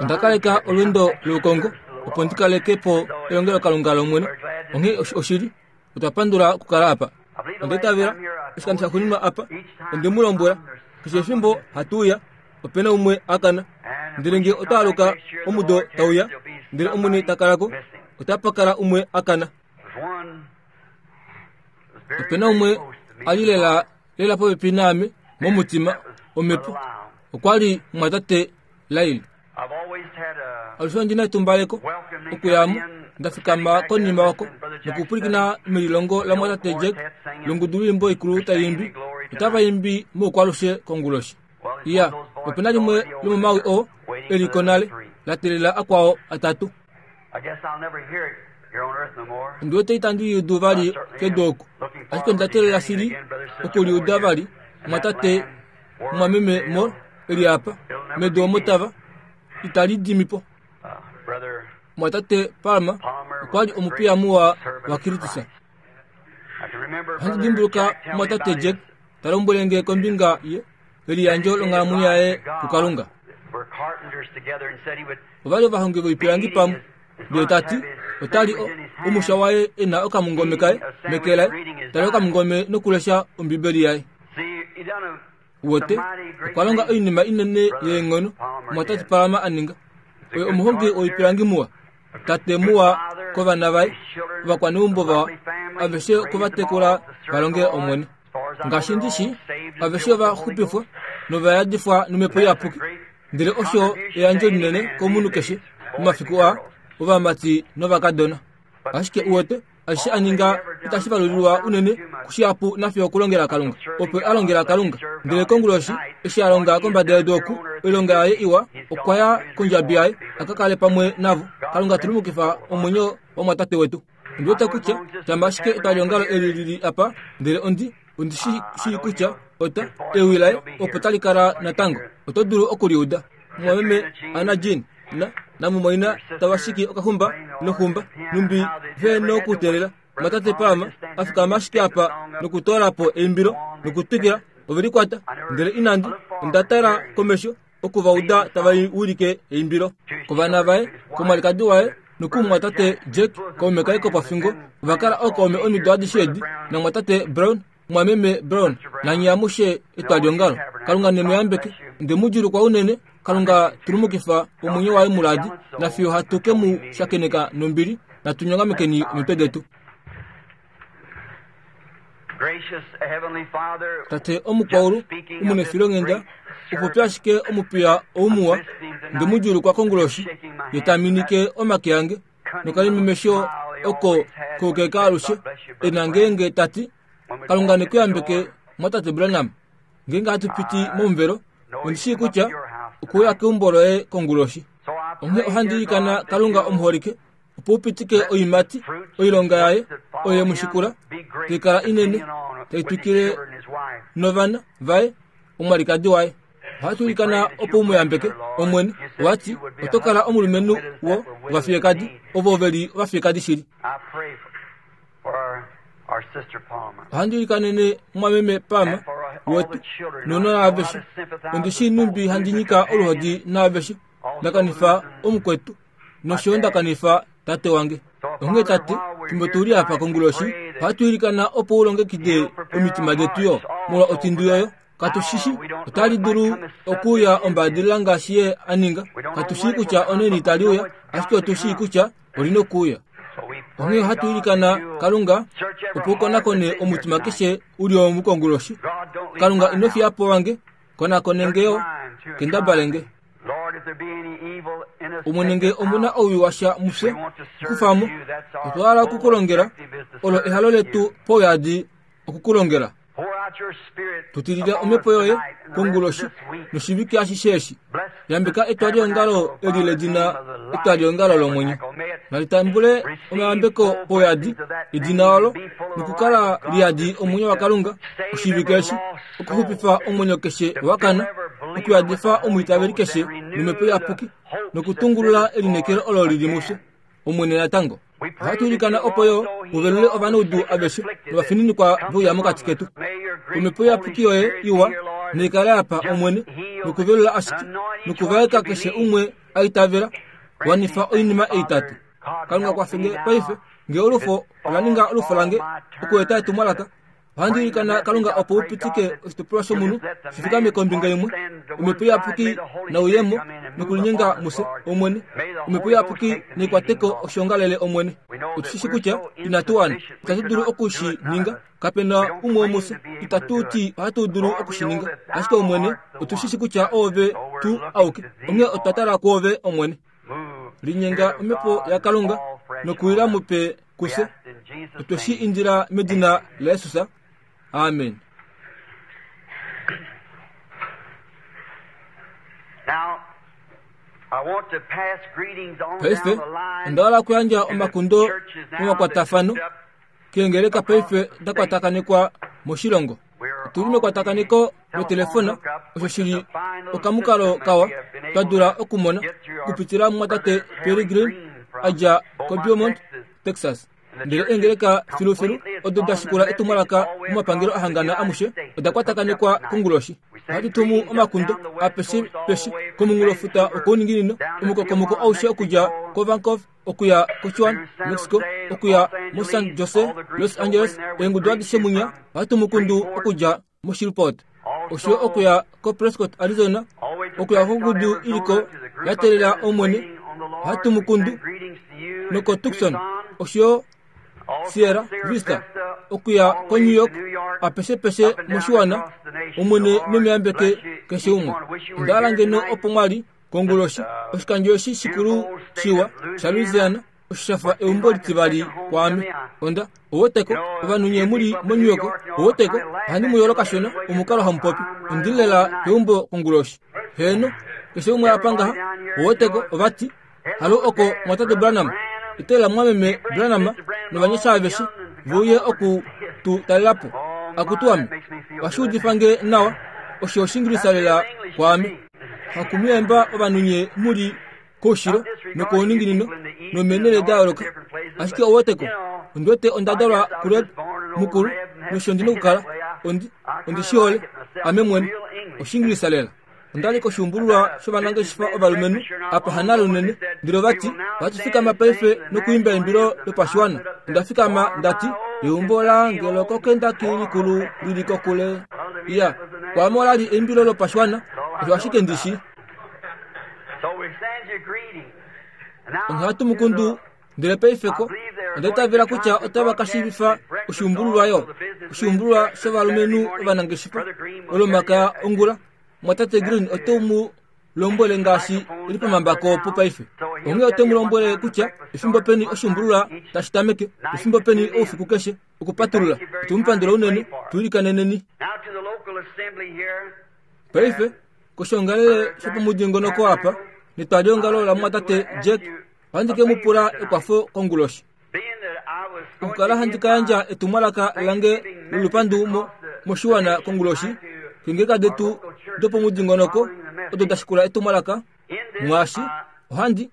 Onda kaleka olweendo loukongo opo ndi kaleke po elongelokalunga lOmwene. Onghee oshili, otwa pandula okukala apa. Onda itavela oshikando shaxuuninwa apa, onde mu lombwela, keshe efimbo hatu uya, ope na umwe a kana. Ndele nge ota aluka omudo tau ya, ndele Omwene ta kala ko, otapa kala umwe a kana. Ope na umwe a li lela lela popepi naame momutima, omhepo. Okwa li mumwatate Lyle. Alushe ondi na etumbaleko okuya mo, nda fikama konima oko nokupwilikina melilongo lamumwatate Jack longudu lwoimbo ikulu tai imbi. Otava imbi moukwalushe konguloshi. Iya, ope na limwe lomomawi oo e li ko nale, la teelela akwao atatu. Ondi wete itandi li udu vali kedu oku, ashike onda teelela shili oku li uda vali, mumwatate mumwameme Moore e li apa, medu omo tava, itali dimi po. Mumwatate Palmer okwa li omupiya muwa waKristus. Ohandi dimbuluka mumwatate Jack ta lombwele nge kombinga ye yeliyandjo longhalamwenyo yaye kuKalunga. Ova li ovahongi voipilangi pamwe, ndele ta ti ota li omusha waye e na okamungome kaye meke laye, ta li okamungome nokulesha Ombibeli yaye. Uwete, okwa longa oinima inene yeenghono, Mumwatate Palmer a ninga. Oye omuhongi woipilangi muwa. Tate muwa kovana vaye, ovakwaneumbo vawa, aveshe okwe va tekula va longe Omwene. Ngaashi ndi shi, aveshe ova xupifwa nova yadifwa nomhepo iyapuki. Ndele osho eyandjo linene komunhu keshe momafiku aa, ovamati novakadona. Ashike uwete, ashishe a ninga itashi valulilwa unene kushihapu nafye okulongela Kalunga. Opo a longela Kalunga. Ndele konguloshi, eshi a longa kombada yedu oku, oilonga yaye iwa, okwa ya kondjabi yaye, a ka kale pamwe navo. Kalunga tulumukifa omwenyo wamwatate wetu. Ondi wete kutya shama ashike etwaliongalo eli li li apa, ndele ondi, ondi shi shii kutya ota, ewi laye opo tali kala natango. Oto dulu oku li uda. Mumwameme Anna Jean na namumwaina tava shiki okaxumba noxumba, nhumbi ve nokuteelela Mwatate Palmer a fikama ashike apa nokutoola po eimbilo nokutwikila, ove likwata. Ndele inandi, onda tala komesho oku va uda tava wilike eimbilo. Kovana vaye, komwalikadi waye nokumumwatate Jack, kaume kaye kopofingo, ova kala ookaume omido adishe edi, namumwatate Brown, Mumwameme Brown, nanye amushe etwaliongalo, Kalunga ne mu yambeke. Onde mu djuulukwa unene. Kalunga tulumukifa omwenyo waye muladi, nafiyo hatu ke mu shakeneka nombili. Natu nyongamekeni omitwe detu. Tate omukwaulu, omunefilonghenda, upopi ashike omupiya ou muwa, nde mu djuulukwa konguloshi, ye ta minike omake ange nokalimemesho oko koukeka alushe e na ngeenge ta ti, Kalunga ne ku yambeke, mwatate Branham. Ngeenge hatu piti momuvelo, ondi shii kutya okuuya keumbo loye konguloshi. Onghee ohandi ilikana Kalunga omuholike, opo u pitike oiimati, oilonga yaye oyo ye mu shikula, tai kala inene, tai twikile novana vaye, omwalikadi waye. Ohatu ilikana opo u mu yambeke, Omwene. Owa ti, oto kala omulumenhu wo ovafiyekadi, ovo ve li ovafiyekadi shili. Ohandi ilikanene mumwameme Palmer wetu nounona aveshe. Ondi shii nhumbi handi nyika oluhodi naaveshe. Nda kanifa omukwetu nosho yo nda kanifa tate wange. Onghee tate, fimbo tu li apa konguloshi, ohatu ilikana opo u longekide omitima detu yo molwa otindu yoyo. Katu shi shi, otali dulu okuuya ombaadilila ngaashi ye a ninga. Katu shii kutya onaini tali uya, ashike otu shii kutya oli nokuuya. Onghee ohatu ilikana Kalunga opo u konakone omutima keshe u li omu konguloshi. Kalunga ino fiya po wange, konakone nge yo, kendabale nge. Omwene nge omu na owii washa mufye, kufa mo. Otwa hala oku ku longela, olo ehalo letu pauyadi oku ku longela. Tu tilila omhepo yoye konguloshi noshivike ashishe eshi. Yambeka etwaliongalo eli ledina Etwaliongalo lOmwenyo. Nali tambule omayambeko pauyadi edina olo nokukala liyadi omwenyo waKalunga oshivike eshi, okuxupifa omwenyo keshe wa kana, okuyadifa omwiitaveli keshe nomhepo iyapuki nokutungulula elineekelo olo li li mufye. Omwene natango. Ohatu ilikana opo yo u velule ovanaudu aveshe novafininikwa ve uya mokati ketu. Omhepo iyapuki yoye iwa Naikale apa, Omwene, nokuvelula ashike, nokuvaeka keshe umwe a itavela. Wanifa oinima ei, Tate. Kalunga kwafe nge paife, nge olufo ola ninga olufo lange okueta etumwalaka. Ohandi ilikana Kalunga opo u pitike oshitopolwa shomunhu shi fikame kombinga imwe, Omhepo Iyapuki nauyemo nokulinyenga mufye, Omwene. Omhepo Iyapuki naikwateko oshiongalele, Omwene. Otu shi shi kutya inatu wana, itatu dulu oku shi ninga. Kape na umwe womufye itatu ti ohatu dulu oku shi ninga. Ashike Omwene, otu shi shi kutya Oove tu auke, onghee otwa tala kwoove, Omwene. Linyenga Omhepo yaKalunga nokuwila mupe kufye. Otwe shi indila medina laJesus. Amen. Paife onda hala okuyandja omakundo momakwatafano keengeleka paife da kwatakanekwa moshilongo. Otu li mekwatakaneko lotelefona, osho shi li okamukalo kawa twa dula okumona okupitila mumwatate Pearry Green a dja koBeaumont, Texas. Ndele eengeleka filufilu odo da shikula etumwalaka momapangelo a hangana amushe oda kwatakanekwa konguloshi. Ohatu tumu omakundo apeshe peshe komunghulofuta wokouninginino, omukokomoko aushe okudja koVancouver okuya koChihuana, Mexico, okuya moSan Jose, Los Angeles, eengudu adishe munya ohatu mu kundu okudja moShreveport, osho okuya koPrescott, Arizona, okuya kongudu i li ko ya teelela Omwene, ohatu mu kundu nokoTucson, osho Sierra Vista, okuya koNew York, apeshepeshe moshiwana, Omwene nemiyambeke keshe umwe. Onda hala ngeno opo mwa li konguloshi, oshikandjo eshi shikulu shiwa shaLouisiana osho sha fa eumbo litivali kwaame. Onda oweteko ovanhu nye mu li moNew York, oweteko ohandi mu yolo kashona omukalo hamu popi. Ondi li lela peumbo konguloshi. Heeno, keshe umwe apa ngaha, oweteko ova ti, Halo oko mwatate Branham, iteela mwameme Branham novanyasha aveshe ve uye oku tu talela po. Akutu ame, ohashi udifa nge nawa, osho Oshingilisa lela kwaame. Hakumuyemba ovanhu nye mu li koushilo nokouninginino nomeenhele da yooloka. Ashike ou weteko, ondi wete onda dalwa kuRed mukulu, nosho ndi nokukala. Ondi, ondi shi hole, ame mwene. Oshingilisa lela. Onda li koshuumbululwa shovanangeshefa ovalumenhu apa hanale unene, ndele ova ti, Ohatu fikama paife nokuimba eimbilo lopashiwana. Onda fikama nda ti, Eumbo lange lokoKentucky likulu li li kokule. Iya, kwaame ola li eimbilo lopashiwana, osho ashike ndi shii. Onghee ohatu mu kundu Ndele paife ko, onda itavela kutya otava ka shiivifa oshuumbululwa yo, oshuumbululwa shovalumenhu ovanangeshefa, Olomakaya ongula. Mwatate Green ote mu lombwele ngaashi e li pomambako opo paife. Onghee ote mu lombwele kutya efimbo peni oshuumbululwa tashi tameke, efimbo peni oufiku keshe, okupatulula. Otu mu pandula unene, tu ilikaneneni. Paife, koshoongalele shopomudingonoko apa, netwaliongalo lamumwatate Jack Ohandi ke mu pula ekwafo konguloshi. Okukala handi ka yandja etumwalaka lange lolupandu mo, moshiwana konguloshi, keengeleka detu dopomudingonoko odo da shikula etumwalaka, mwaashi ohandi,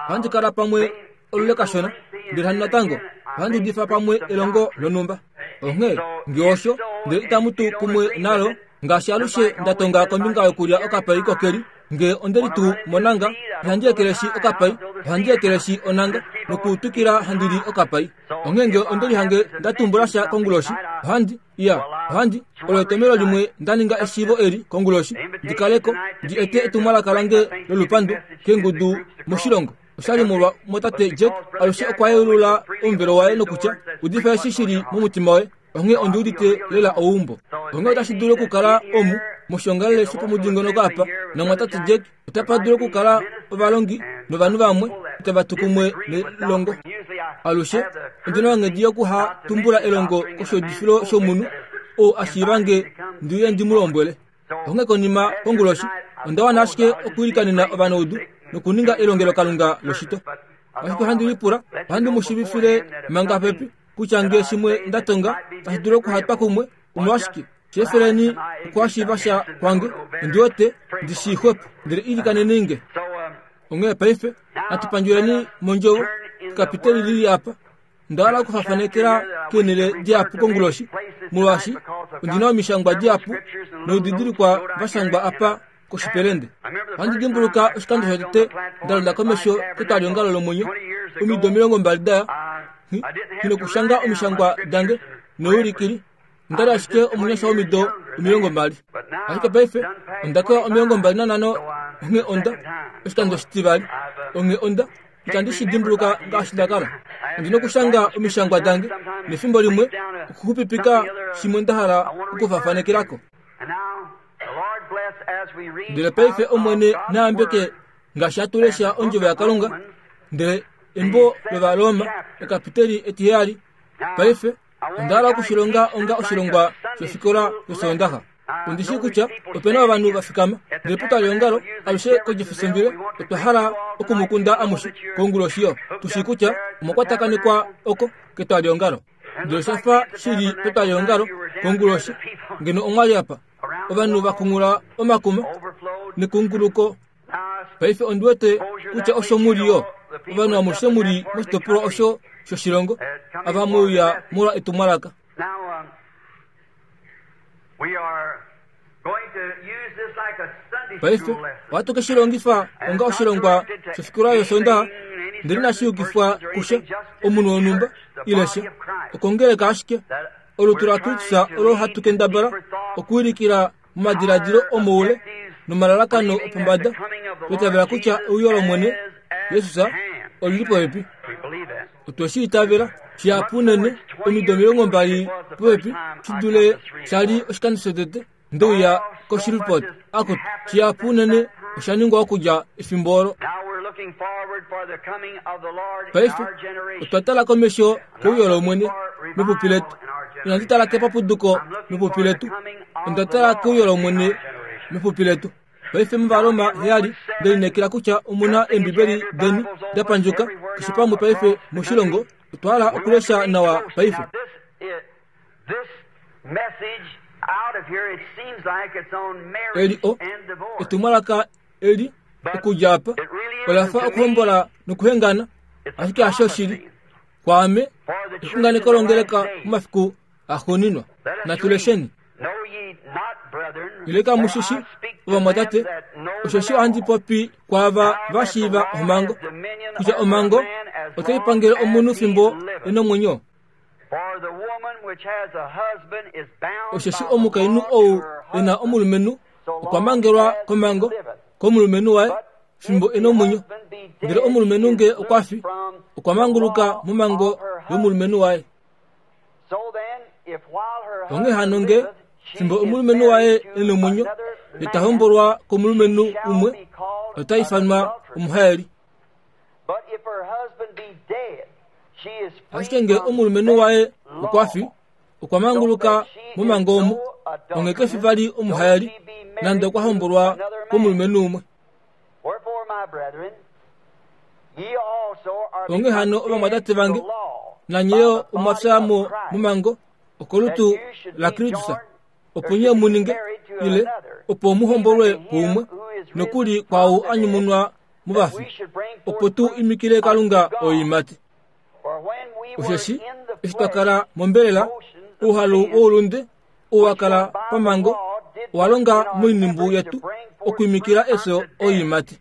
ohandi kala pamwe olule kashona, ndele handi natango ohandi udifa pamwe elongo lonhumba. Onghee, nge osho, ndele itamu tu kumwe nalo, ngaashi alushe nda tonga kombinga yokulya okapai kokeli, Nge onde li tuu monanga, ihandi ekeleshi okapai, ohandi ekeleshi onanga, nokuutukila handi li okapai. Onghee nge onde lihange nda tumbula sha konguloshi, ohandi, iya, ohandi, olo etomelo limwe nda ninga eshiivo eli konguloshi, ndi kale ko, ndi ete etumwalaka lange lolupandu keengudu moshilongo. Osha li molwa mwatate Jack alushe okwa yeulula omuvelo waye nokutya, Udifa eshi shi li momutima woye. Onghee ondi udite lela ouumbo. Onghee otashi dulu okukala omu moshiongalele shopomudingonoko apa, namwatate Jack, otapa dulu okukala ovalongi novanhu vamwe itava tu kumwe nelongo. Alushe ondi na onghedi yokuha tumbula elongo koshiudifilo shomunhu ou a shiiva nge ndi uye ndi mu lombwele. Onghee konima konguloshi onda wana ashike okwiilikanena ovanaudu nokuninga elongelokalunga loshito. Ashike ohandi lipula, ohandi mu shiivifile manga pepi kutya nge shimwe nda tonga tashi dulu okuhatwa kumwe, omolwashike sheefeleni okuhashiiva sha kwange, ondi wete ndi shii xwepo, ndele ilikaneni nge. Onghee paife natu pandjuleni mondjovo, ekapiteli li li apa. Onda hala okufafanekela keenhele dihapu konguloshi, molwaashi ondi na omishangwa dihapu noudidilikwa va shangwa apa koshipelende. Ohandi dimbuluka oshikando shotete nda londa komesho ketwaliongalo lomwenyo, omido 20 da ya, nghi nokushanga omishangwa dange noulikili. Onda li ashike omunyasha womido 20. Ashike paife onda kewa 25 onghee onda, oshikando oshitivali, onghee onda, itandi shi dimbuluka ngaashi nda kala. Ondi nokushanga omishangwa dange, nefimbo limwe okuxupipika shimwe nda hala okufafanekela ko. Ndele paife Omwene na yambeke ngaashi hatu lesha Ondjovo yaKalunga, ndele embo lOvaroma, ekapiteli etiheyali. Paife Onda hala oku shi longa onga oshilongwa shofikola yOsoondaxa. Ondi shii kutya ope na ovanhu va fikama. Ndele putwaliongalo, alushe koJeffersonville, otwa hala oku mu kunda amushe konguloshi yo. Tu shii kutya omwa kwatakanekwa oko ketwaliongalo. Ndele osha fa shi li petwaliongalo konguloshi, ngeno omwa li apa. Ovanhu va kunghula omakuma nekunguluko. Paife ondi wete kutya osho mu li yo. Ovanhu amushe mu li moshitopolwa osho shoshilongo, ava mwe uya molwa etumwalaka. Paife ohatu ke shi longifa onga oshilongwa shofikola yOsoondaxa, ndele inashi yukifwa kusha omunhu wonhumba ile sha, okongeleka ashike olutu laKristus olo hatu kendabala okuwilikila momadiladilo omoule nomalalakano opombada, twa itavela kutya euyo lOmwene Jesus oli li popepi. Otwe shi itavela shihapu unene omido 20 popepi shi dule sha li oshikando shotete nde uya koShreveport. Akutu, shihapu unene osha ningwa okudja efimbo olo. Paife otwa tala komesho keuyo lOmwene mepupi letu. Inandi tala kepapuduko mepupi letu. Onda tala keuyo lOmwene mepupi letu. Paife mOvaroma 7, nde lineekela kutya omu na Eembibeli deni da pandjuka keshe pamwe paife moshilongo. Otwa hala okulesha nawa paife. Eli o, etumwalaka eli okudja apa ola fa okuhombola nokuhengana, ashike hasho shili. Kwaame, exunganeko longeleka momafiku axuuninwa. Natu lesheni. Ile kamu shi shi, ovamwatate, osheshi ohandi popi kwaava va shiiva omhango, kutya omhango otai pangele omunhu fimbo e nomwenyo. Osheshi omukainhu ou e na omulumenhu okwa mangelwa komhango komulumenhu waye fimbo e nomwenyo, ndele omulumenhu nge okwa fi, okwa manguluka momhango yomulumenhu waye. Onghee hano nge fimbo omulumenhu waye e nomwenyo, ye ta hombolwa komulumenhu umwe, ota ifanwa omuhaeli. Ashike nge omulumenhu waye okwa fi, okwa manguluka momhango omo, onghee ke fi vali omuhaeli, nande okwa hombolwa komulumenhu umwe. Onghee hano ovamwatate vange, nanye yo omwa fya mo momhango okolutu laKristus, opo nye mu ninge, ile opo mu hombolwe kuumwe, nokuli kwaau a nyumunwa movafi, opo tu imikile Kalunga oiimati. Osheshi eshi twa kala mombelela, ouhalu woulunde ou wa kala pamhango owa longa moinhimbu yetu okwiimikila efyo oiimati.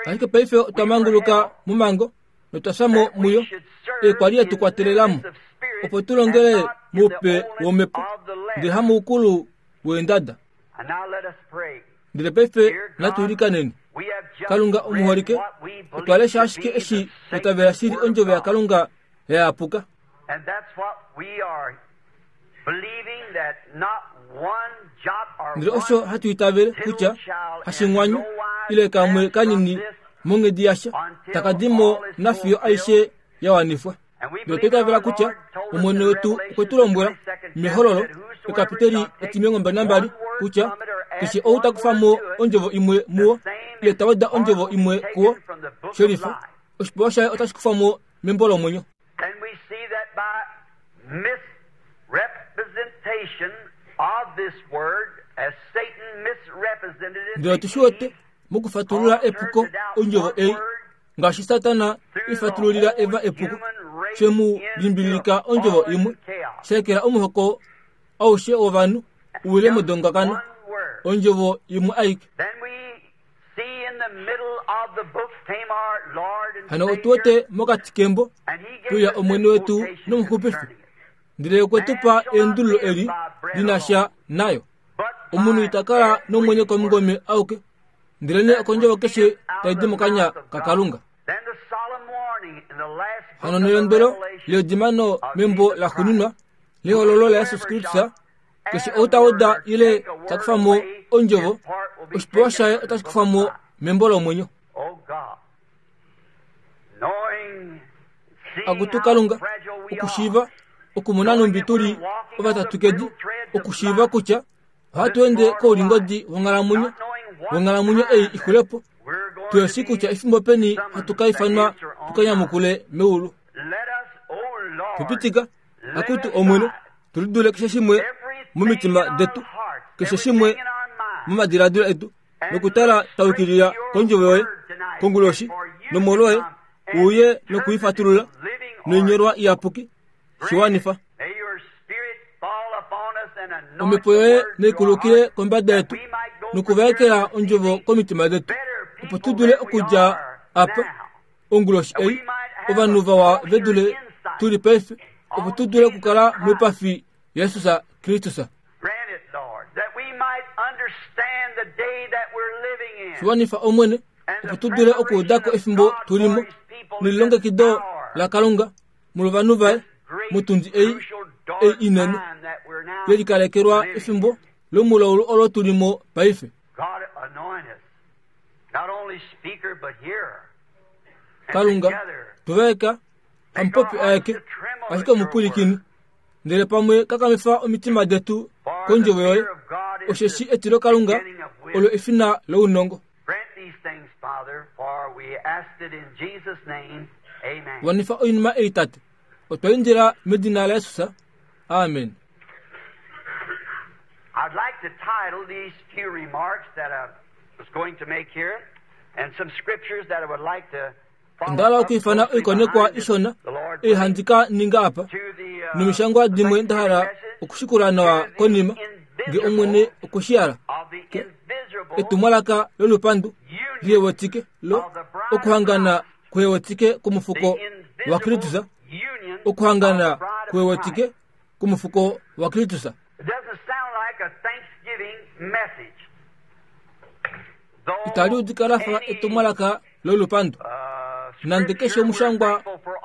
Ashike paife otwa manguluka momhango notwa fya mo muyo, ei kwa li ye tu kwatelela mo, opo tu longele moupe womhepo, ndele hamoukulu weendada. Ndele paife natu ilikaneni. Kalunga omuholike, otwa lesha ashike eshi twa tavela shili ondjovo yaKalunga ya yapuka. Ndele osho hatu itavele kutya hashingwanyu ile kamwe kanini monghedi yasha taka di mo nafiyo aishe ya wanifwa. Ndele otwa itavela kutya Omwene wetu okwe tu lombwela mEhololo, ekapiteli etimilongo nambali, kutya keshe ou ta kufa mo ondjovo imwe muwo, ile ta weda ondjovo imwe kuwo, shelifa, oshipewa shaye otashi kufwa mo membo lomwenyo. Ndele otu shi wete. Mokufatulula epuko ondjovo ei, ngaashi Satana e fatululila Eva epuko, she mu limbililika ondjovo imwe, sha ekela omuhoko aushe wovanhu u wile modongakano, ondjovo imwe aike. Hano otu wete mokati kembo kuya Omwene wetu nOmuxupifi, ndele okwe tu pa eendululo eli li na sha nayo. Omunhu ita kala nomwenyo komungome auke, ndelenee okondjovo keshe tai di mokanya kaKalunga. Hano nelondwelo ledimano membo laxuuninwa lehololo laJesus Kristus, keshe ou ta weda ile ta kufa mo ondjovo, oshipewa shaye otashi kufwa mo membo lomwenyo. Akutu Kalunga, okushiiva okumona nhumbi tu li ovatatukedi, okushiiva kutya ohatu ende koulingodi wonghalamwenyo, wonghalamwenyo ei i xule po, tu shi kutya efimbo peni hatu ka ifanwa tu ka nyamukule meulu. Tu pitika, akutu Omwene, tu lidule keshe shimwe momitima detu, keshe shimwe momadiladilo etu, nokutala twa yukilila kondjovo yoye konguloshi nomolwoye uye nokuifatulula noinyolwa iyapuki shi wanifa omhepo yoye naikulukile kombada yetu nokuvaekela ondjovo komitima detu opo tu dule okudja apa onguloshi ei ovanhu vawa ve dule tu li paife opo tu dule okukala moipafi Jesus Kristus. Shiwanifa Omwene, opo tu dule okuuda ko efimbo tu li mo nelilongekido laKalunga molwovanhu vaye motundi ei ei inene ye likalekelwa efimbo lomulaulu olo tu li mo paife. Kalunga, tu vaeka hamupopi aeke, ashike omupwilikini. Ndele pamwe kakamifa omitima detu kondjovo yoye, osheshi etilokalunga olo efina lounongo. Wanifa oinima ei, Tate. Otwa indila medina laJesus. Amen. I'd like to title these few remarks that I was going to make here and some scriptures that I would like to Onda hala okwiifana oikonekwa ishona ei handi ka ninga apa, nomishangwa dimwe nda hala okushikula nawa konima, nge Omwene okwe shi hala. Ke, etumwalaka lolupandu lihewetike lo okuhangana kuhewetike kwomufuko waKristus, okuhangana kuhewetike kwomufuko waKristus. Itali udika la fa etumwalaka lolupandu. Nande keshe omushangwa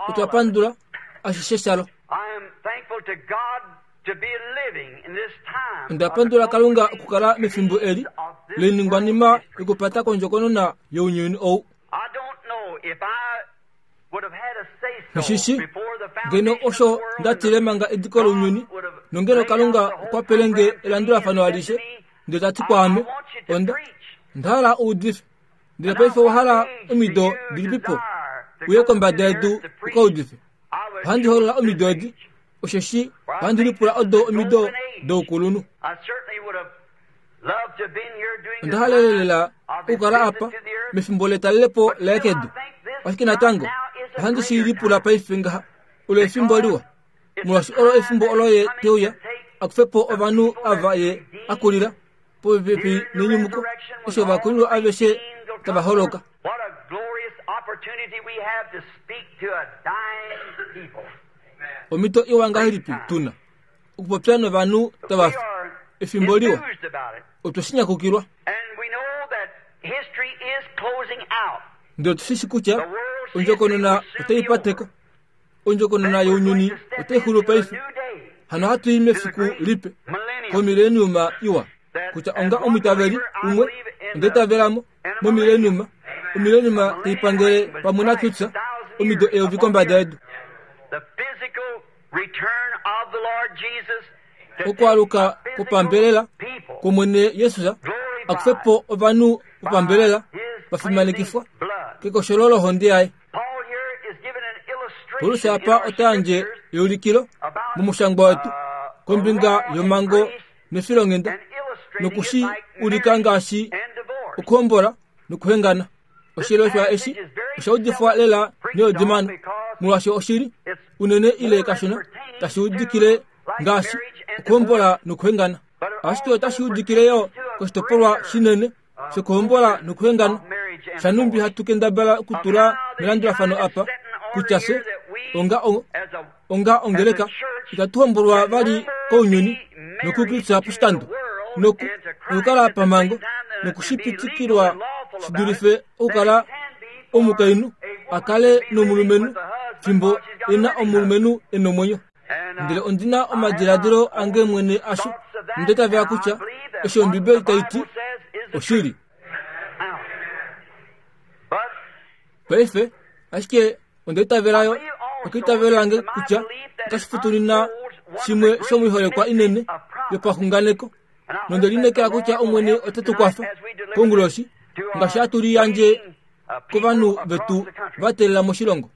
otwa pandula ashishe shalo. Onda pandula Kalunga okukala mefimbo eli loiningwanima yokupata kondjokonona younyuni ou. Nghishishi ngeno osho nda tile manga ediko lounyuni, nongeno Kalunga okwa pele nge elandulafano alishe, ndele ta ti kwaame, Onda, onda hala u udife. Ndele paife owa hala omido dilipipo uye kombada yedu u ka udife? Ohandi holola omido edi, osheshi ohandi lipula odo omido doukulunhu. Onda halelela okukala apa mefimbo letalelepo laye kedu. Ashike natango, ohandi shi lipula paife ngaha, olo efimbo liwa, molwaashi olo efimbo olo ye te uya a kufe po ovanhu ava ye a kulila popepi nenyumuko, eshi ovakulilwa aveshe tava holoka. Omhito iwa ngahelipi tu na okupopya novanhu tava fi efimbo liwa! Otwe shi nyakukilwa. Ndele otu shi shi kutya ondjokonona otai pateko. Ondjokonona younyuni otai xulu paife. Hano ohatu i mefiku lipe, komileniuma iwa, kutya onga omwiitaveli umwe, onda itavela mo, momileniuma, omileniuma tai pangele pamwe naKristus omido eyovi kombada yedu. Okwaaluka kwopambelela kwOmwene Jesus a kufe po ovanhu vopambelela va fimanekifwa kekosholo lohonde yaye. Paulus apa ota yandje eulikilo momushangwa wetu kombinga yomhango nefilonghenda noku shi ulika ngaashi okuhombola. nokuhengana. Oshileshwa eshi osha udifwa lela neodimano, molwaashi oshili unene ile kashona tashi udikile ngaashi okuhombola nokuhengana. Ashike otashi udikile yo koshitopolwa shinene shokuhombola nokuhengana shanumbi hatu kendabala okutula melandulafano apa kutya fye onga onga ongeleka itatu hombolwa vali kounyuni nokukritsa poshikando noku nokukala pamhango nokushipitikilwa shi dulife okukala omukainhu a kale nomulumenhu fimbo e na omulumenhu e nomwenyo. Ndele ondi na omadiladilo ange mwene asho, nonda itavela kutya osho Ombibeli tai ti oshili. Paife, ashike onda itavela yo okeitavelo lange kutya otashi futunina shimwe shomoiholekwa inene yopaxunganeko nonde lineekela kutya Omwene ote tu kwafa konguloshi ngaashi hatu liyandje kovanhu vetu va teelela moshilongo.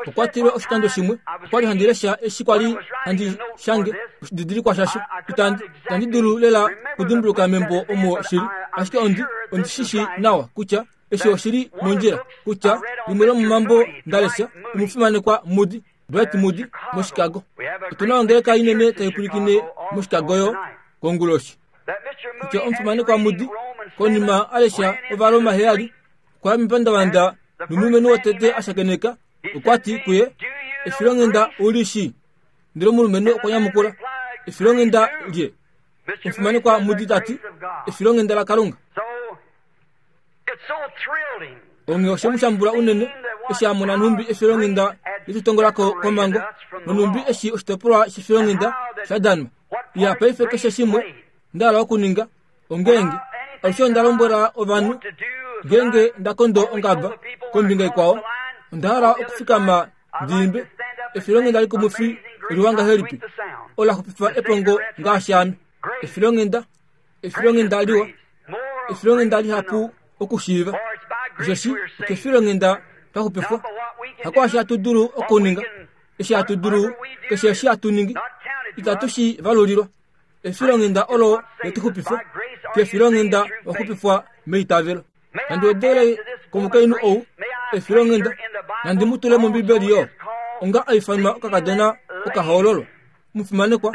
Okwa tilwe oshikando shimwe okwa li handi lesha eshi kwa li handi shange oshididilikwa shasho. Itandi, itandi dulu lela okudimbuluka membo omo shi li, ashike ondi, ondi shi shii nawa kutya eshi oshi li mondjila, kutya limwe lomomambo nda lesha, omufimanekwa Moody, Dwight Moody, moChicago. Otu na ongeleka inene tai pwilikine moChicago yo konguloshi. Kutya omufimanekwa Moody, konima a lesha Ovaroma heyali, okwa ya mepandavanda nomulumenhu wotete a shakeneka okwa ti kuye, Efilonghenda u li shii? Ndele omulumenhu okwa nyamukula, Efilonghenda lye? Omufimanekwa Moody ta ti, Efilonghenda laKalunga. Onghee oshe mu shambula unene eshi a mona nhumbi efilonghenda letutongola ko komhango nonhumbi eshi oshitopolwa shefilonghenda sha danwa. Ya paife keshe shimwe nda hala okuninga ongeenge alushe onda lombwela ovanhu ngeenge nda kondo ongaba kombinga ikwao onda hala okufikama ndi imbe efilonghenda likumwifi oliwa ngahelipi ola xupifa epongo ngaashi ame. Efilonghenda efilonghenda liwa, efilonghenda lihapu okushiiva, osheshi okefilonghenda twa xupifwa. Hakwaashi hatu dulu okuninga, eshi hatu dulu, keshe eshi hatu ningi, itatu shi valulilwa. Efilonghenda olo le tu xupifa, kefilonghenda wa xupifwa meitavelo. Nandi wedele komukainhu ou efilonghenda, nandi mu tule mOmbibeli yo, onga a ifanwa okakadona okahoololwa. Omufimanekwa,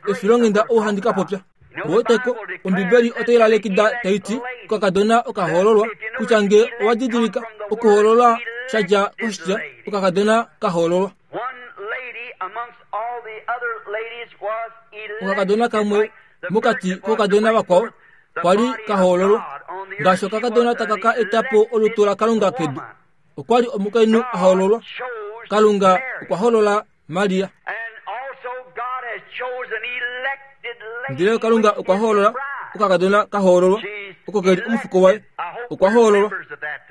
efilonghenda ou handi ka popya. Oweteko, Ombibeli otai lalekida tai ti, Okakadona oka hoololwa, kutya nge owa didilika, okuhoololwa sha dja koshitya okakadona ka hoololwa. Okakadona kamwe mokati koukadona vakwao kwa li ka hoololwa, ngaashi okakadona taka ka eta po olutu laKalunga kedu. Okwa li omukainhu a hoololwa. Kalunga okwa hoolola Maria. Ndele Kalunga okwa hoolola okakadona ka hoololwa oko ke li omufuko waye. Okwa hoololwa.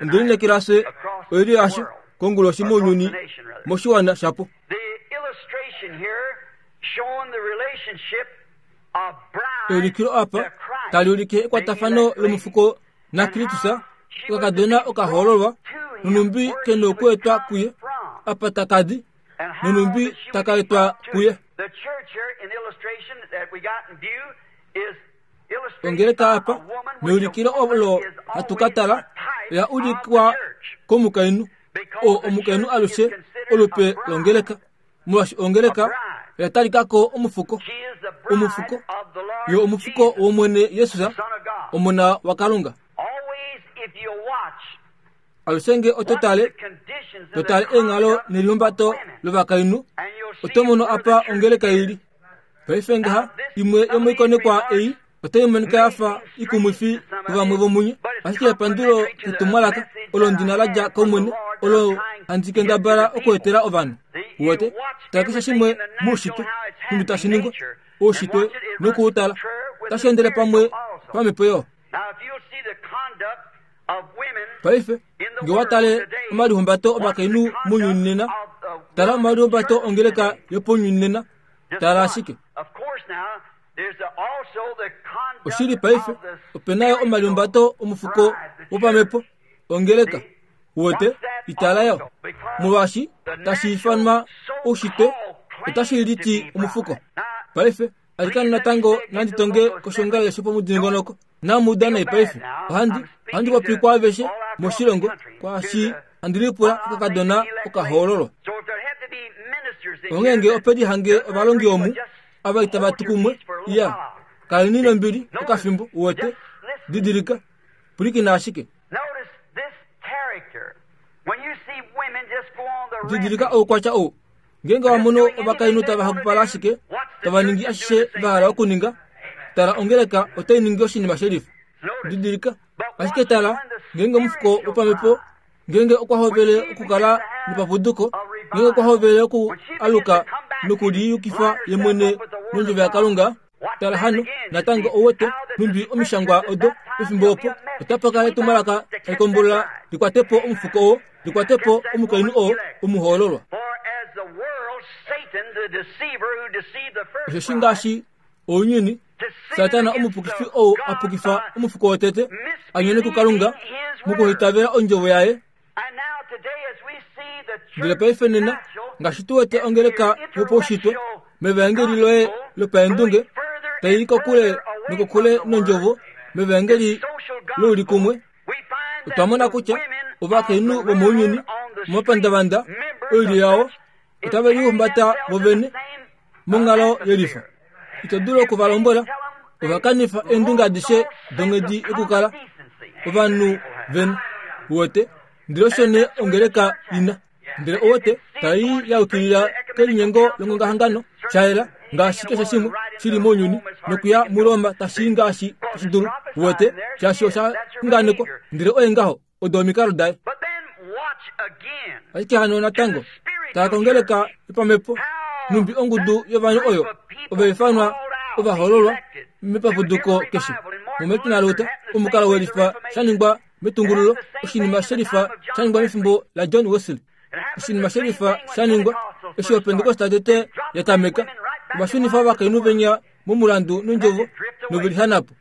Onde lineekela fye oilyo yasho konguloshi mounyuni moshiwana shapo. Eulikilo apa tali ulike ekwatafano lomufuko naKristus, okakadona oka hoololwa, nonhumbi ke nokuetwa kuye apa taka di. nonhumbi taka etwa kuye. Ongeleka apa meulikilo olo hatu ka tala oya ulikwa komukainhu oo omukainhu alushe olupe longeleka molwaashi ongeleka oya talika ko omufuko omufuko yo omufuko wOmwene Jesus omona waKalunga. Alushe nge oto tale, to tale eenghalo nelihumbato lovakainhu, oto mono apa ongeleka i li. Paife ngaha, imwe yomoikonekwa ei otai monika ya fa ikumwifi kuvamwe vomunye, ashike epandulo ketumwalaka olo ndi na la dja kOmwene, olo handi kendabala okuetela ovanhu. Uwete? Tala keshe shimwe moushitwe, nhumbi tashi ningwa, oushitwe noku u tala, otashi endele pamwe pamhepo yo. Paife, nge wa tale omalihumbato ovakainhu mounyuni nena, tala omalihumbato ongeleka yopounyuni nena, tala ashike. Oshili paife, ope na yo omalihumbato omufuko wopamhepo, ongeleka. Uwete, itala yo. Molwaashi tashi ifanwa oushitwe, otashi liti omufuko. Paife, Alikana natango nandi tonge koshongalele shopomudingonoko. Namu uda nai paife. Ohandi, ohandi popi kwaaveshe. moshilongo kwaashi handi lipula okakadona okahoololwa. Onghee ope lihange ovalongi omu ava itava tu kumwe, iya, kaleni nombili okafimbo, uwete, didilika, pwilikina ashike. Didilika oukwatya ou. Ngeenge wa mono ovakainhu tava hapupala ashike, tava ningi ashishe va hala okuninga, tala ongeleka otai ningi oshinima shelifa. Didilika, ashike tala, ngeenge omufuko wopamhepo ngeenge okwa hovele okukala nopapuduko, ngeenge okwa hovele oku aluka nokuliyukifa ye mwene nondjovo yaKalunga, Tala hano, natango ou wete, nhumbi omishangwa odo, pefimbo opo, otapa kala etumwalaka tali kombolola li kwate po omufuko oo, li kwate po omukainhu oo omuhoololwa. Osheshi ngaashi ounyuni, Satana omupukifi ou a pukifa omufuko wotete, a nyone kuKalunga mokuhaitavela ondjovo yaye, Ndele paife nena, ngaashi tu wete ongeleka yopaushitwe mevaengeli loye lopaendunge tai i kokule nokokule nondjovo mevaengeli loulikumwe, otwa mona kutya ovakainhu vomounyuni momapandavanda oilyo yao otave lihumbata vovene monghalo yelifa. Ito dulu oku va lombwela ova kanifa eendunge adishe donghedi yokukala ovanhu vena. Uwete? Ndele osho nee ongeleka ina. Ndele uwete, tai ya yukilila kelinyengo longongahangano, sha yela, ngaashi keshe shimwe shi li mounyuni, nokuya muRoma tashi i ngaashi tashi dulu. Uwete, shaashi osha xunganekwa. Ndele oye ngaho. Odo omikalo daye. Ashike hano natango, tala kongeleka yopamhepo, nhumbi ongudu yovanhu oyo ova ifanwa ovahoololwa mepapuduko keshe. MuMartin Luther, omukalo welifa sha ningwa metungululo, oshinima shelifa sha ningwa mefimbo laJohn Wesley. Oshinima shelifa sha ningwa eshi Opentekoste tete ya tameka, ova shunifa ovakainhu venya momulandu nondjovo novelihana po.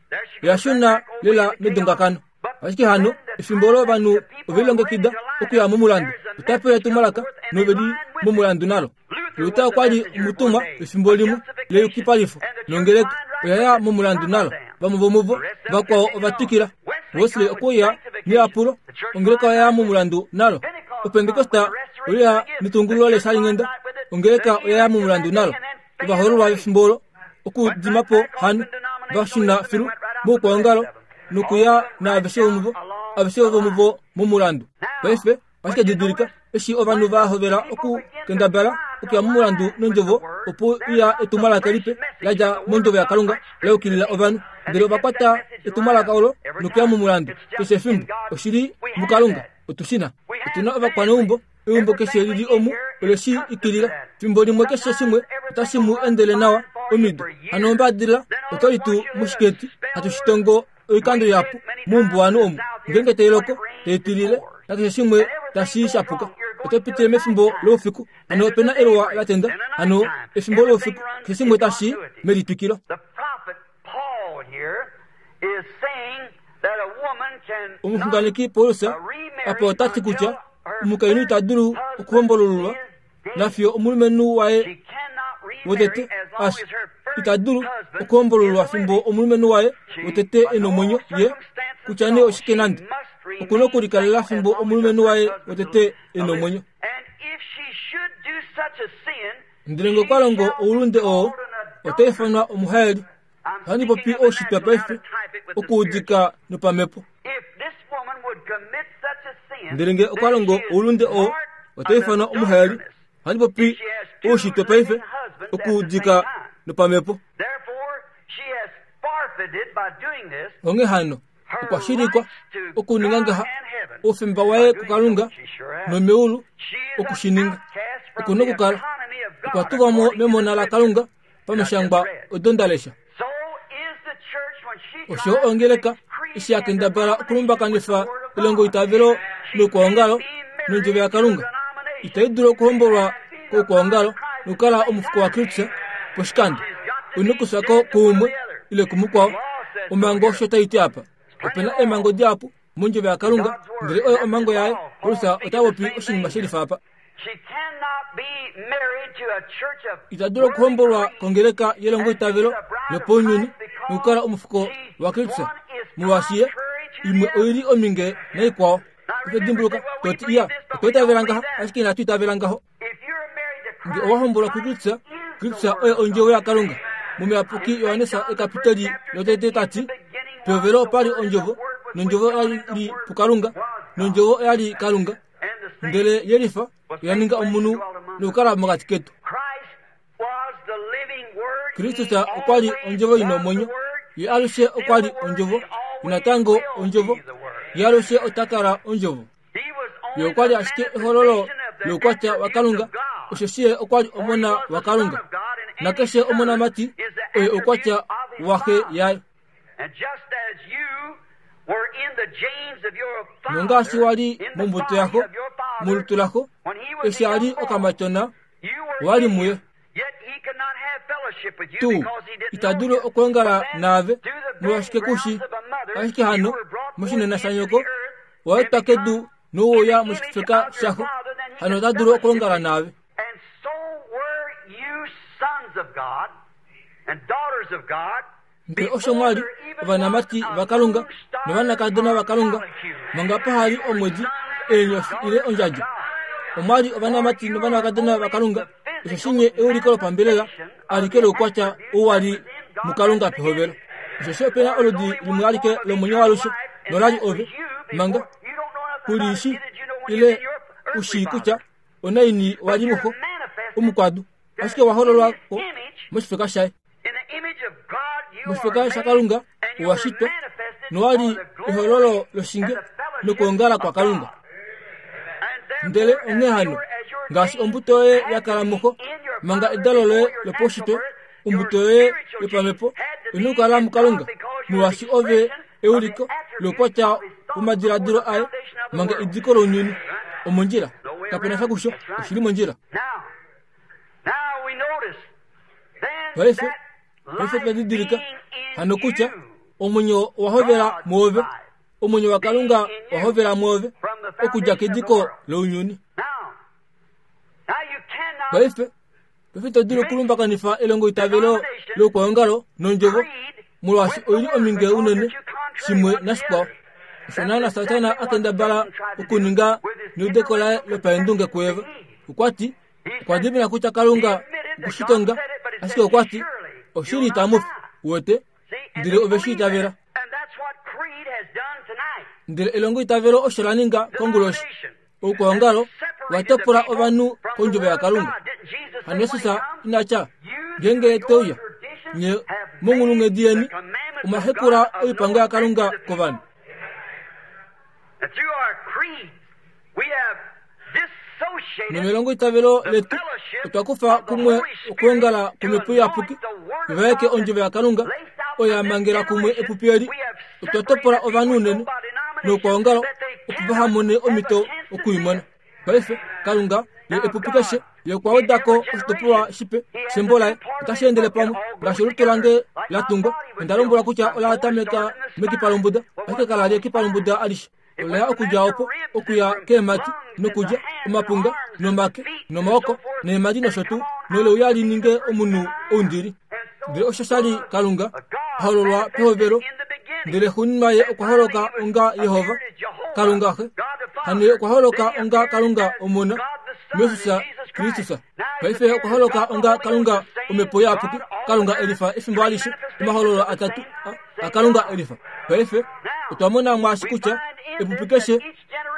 Oya shuna lela medongakano. Ashike hano, efimbo olo ovanhu ove lilongekida okuya momulandu, ota pewa etumwalaka nove li momulandu nalo. Luther okwa li omutumwa efimbo limwe leyukipalifo, nongeleka oya ya momulandu nalo. Vamwe vomuvo vakwao ova twikila. Wesley okwe uya neyapulo, ongeleka oya ya momulandu nalo. Opentekosta oye uya netungululo leshalinghenda, ongeleka oya ya momulandu nalo. Ovahoololwa vefimbo olo okudima po hano va shuna filu moukwaongalo nokuya naaveshe vomuvo, aveshe vomuvo momulandu. Paife, ashike didilika, eshi ovanhu va hovela okukendabala okuya momulandu nondjovo, opo uya etumwalaka lipe la dja mondjovo yaKalunga la yukilila ovanhu. Ndele ova kwata etumwalaka olo nokuya momulandu. Keshe efimbo, oshi li muKalunga. Otu shi na. Otu na ovakwaneumbo Eumbo keshe li li omu ole shi ikilila. Fimbo limwe keshe shimwe otashi mu endele nawa omido. Hano ombadilila otwa li tu moshiketi hatu shi tongo oikando ihapu moumbuwanhu omu. Ngeenge tai loko, tai tilile, nakeshe shimwe tashi shapuka. Oto pitile mefimbo loufiku, hano ope na eluwa la tenda, hano efimbo loufiku, keshe shimwe tashi melitwikilo. Omuxunganeki Paulus apa ota ti kutya omukainhu ita dulu okuhombolululwa nafiyo omulumenhu waye wotete a fya. Ita dulu okuhombolululwa fimbo omulumenhu waye wotete e nomwenyo ye kutya nee oshike nande. Oku na okulikalela fimbo omulumenhu waye wotete e nomwenyo. Ndele ngee okwa longo oulunde oo, ota ifanwa omuhaeli. Ohandi popi oushitwe paife, okuudika nopamhepo. Ndele ngee okwa longo oulunde oo, ota ifanwa omuhaeli. Ohandi popi oushitwe paife, okuudika nopamhepo. Onghee hano, okwa shilikwa okuninga ngaha oufemba waye kuKalunga nomeulu oku shi ninga. Oku na okukala okwa tulwa mo memona laKalunga pamishangwa odo nda lesha. Osho ongeleka eshi ya kendabala okulumbakanifa elongoitavelo loukwaongalo nondjovo yaKalunga, itai dulu okuhombolwa koukwaongalo nokukala omufuko waKristus poshikando. U na okufya ko kuumwe ile kumukwao. Omhango osho tai ti apa. Ope na eemhango dihapu mondjovo yaKalunga, ndele oyo omhango yaye. Paulus ota popi oshinima she lifa apa. Ita dulu okuhombolwa kongeleka yelongoitavelo lopaunyuni nokukala omufuko waKristus, molwaashi ye imwe oi li ominge naikwao. Paife dimbuluka, to ti, Iya, otwa itavela ngaha, ashike inatu itavela ngaho. Nge owa hombolwa kuKristus, Kristus oye ondjovo yaKalunga. Momuyapuki Johannes ekapiteli lotete ta ti, Pehovelo opa li ondjovo, nondjovo oya li puKalunga, nondjovo oya li Kalunga. Ndele yelifa oya ninga omunhu nokukala mokati ketu. Kristus okwa li ondjovo i na omwenyo. Ye alushe okwa li ondjovo, ye natango ondjovo, ye alushe ota kala ondjovo. Ye okwa li ashike ehololo loukwatya waKalunga, osheshi ye okwa li Omona waKalunga. Nakeshe omonamati oye oukwatya waxe yaye. Nongaashi wa li mombuto yaxo, molutu laxo, eshi a li okamatyona, wa li muye. Tuu, ita dulu okwoongala naave, molwashike ku shi? Ashike hano, moshinena shanyoko, wa etwa kedu nouya moshifeka shaxo, hano ota dulu okwoongala naave. Ndele osho mwa li ovanamati vaKalunga novanakadona vaKalunga, manga paha li omwedi, eenyofi ile ondjadjo. Omwa li ovanamati novanakadona vaKalunga, osho shinye euliko lopambelela alike loukwatya ou wa li muKalunga pehovelo. Osheshi ope na oludi limwe alike lomwenyo waalushe, nola li ove, manga ku li shi ile u shii kutya onaini wa li muxo omukwadu, ashike wa hololwa ko moshifeka shaye. Moshifeka shaKalunga owa shitwa nowa li ehololo loshinge nokwoongala kwaKalunga. Ndele onghee hano, ngaashi ombuto yoye ya kala muxo manga edalo loye lopaushitwe, ombuto yoye yopamhepo ina okukala muKalunga, molwaashi ove euliko loukwatya womadiladilo aye manga ediko lounyuni. Omondjila. Kape na sha kusho. Oshi li mondjila. Paife, paife twa didilika hano kutya omwenyo owa hovela mwoove, omwenyo waKalunga owa hovela mwoove okudja kediko lounyuni. Paife, paife ito dulu okulumbakanifa elongoitavelo loukwaongalo nondjovo, molwaashi oi li ominge unene shimwe nashikwao. Osho naana Satana a kendabala okuninga neudeko laye lopaendunge kuEva. Okwa ti, Okwa dimina kutya Kalunga oku shi tonga, ashike okwa ti, Oshili itamu fi. Uwete? Ndele ove shi itavela. Ndele elongoitavelo osho la ninga konguloshi. Oukwaongalo wa topola ovanhu kondjovo yaKalunga. Hano Jesus ina tya, Ngeenge ye te uya, nye monghulunghedi yeni omwa hekula oipango yaKalunga kovanhu. Nomelongoitavelo letu otwa kufa kumwe okwoongala kwOmhepo Iyapuki, ivaeke ondjovo yaKalunga oyo ya mangela kumwe epupi eli. Otwa topola ovanhu unene noukwaongalo opo vaha mone omhito oku i mona. Paife, Kalunga, ye epupi keshe, ye okwa weda ko oshitopolwa shipe shembo laye. Otashi endele pamwe ngaashi olutu lange la tungwa. Onda lombwelwa kutya ola tameka mekipa lombuda, ashike kala li ekipa lombuda alishe. Ola ya okudja opo, okuya keemhati, nokulya omapunga, nomake, nomaoko, neemhadi nosho tuu, nole uya li ninge omunhu oundili. Ndele osho sha li Kalunga, a hololwa pehovelo, ndele xuuninwa ye okwa holoka onga Jehova, Kalunga Xe. Hano ye okwa holoka onga Kalunga Omona, Jesus Kristus. Paife okwa holoka onga Kalunga Omhepo Iyapuki, Kalunga elifa efimbo alishe, omahololo atatu aKalunga elifa. Paife otwa mona mwaashi kutya epupi keshe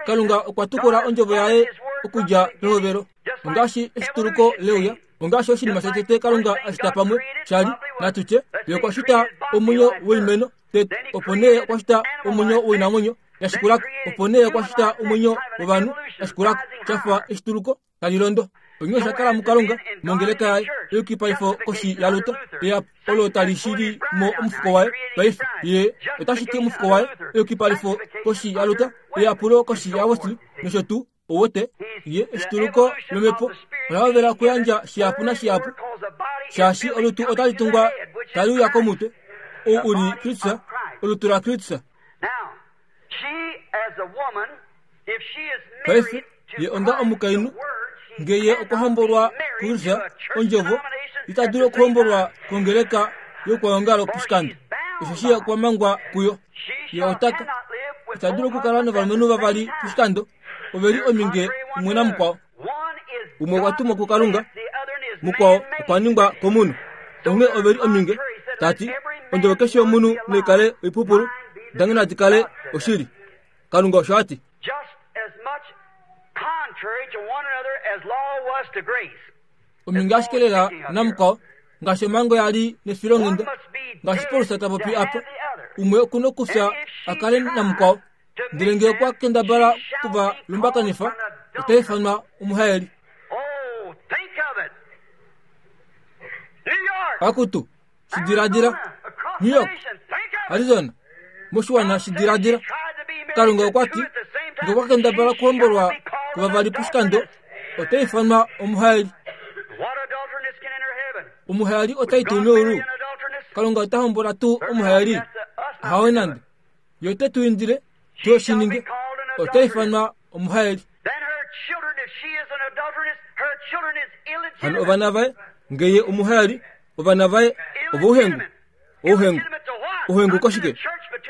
Kalunga okwa tukula ondjovo yaye okudja pehovelo, ongaashi eshituluko leuya ongaashi oshinima shotete Kalunga a shita pamwe sha li, natu tye, Ye okwa shita omwenyo woimeno tete, opo nee okwa shita omwenyo woinamwenyo ya shikula ko, opo nee okwa shita omwenyo wovanhu ya shikula ko, sha fa eshituluko tali londo. Onghee osha kala muKalunga, mongeleka yaye, eyukipaifo koshi yaLuther, eyapu olo tali shili mo omufuko waye paife. Ye ota shiti omufuko waye, eyukipalifo koshi yaLuther, eyapulo koshi yaWesley, nosho tuu. Ouwete, ye eshituluko lomhepo ola hovela okuyandja shihapu nashihapu, shaashi olutu otali tungwa tali uya komutwe, ou u li Kristus, olutu laKristus. Paife, ye onga omukainhu, nge ye okwa hombolwa kuKristus, Ondjovo, ita dulu okuhombolwa kongeleka youkwaongalo poshikando, osheshi ye okwa mangwa kuyo. Ye ota ka. Ita dulu okukala novalumenhu vavali poshikando, ove li ominge umwe namukwao. Umwe okwa tumwa kuKalunga, mukwao okwa ningwa komunhu. Onghee ove li ominge, ta ti, Ondjovo keshe yomunhu nai kale oipupulu, dange nadi kale oshili. Kalunga osho a ti. Ominge ashike lela namukwao, ngaashi omhango ya li nefilonghenda, ngaashi Paulus ta popi apa, umwe oku nokufya a kale namukwao. Ndele ngee okwa kendabala oku va lumbakanifa, ota ifanwa omuhaeli. Akutu, shi diladila! New York, Arizona, moshiwana shi diladila! Kalunga okwa ti, ngee okwa kendabala okuhombolwa kuvavali poshikando, ota ifanwa omuhaeli. Omuhaeli ota i tuu meulu? Kalunga ota hombola tuu omuhaeli? Ahawe nande. Ye ote tu indile tu shi ninge. Ota ifanwa omuhaeli. Hano ovana vaye, nge ye omuhaeli, ovana vaye ovouhengu. Ouhengu. Ouhengu koshike?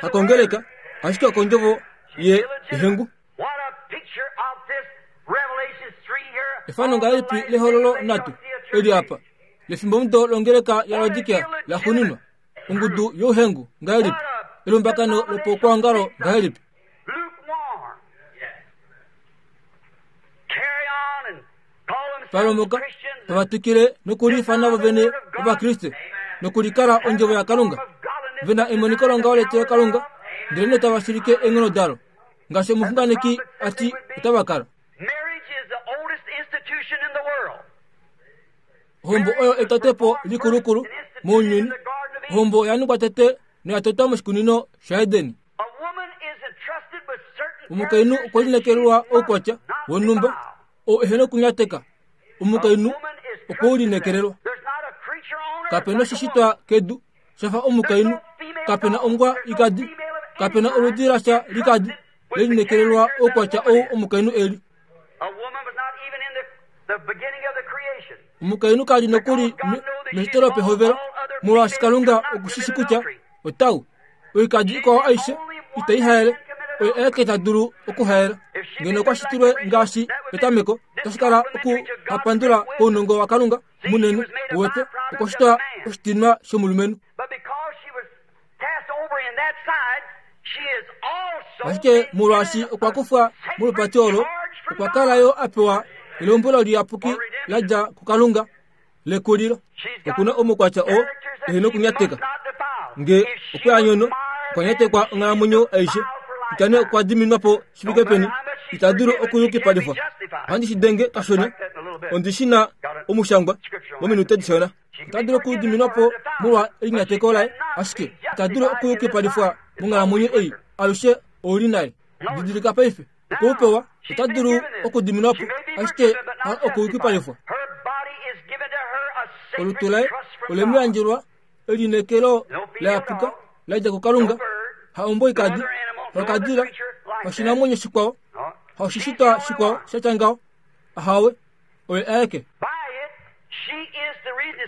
Hakongeleka, ashike okondjovo ye ehengu. Efano ngahelipi lehololo natu eli apa lefimbomudo longeleka yaLaodikea la xuninwa? Ongudu youhengu ngahelipi? Elumbakano lopokwoongalo ngahelipi? Palomoka tava twikile nokuliifana vo vene Ovakriste nokulikala ondjovo yaKalunga, ve na emoniko longaho letilokalunga, ndelenee tava shilike eenghono dalo, ngaashi omuxunganeki a ti otava kala. Ohombo oyo etotepo likulukulu mounyuni. Ohombo oya ningwa tete noya totwa moshikunino shaEden. Omukainhu okwe lineekelelwa oukwatya wonhumba oo ehe nokunyateka. Omukainhu okwe u lineekelelwa. Kape na oshishitwa kedu sha fa omukainhu. Kape na ongwa ikadi. Kape na oludi lasha likadi le lineekelelwa oukwatya ou omukainhu e li. Omukainhu ka li nokuli meshito lopehovelo, molwaashi Kalunga oku shi shi kutya otau oikadi ikwao aishe itai haele, oye aeke ta dulu okuhaela. Ngeno okwa shitilwe ngaashi petameko, otashi kala okuhapandula kounongo waKalunga munene wete okwa shitwa oshitinwa shomulumenhu. Ashike molwaashi okwa kufwa molupati olo, okwa kala yo a pewa elombwelo liyapuki la dja kuKalunga lekulilo. Oku na omukwatya oo ehe nokunyateka. Nge okwe a nyono, okwa nyatekwa onghalamwenyo aishe. Kutya nee okwa diminwa po shi fike peni, ita dulu okuyukipalifwa. Ohandi shi denge kashona, ondi shi na omushangwa mominute dishona. Ota dulu okudiminwa po molwa elinyateko laye, ashike ita dulu okuyukipalifwa monghalamwenyo ei alushe ou li naye. Didilika paife, okwe u pewa, ota dulu okudiminwa po, ashike ha okuyukipalifwa. Olutu laye ole mu yandjelwa elineekelo la yapuka la dja kuKalunga, ha omboikadi, hakadila, hashinamwenyo shikwao, haushishitwa shikwao sha tya ngaho, ahawe. Oye aeke.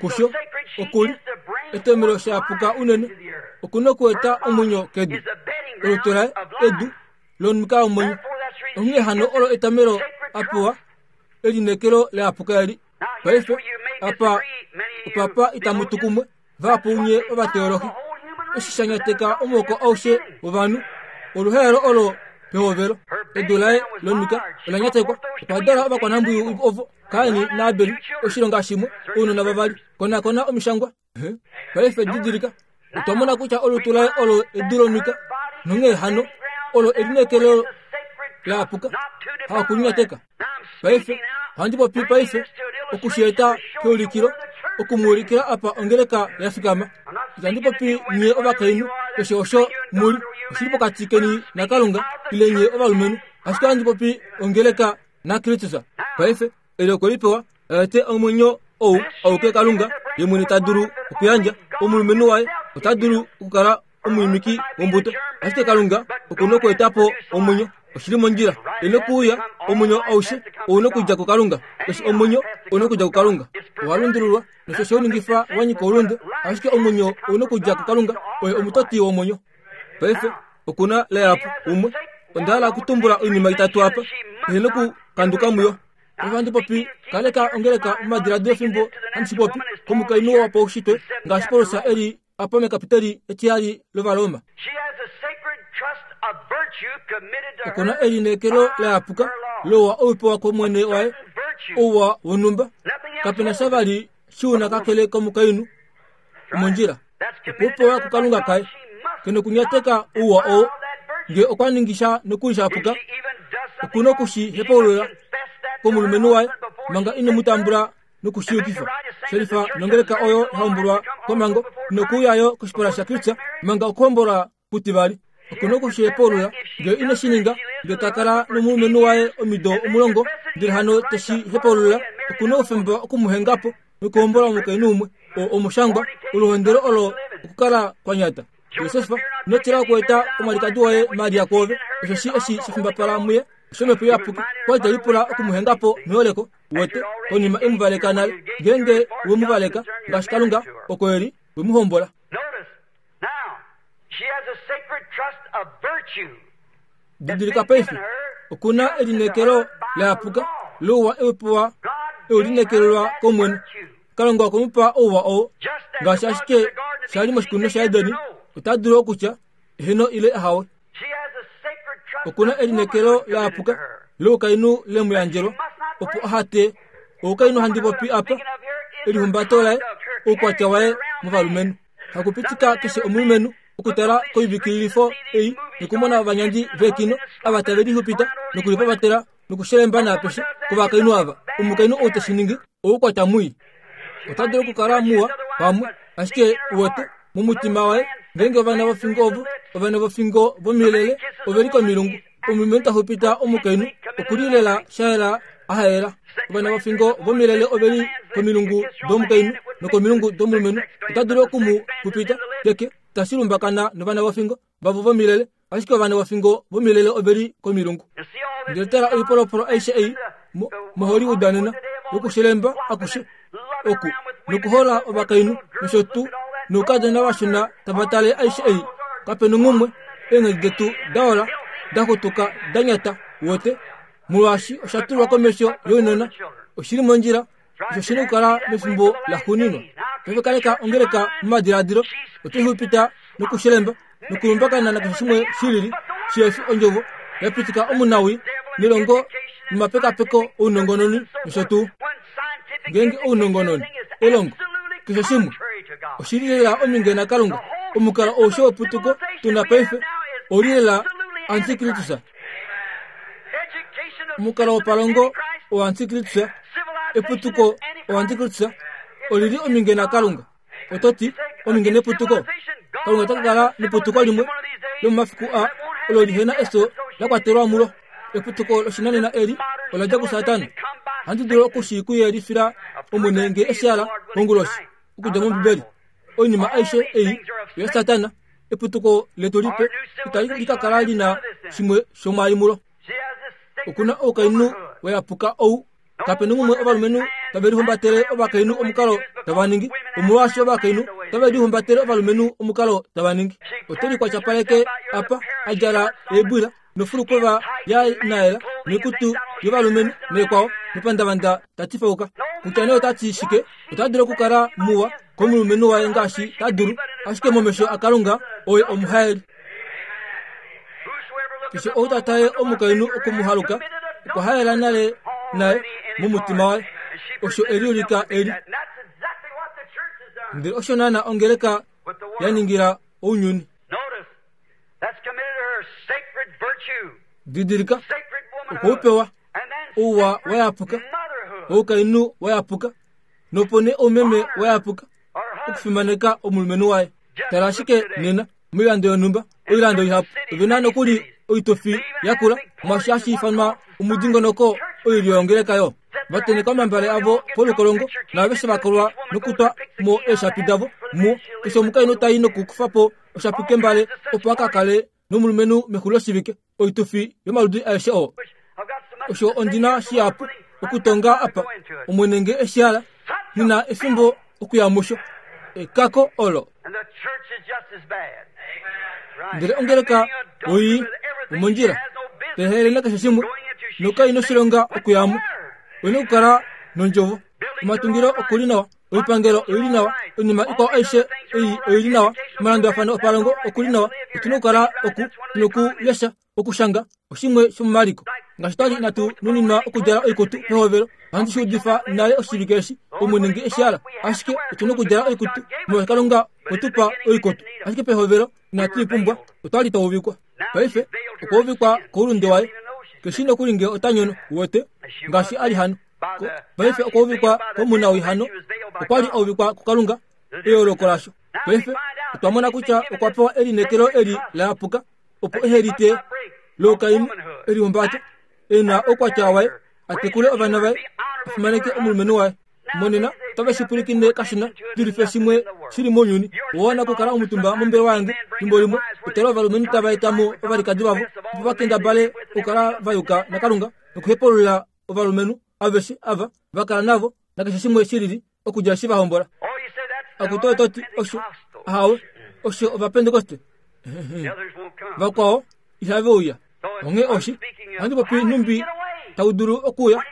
Kusho oku li etomelo sha yapuka unene, oku na okueta omwenyo kedu. Olutu laye edu lomuka womwenyo. Onghee hano olo etomelo a pewa elineekelo la yapuka eli. Paife apa opapa itamu tu kumwe vahapu nye ovateolohi eshi sha nyateka omuhoko aushe wovanhu oluhaelo olo pehovelo edu laye lonika ola nyatekwa okwa dala ovakwanambwiyu ovo kaini naabeli oshilonga shimwe ounona vavali konakona omishangwa paife didilika otwa mona kutya olutu laye olo edu lonika nonghee hano olo elineekelo la apuka hakulinyateka Paife, ohandi popi paife oku shi eta keulikilo, oku mu ulikila apa ongeleka ya fikama. Itandi popi nye ovakainhu, keshe osho mu li, oshi li pokati keni naKalunga, ile nye ovalumenhu. Ashike ohandi popi ongeleka naKristus. Paife, eli okwe li pewa, a ete omwenyo ou auke Kalunga ye mwene ta dulu okuyandja. Omulumenhu waye ota dulu okukala omwiimiki wombuto. Ashike Kalunga oku na okweeta po omwenyo. Oshi li mondjila. E nokuuya, omwenyo aushe ou nokudja kuKalunga. Keshe omwenyo ou nokudja kuKalunga. Owa lundululwa, nosho she u ningifa wa nyika oulunde. Ashike omwenyo ou nokudja kuKalunga, oye omutoti womwenyo. Paife, oku na Leapu umwe. Onda hala okutumbula oinima itatu apa, ehe nokukanduka muyo. Ove handi popi, kaleka ongeleka momadiladilo fimbo handi shi popi, komukainhu wopaushitwe, ngaashi Paulus e li apa mekapiteli etihali lOvaroma. Oku na elineekelo la yapuka louwa ou pewa kOmwene waye, ouwa wonhumba. Kape na sha vali shi u na kakele komukainhu omondjila. Okwe u pewa kuKalunga kaye. Ke nokunyateka ouwa oo. Nge okwa ningi sha nokuli sha puka, oku noku shi hepaulula komulumenhu waye manga ine mu tambula noku shi yukifa. Shelifa nongeleka oyo ya hombolwa komhango nokuuya yo koshipala shaKristus manga okuhombola kutivali. Oku na oku shi hepaulula nge ine shi ninga, nge ta kala nomulumenhu waye omido omulongo, ndele hano te shi hepaulula, oku na oufemba oku mu henga po nokuhombola omukainhu umwe. Oo omushangwa, oluhondelo olo okukala kwa nyata. Josef, ino tila okueta omwalikadi woye Maria kwoove, osheshi eshi sha fimbapala muye oshomhepo iyapuki. Okwa li te lipula oku mu henga po meholeko, uwete, konima e mu valeka nale. Ngeenge we mu valeka, ngaashi Kalunga oko e li, we mu hombola. Didilika paife, oku na elineekelo la yapuka louwa e u pewa e u lineekelelwa kOmwene. Kalunga okwe mu pa ouwa oo, ngaashi ashike sha li moshikunino shaEden, ota dulu okutya eheno ile ahawe. Oku na elineekelo la yapuka loukainhu le mu yandjelwa, opo aha te oukainhu handi popi apa, elihumbato laye, oukwatya waye movalumenhu. Hakupitika keshe omulumenhu okutala koivikililifo ei nokumona ovanyandi veekino ava tave lixupita nokulipavatela nokushelemba naapeshe kovakainhu ava. Omukainhu ou te shi ningi oukwatya mwii. Ota dulu okukala muwa pamwe, ashike uwete, momutima waye, ngeenge ovana vofingo ovo, ovana vofingo vomilele ove li komilungu, omulumenhu ta xupita omukainhu oku li lela sha yela a haela. Ovana vofingo vomilele ove li komilungu domukainhu nokomilungu domulumenhu, ota dulu oku mu xupita keke, tashi lumbakana novana vofingo vavo vomilele. Ashike ovana vofingo vomilele ove li komilungu. Ndele tala oipolopolo aishe ei moHollywood nena, yokushelemba akushe oku, nokuhola ovakainhu nosho tuu, noukadona vashona tava tale aishe ei. Kape nonghumwe, eenghedi detu daola, da xutuka, da nyata, wote, molwaashi osha tulwa komesho younona. Oshi li mondjila. Osho shi na okukala mefimbo laxuuninwa. Paife kaleka ongeleka momadiladilo. Oto xupita nokushelemba nokulumbakana nakeshe shimwe shi lili, shihe fi ondjovo ya pitika omunawii nelongo nomapekapeko ounongononi nosho tuu. Ngeenge ounongononi, elongo, keshe shimwe, oshi li lela ominge naKalunga, omukalo aushe weputuko tu na paife ou li lela antikristus. Omukalo wopalongo oantikristus, eputuko oantikristus, oli li ominge naKalunga. Oto ti, ominge neputuko? Kalunga ota ka kala neputuko limwe lomomafiku aa olo lihe na efyo la kwatelwa mulo. Eputuko loshinanena eli ola dja kuSatana. Ohandi dulu oku shi ku yelifila Omwene nge e shi hala konguloshi, okudja mOmbibeli. Oinima aishe ei oyaSatana. Eputuko letu lipe itali ka kala li na shimwe shomwaai mulo. Oku na oukainhu wa yapuka ou Kape na umwe ovalumenhu tave lihumbatele ovakainhu omukalo tava ningi, omolwaashi ovakainhu tave lihumbatele ovalumenhu omukalo tava ningi. Ote likwatshapaleke apa, a djala eebwila nofulukova ya naela noikutu yovalumenhu neekwao mepandavanda ta tifauka. Kutya nee ota ti shike, ota dulu okukala muwa komulumenhu waye ngaashi ta dulu, ashike momesho aKalunga oye omuhaeli. Keshe ou ta tale omukainhu oku mu haluka, okwa haela nale naye momutima waye. Osho e liulika e li. Ndele osho naana ongeleka ya ningila ounyuni. Didilika, okwe u pewa ouwa wa yapuka, oukainhu wa yapuka, nopo nee oumeme wa yapuka, okufimaneka omulumenhu waye. Tala ashike nena, moilando yonhumba, oilando ihapu, ove na nokuli oitufi yakula, mwaashi hashi ifanwa omudingonoko oilyo yongeleka yo. Va tenheka omambale avo polukolongo, naaveshe va kolwa nokutwa mo eeshapi davo muo. Keshe omukainhu ta i nokukufa po oshapi kembale opo a ka kale nomulumenhu mexuliloshivike, oitufi yomaludi aeshe oo. Osho ondi na shihapu okutonga apa, Omwene nge e shi hala, nghi na efimbo okuya musho. Ekako olo. Ndele ongeleka oi omondjila. Tehele nakeshe shimwe, nokai noshilonga okuyamo. Oina okukala nondjovo. Omatungilo oku li nawa, oipangelo oi li nawa, oinima ikwao aishe ei oi li nawa, omalandulafano opalongo oku li nawa. Otu na okukala oku, tu nokulesha, okushanga, oshimwe shomomaliko. Ngaashi twa li inatu nuninwa okudjala oikutu pehovelo, ohandi shi udifa nale oshivike eshi, Omwene nge eshi hala. Ashike otu na okudjala oikutu, molwaashi Kalunga okwe tu pa oikutu. Ashike pehovelo inatu i pumbwa, otwa li twa uvikwa. Paife okwa uvikwa koulunde waye. Ke shii nokuli nge ota nyono, uwete, ngaashi a li hano. Paife okwa uvikwa komunawii hano, okwa li a uvikwa kuKalunga, eyooloko lasho. Paife otwa mona kutya okwa pewa elineekelo eli la yapuka, opo ehe lite loukainhu elihumbato, e na oukwatya waye, a tekule ovana vaye, a fimaneke omulumenhu waye. Monena otave shi pwilikine kashona dulife shimwe shi li mounyuni. Owa wana okukala omutumba mombelewa yange fimbo limwe, utale ovalumenhu tava eta mo ovalikadi vavo opo va kendabale okukala va yuka naKalunga nokuhepulula ovalumenhu aveshe ava va kala navo nakeshe shimwe shi lili okudja eshi va hombola. Akutu oto ti osho? Ahawe, osho Ovapentekoste. Vakwao ihave uya. Onghee oshi, ohandi popi nhumbi tau dulu okuuya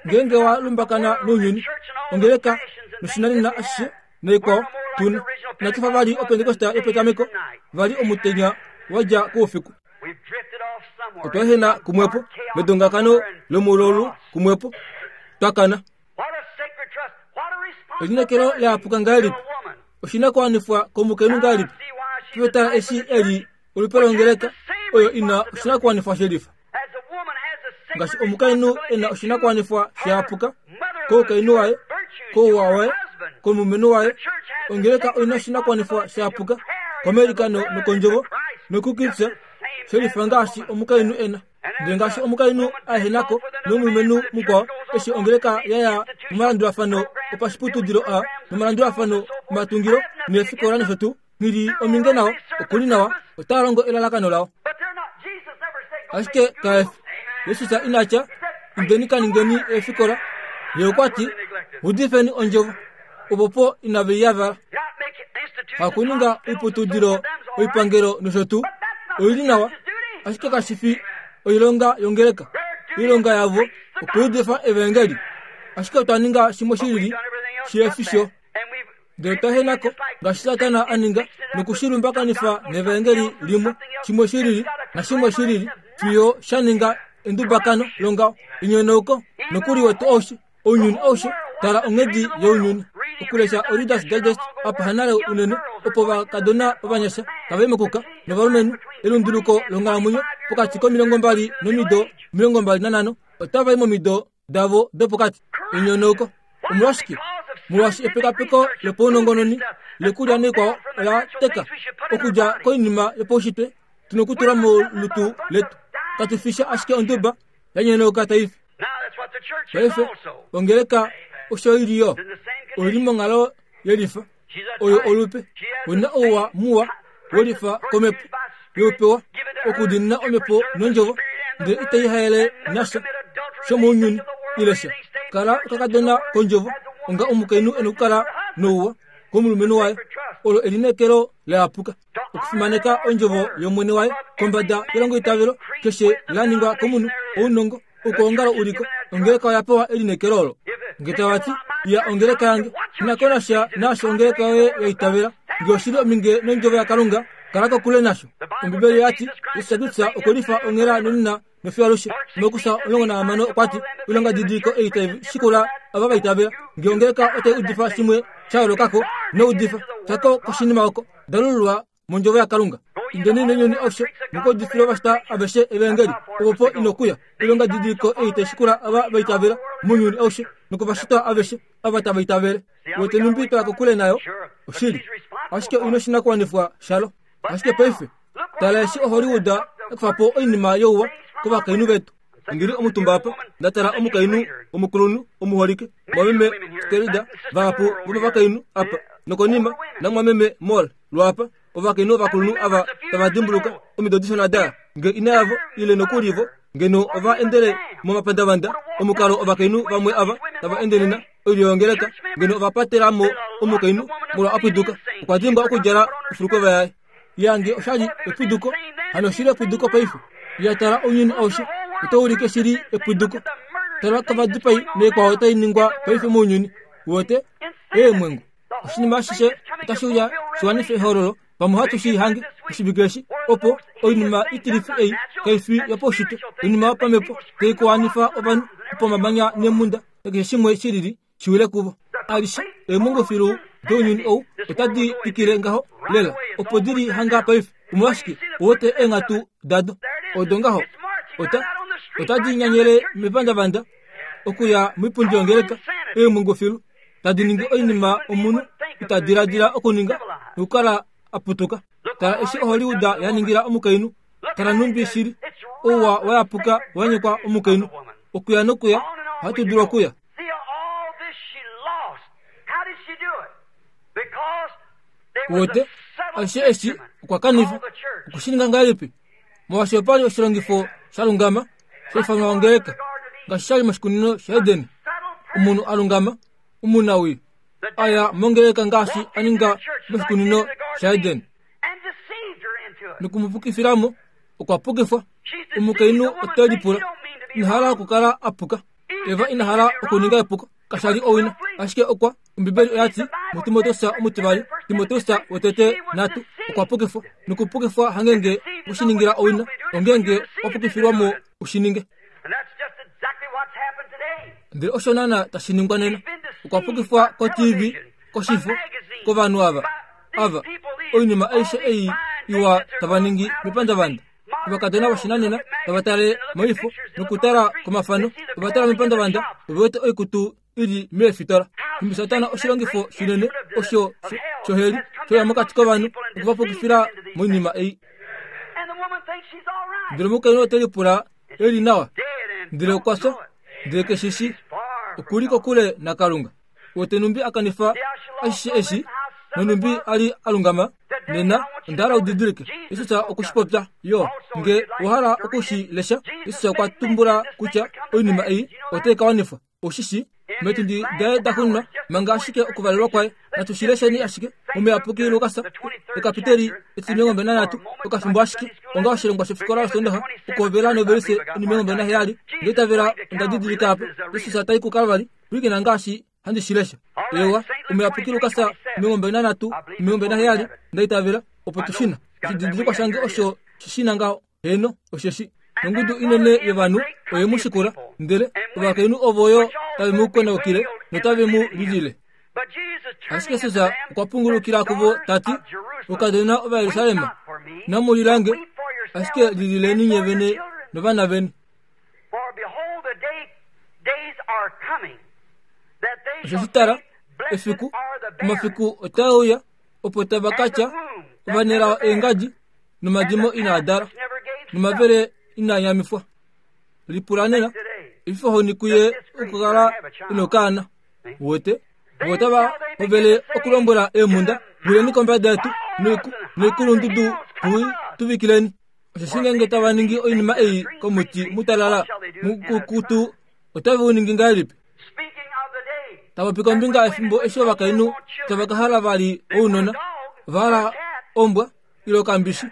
ngeenge wa lumbakana nounyuni, ongeleka noshinanena ashishe naikwao tuna. Inatu fa vali Opentekoste yopetameko, vali omutenya wa dja koufiku. Otwa ehena kumwepo medongakano lomulolu kumwepo, twa kana. Elineekelo la yapuka ngahelipi? Oshinakuwanifwa komukainhu ngahelipi? Tala eshi e li olupe longeleka oyo ina oshinakuwanifwa shelifa. Ngaashi omukainhu e na oshinakuwanifwa sha yapuka koukainhu waye, kouwa waye, komulumenhu waye, ongeleka oi na oshinakuwanifwa sha yapuka komalikano nokondjovo nokuKristus shelifa ngaashi omukainhu e na. Ndele ngaashi omukainhu a ehena ko nomulumenhu mukwao, eshi ongeleka ya ya momalandulafano opashiputudilo a nomalandulafano omatungilo neefikola nosho tuu, nghi li ominge nao, oku li nawa, otaa longo elalakano lao. Ashike kaefi. Jesus ina tya, Indeni ka ningeni eefikola. Ye okwa ti, Udifeni ondjovo. Opo po inave i yavala. Hakuninga oiputudilo, oipangelo nosho tuu, oi li nawa, ashike kashi fi oilonga yongeleka. Oilonga yavo okuudifa evaengeli. Ashike otwa ninga shimwe shi lili shihe fi sho. Ndele otwa hena ko, ngaashi Satana a ninga, noku shi lumbakanifa nevaengeli limwe, shimwe shi lili nashimwe shi lili, fiyo sha ninga endubakano longaho, enyonauko, nokuli wetu aushe, ounyuni aushe. Tala onghedi younyuni. Okulesha oReader's Digest apa hanale unene, opo ovakadona ovanyasha tava i mokuka, novalumenhu, elunduluko longhalamwenyo pokati komilongombali nomido 25, otava i momido davo dopokati. Enyonauko. Omolwashike? Molwaashi epekapeko lopaunongononi lokulya noikwao ola teka okudja koinima yopaushitwe tu nokutula molutu letu. Katu fi sha ashike onduba ya nyonauka tai fi. Paife ongeleka osho i li yo. Oi li monghalo yelifa. Oyo olupe. Oi na ouwa muwa welifa komhepo youpewa okudiinina omhepo nondjovo, ndele itai haele nasha shomounyuni ile sha. Kala okakadona kondjovo, onga omukainhu e nokukala nouwa komulumenhu waye. Olo elineekelo la yapuka. Okufimaneka ondjovo yOmwene waye kombada yelongoitavelo keshe la ningwa komunhu, ounongo, Okwoongala uliko, ongeleka oya pewa elineekelo olo. Nge tava ti, Ya ongeleka yange, ina ko nasha naasho ongeleka yoye ya itavela. Nge oshi li ominge nOndjovo yaKalunga, kala kokule nasho. Ombibeli oya ti, Jesus Kristus okwe lifa onghela nonena nofiyo alushe. Markus 16 okwa ti, Oilonga didiliko ei tai shikula ava va itavela. Nge ongeleka otai udifa shimwe sha yooloka ko, ino udifa. Tya ko koshinima oko. Dalululwa mondjovo yaKalunga. Indeni nounyuni aushe, mukaudifile ovashitwa aveshe evaengeli, opo po ino kuya. Oilonga didiliko ei tai shikula ava va itavela mounyuni aushe, nokovashitwa aveshe ava tava itavele. Wete nhumbi twa ya kokule nayo? Oshili. Ashike oi noshinakuwanifwa shalo. Ashike paife, tala eshi oHollywood ya kufa po oinima youwa kovakainhu vetu. Ndi li omutumba apa, nda tala omukainhu omukulunhu omuholike, mwameme Stelida, vahapu vomovakainhu apa, nokonima namwameme Moll lwaapa, ovakainhu ovakulunhu ava tava dimbuluka omido dishona da nge ina yavo ile nokuli vo ngeno ova endele momapandavanda omukalo ovakainhu vamwe ava tava ende nena oilyo yongeleka ngeno ova patela mo omukainhu molwa a pwiduka okwa dimbwa okudjala ofulukova yaye yange oshali epuduko hano oshili epuduko paife. Ya tala ounyuni aushe, otau ulike shili epwiduko. Tala kovadipai naikwao tai ningwa paife mounyuni. Uwete? Eemwengu. Oshinima ashishe otashi uya shi wanife ehololo, pamwe ohatu shi hange oshivike eshi, opo oinima itilifi ei kai fi yopaushitwe, oinima yopamhepo tai kuwanifa ovanhu opo omamanya neemhunda nakeshe shimwe shilili shi wile kuvo. Alishe eemwengu filu dounyuni ou otadi twikile ngaho lela opo di li hanga paife. Omolwashike uwete eenghatu dado odo ngaho? Ota, otadi nyanyele mepandavanda okuya moipundi yongeleka, eemwengu filu tadi ningi oinima omunhu ita diladila okuninga nokukala a putuka. Tala eshi oHollywood ya ningila omukainhu. Tala nhumbi shili ouwa wa yapuka wa nyekwa omukainhu. Okuya nokuya, ohatu dulu okuya. Uwete, ashishe eshi okwa kanifa. Okwe shi ninga ngahelipi? Molwaashi opa li oshilongifo sha lungama sha ifanwa ongeleka, ngaashi sha li moshikunino shaEden. Omunhu a lungama, omunawii, a ya mongeleka ngaashi a ninga moshikunino shaEden. Noku mu pukifila mo, okwa pukifwa. Omukainhu ote lipula, Ina hala okukala a puka. Eva ina hala okuninga epuko. Kasha li owina, ashike okwa Ombibeli oya ti muTimoteus omutivali, Timoteus wotete natu, okwa pukifwa. Nokupukifwa hangenge u shi ningila owina, ongenge wa pukifilwa mo u shi ninge. Ndele osho naana tashi ningwa nena. Okwa pukifwa ko-TV, koshifo, kovanhu ava, ava, oinima aishe ei iwa tava ningi mepandavanda. Ovakadona voshinanena tava tale moifo nokutala komafano, ova tala mepandavanda, ove wete oikutu i li meefitola. Nhumbi Satana oshilongifo shinene osho shoheli shoya mokati kovanhu oku va pukifila moinima ei. Ndele omukainhu ote lipula e li nawa, ndele okwa fya, ndele ke shi shii. Oku li kokule naKalunga. Wete nhumbi a kanifa ashishe eshi, nonhumbi a li a lungama? Nena, onda hala u didilike, Jesus okwe shi popya yo. Nge owa hala oku shi lesha, Jesus okwa tumbula kutya oinima ei otai ka wanifwa. Oshi shi, meetundi daye da xunwa, manga ashike okuvalelwa kwaye. Natu shi lesheni ashike mOmuyapuki Lukas, ekapiteli etimilongo nanhatu, okafimbo ashike, onga oshilongwa shofikola yOsoondaxa, okuhovela novelise onimilongo naheyali. Nda itavela onda didilika apa, Jesus ta i kuKalvari. Pwilikina ngaashi handi shi lesha. Eewa, Omuyapuki Lukas 23, 27, nda itavela, opo tu shi na. Oshididilikwa shange osho shi shi na ngaho. Heeno, osheshi. Nongudu inene yovanhu oye mu shikula, ndele ovakainhu ovo yo tave mu konaukile notave mu lilile. Ashike Jesus okwa pungulukila kuvo ta ti, Oukadona Ovajerusalem, inamu lila nge, ashike lilileni nye vene novana veni. Osheshi tala, efiku, omafiku otae uya, opo tava ka tya, Ovanelao eengadi, nomadimo inaa dala, nomavele inaa nyamifwa. Lipula nena, efifohoni kuye okukala ino kaana. Uwete? Vo otava hovele okulombwela eemhunda, Wileni kombada yetu, noikulundudu tu tuvikileni. Osheshi ngeenge tava ningi oinima ei komuti mutalala mukukutu, otave u ningi ngahelipi? Ta popi kombinga yefimbo eshi ovakainhu tava ka hala vali ounona, ova hala ombwa ile okambishi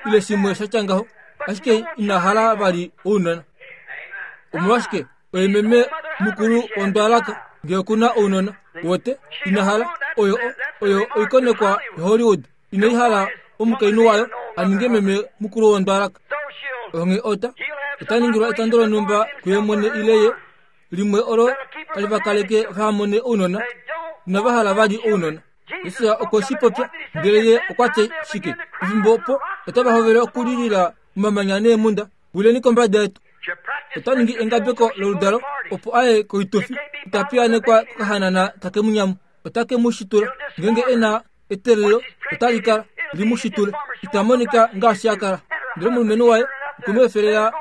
ile shimwe sha tya ngaho, ashike ina hala vali ounona. Omolwashike oye meme mukulu wondwalaka ngee oku na ounona? Wote ina hala oyo oyo oikonekwa yoHollywood inai hala omukainhu wayo a ninge meme mukulu wondwalaka. Onghee ota ota ningilwa etando lonhumba kuye mwene ile ye limwe olo tali va kaleke vaha mone ounona, inava hala vali ounona. Jesus okwe shi popya, ndele ye okwa tya shike? Efimbo opo otava hovele okulilila omamanya neemhunda, Wileni kombada yetu. Ota ningi engabeko loludalo opo a ye koitufi. Ita piyaanekwa kokahanana take mu nyamu. Ota ke mu shitula. Ngeenge e na eteelelo, otali kala li mu shitule. Ita monika ngaashi a kala. Ndele omulumenhu waye okwe mu efelela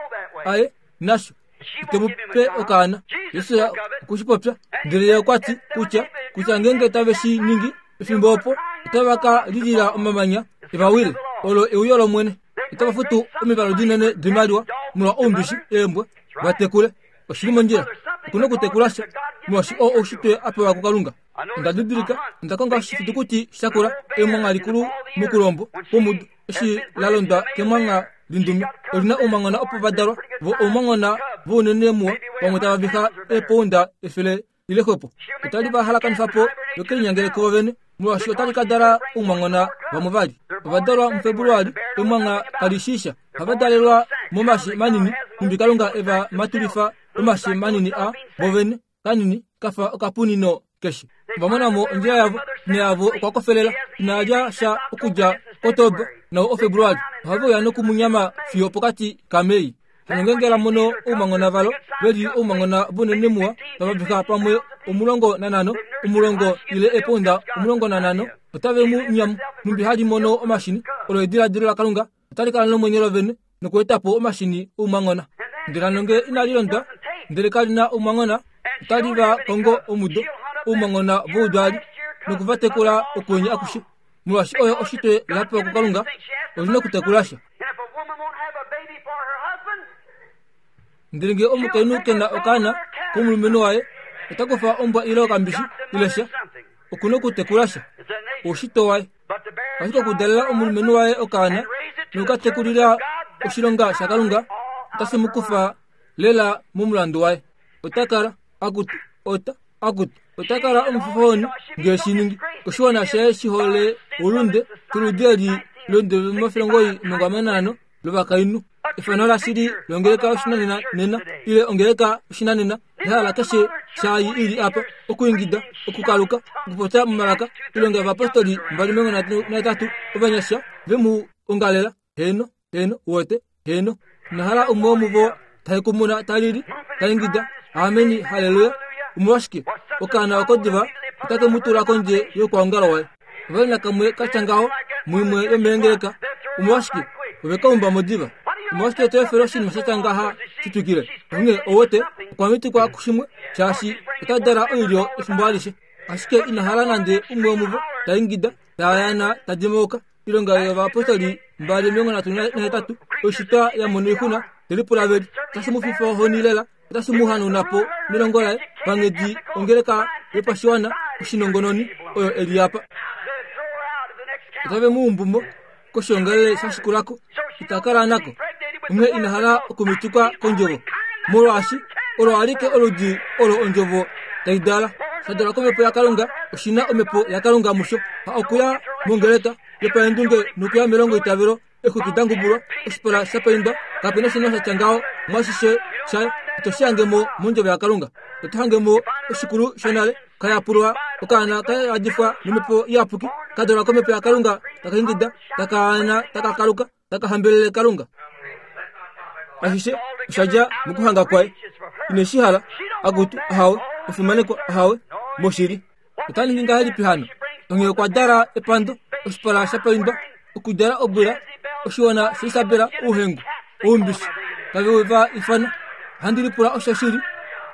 a ye nasho. Ite mu pe okaana. Jesus okwe shi popya. Ndele ye okwa ti kutya, kutya ngeenge tave shi ningi, efimbo opo otava ka lilila omamanya e va wile. Olo euyo lOmwene. Otava futu omivalu dinene doimaliwa molwa oumbishi, eembwa, va tekule. Oshi li mondjila. Oku na okutekula sha, molwaashi oo oushitwe a pewa kuKalunga. Onda didilika, onda konga oshifitukuti sha kula, emwangha likulu mokulombo kwomudo, eshi la londwa kemwangha. Lindume oli na oumangona opo va dalwa, vo oumangona vounene muwa, vamwe tava viha eepounda 100 ile xwepo. Otali va halakanifa po yo kelinyangele kuvo vene, molwaashi otali ka dala oumangona vamwe vali. Ova dalwa muFebuluali, emwangha kali shii sha. Ohava dalelwa momashi manini, nhumbi Kalunga e va matulifa omashi manini a vo vene. kanini ka fa okapunino keshe. Ova mona mo ondjila yavo, ina yavo okwa kofelela, ina lya sha okudja Oktoba nao oFebruali. Ohave uya nokumunyama fiyo pokati kaMei. Hano ngeenge la mono oumangona valo ve li oumangona vounene muwa, tava viha pamwe 15, 10 ile eepounda 15, otave mu nyamu. Nhumbi hali mono omashini, olo ediladilo laKalunga, otali kala nomwenyo lovene nokueta po omashini oumangona. Ndele hano ngee inali londwa, ndele kali na oumangona, otali va kongo omudo oumangona voudwaali noku va tekula okwenye akushe. Molwaashi oyo oshitwe la pewa kuKalunga, oli na okutekula sha. Ndele ngee omukainhu ke na okaana komulumenhu waye, ota kufa ombwa ile okambishi ile sha, oku na okutekula sha. Oushitwe waye. Ashike okudalela omulumenhu waye okaana nokukatekulila oshilonga shaKalunga otashi mu kufa lela momulandu waye. Ota kala akutu ota akutu ota kala omufofohoni ngee shi ningi. Oshiwana shaye shi hole oulunde koludi eli londe 95 lovakainhu. Efano lashili longeleka oshinanena nena ile ongeleka oshinanena ehala keshe shaayi ili apa okuingida okukaluka okupopya momalaka ilonga yovapostoli 23 ovanyasha ve mu ongalela heeno heeno uwete heeno nahala umwe womuvo tahekumuna talili taingida ameni haleluya omolwashike okaana oko diva otake mu tula kondje youkwaongalo waye Ovali nakamwe ka tya ngaho muimwe yomeengeleka. Omolwashike ove ka umba mo diva? Omolwashike to efele oshinima sha tya ngaha shi twikile? Onghee ou wete, okwa mitikwa kushimwe, shaashi ota dala oilyo efimbo alishe. Ashike ina hala nande umwe womuvo ta ingida, ta yaana, ta dimauka. Oilonga yovayapostoli 238, oishitwa ya mona oixuna, te lipula veli, otashi mu fifa ohoni lela. Otashi mu hanauna po nelongo laye panghedi ongeleka yopashiwana oshinongononi oyo e li apa. Otave mu umbu mo koshoongalele sha shikula ko. Ita kala nako. Onghee ina hala okumitikwa kondjovo, molwaashi olo alike oludi olo ondjovo tai dala. Sha dalwa komhepo yaKalunga, oshi na omhepo yaKalunga musho. Ha okuya mongeleka yopaendunge nokuya melongoitavelo Exwiki da ngubulwa, oshipala sha paindwa, kape na oshinima sha tya ngaho mwashishe shaye. Ito shi hange mo mondjovo yaKalunga. Oto hange mo oshikulu shonale, ka yapulwa, okaana ka yadifwa nomhepo iyapuki, ka dalwa komhepo yaKalunga, taka ingida, taka ana, taka kaluka, taka hambelele Kalunga. Ashishe osha dja mokuhanga kwaye. Ine shi hala, akutu, ahawe, omufimanekwa, ahawe, moshili. Ota ningi ngahelipi hano? Onghee okwa dala epando, oshipala sha paindwa, okudjala obwila, oshiwana shaIsabela ouhengu, oumbishi, tave va ifana. Ohandi lipula osho shili,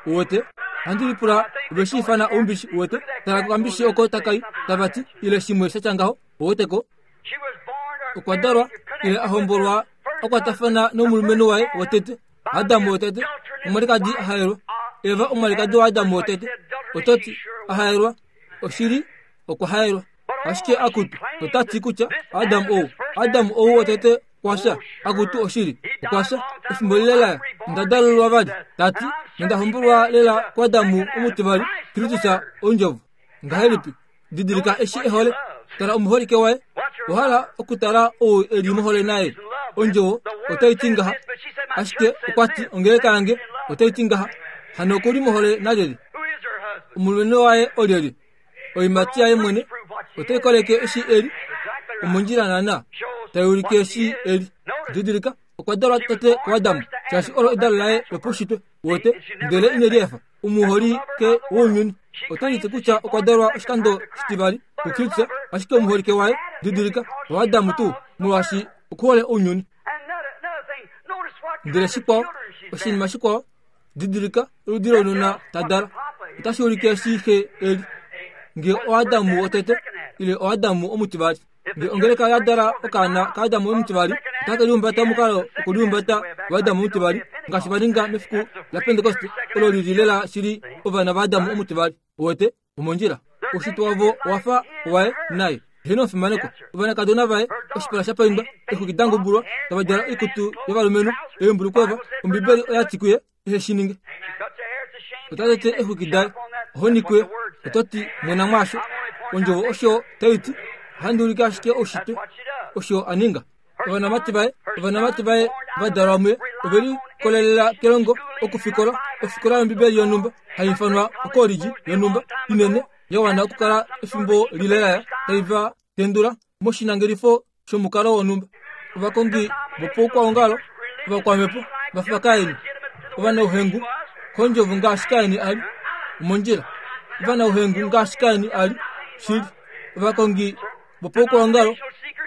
uwete. Ohandi lipula ove shi ifana oumbishi, uwete. Tala kokambishi oko takai, tava ti, ile shimwe sha tya ngaho, uwete ko. Okwa dalwa, ile a hombolwa, a kwatafana nomulumenhu waye wotete. Adam wotete, omwalikadi a haelwa. Eva omwalikadi waAdam wotete. Oto ti, a haelwa? Oshili, okwa haelwa. Ashike akutu, ota ti kutya Adam ou, Adam ou wotete okwa fya. Akutu, oshili, okwa fya. Efimbo lile laya, onda dalululwa vali. Ta ti, nonda hombolwa lela kuAdam omutivali, Kristus, Ondjovo. Ngahelipi? Didilika eshi e hole. Tala omuholike waye. Owa hala okutala ou e li mohole naye. Ondjovo otai ti ngaha. Ashike okwa ti ongeleka yange otai ti ngaha. Hano oku li mohole nalyelye? Omulumenhu waye olyelye? Oiimati yaye mwene otai koleke eshi e li. Omondjila naana tai ulike eshi e li. Didilika, okwa dalwa tete kuAdam, shaashi olo edalo laye lopaushitwe. Uwete? Ndele ine liefa. Omuholike wounyuni ota ti kutya okwa dalwa oshikando shitivali kuKristus, ashike omuholike waye, didilika, oAdam tuu, molwaashi okuhole ounyuni. Ndele shikwao, oshinima shikwao, didilika oludi lounona ta dala. Otashi ulike eshi xe e li, ngee oAdam wotete ile oAdam omutivali. Ngele ongeleka oya dala okaana kaAdam omutivali, otake lihumbata omukalo wokulihumbata waAdam omutivali, ngaashi va ninga mefiku laPentekoste, olo li li lela shili ovana vaAdam omutivali. Uwete? Omondjila. Oushitwe wavo owa fa waye naye. Heeno omufimanekwa. Ovanakadona vaye, oshipala sha paindwa, exwiki da ngubulwa, tava djala oikutu yovalumenhu, eembulukweva, Ombibeli oya ti kuye, ehe shi ninge. Ota tete exwiki daye, ohoni kuye. Oto ti, Mwena mwaasho. Ondjovo osho tai ti. Ohandi ulike ashike oushitwe, osho a ninga. Ovanamati vaye, ovanamati vaye va dalwa muye, ove likolelela kelongo okufikola ofikola yOmbibeli yonhumba, hai ifanwa okoolidji yonhumba inene, ya wana okukala efimbo lile laya, tai va tendula moshinangelifo shomukalo wonhumba. Ovakongi vopaukwaongalo ovakwamhepo va fa Kain, ovanauhengu kondjovo ngaashi Kain a li omondjila, ovanauhengu ngaashi Kain a li shili. Ovakongi vopaukwaongalo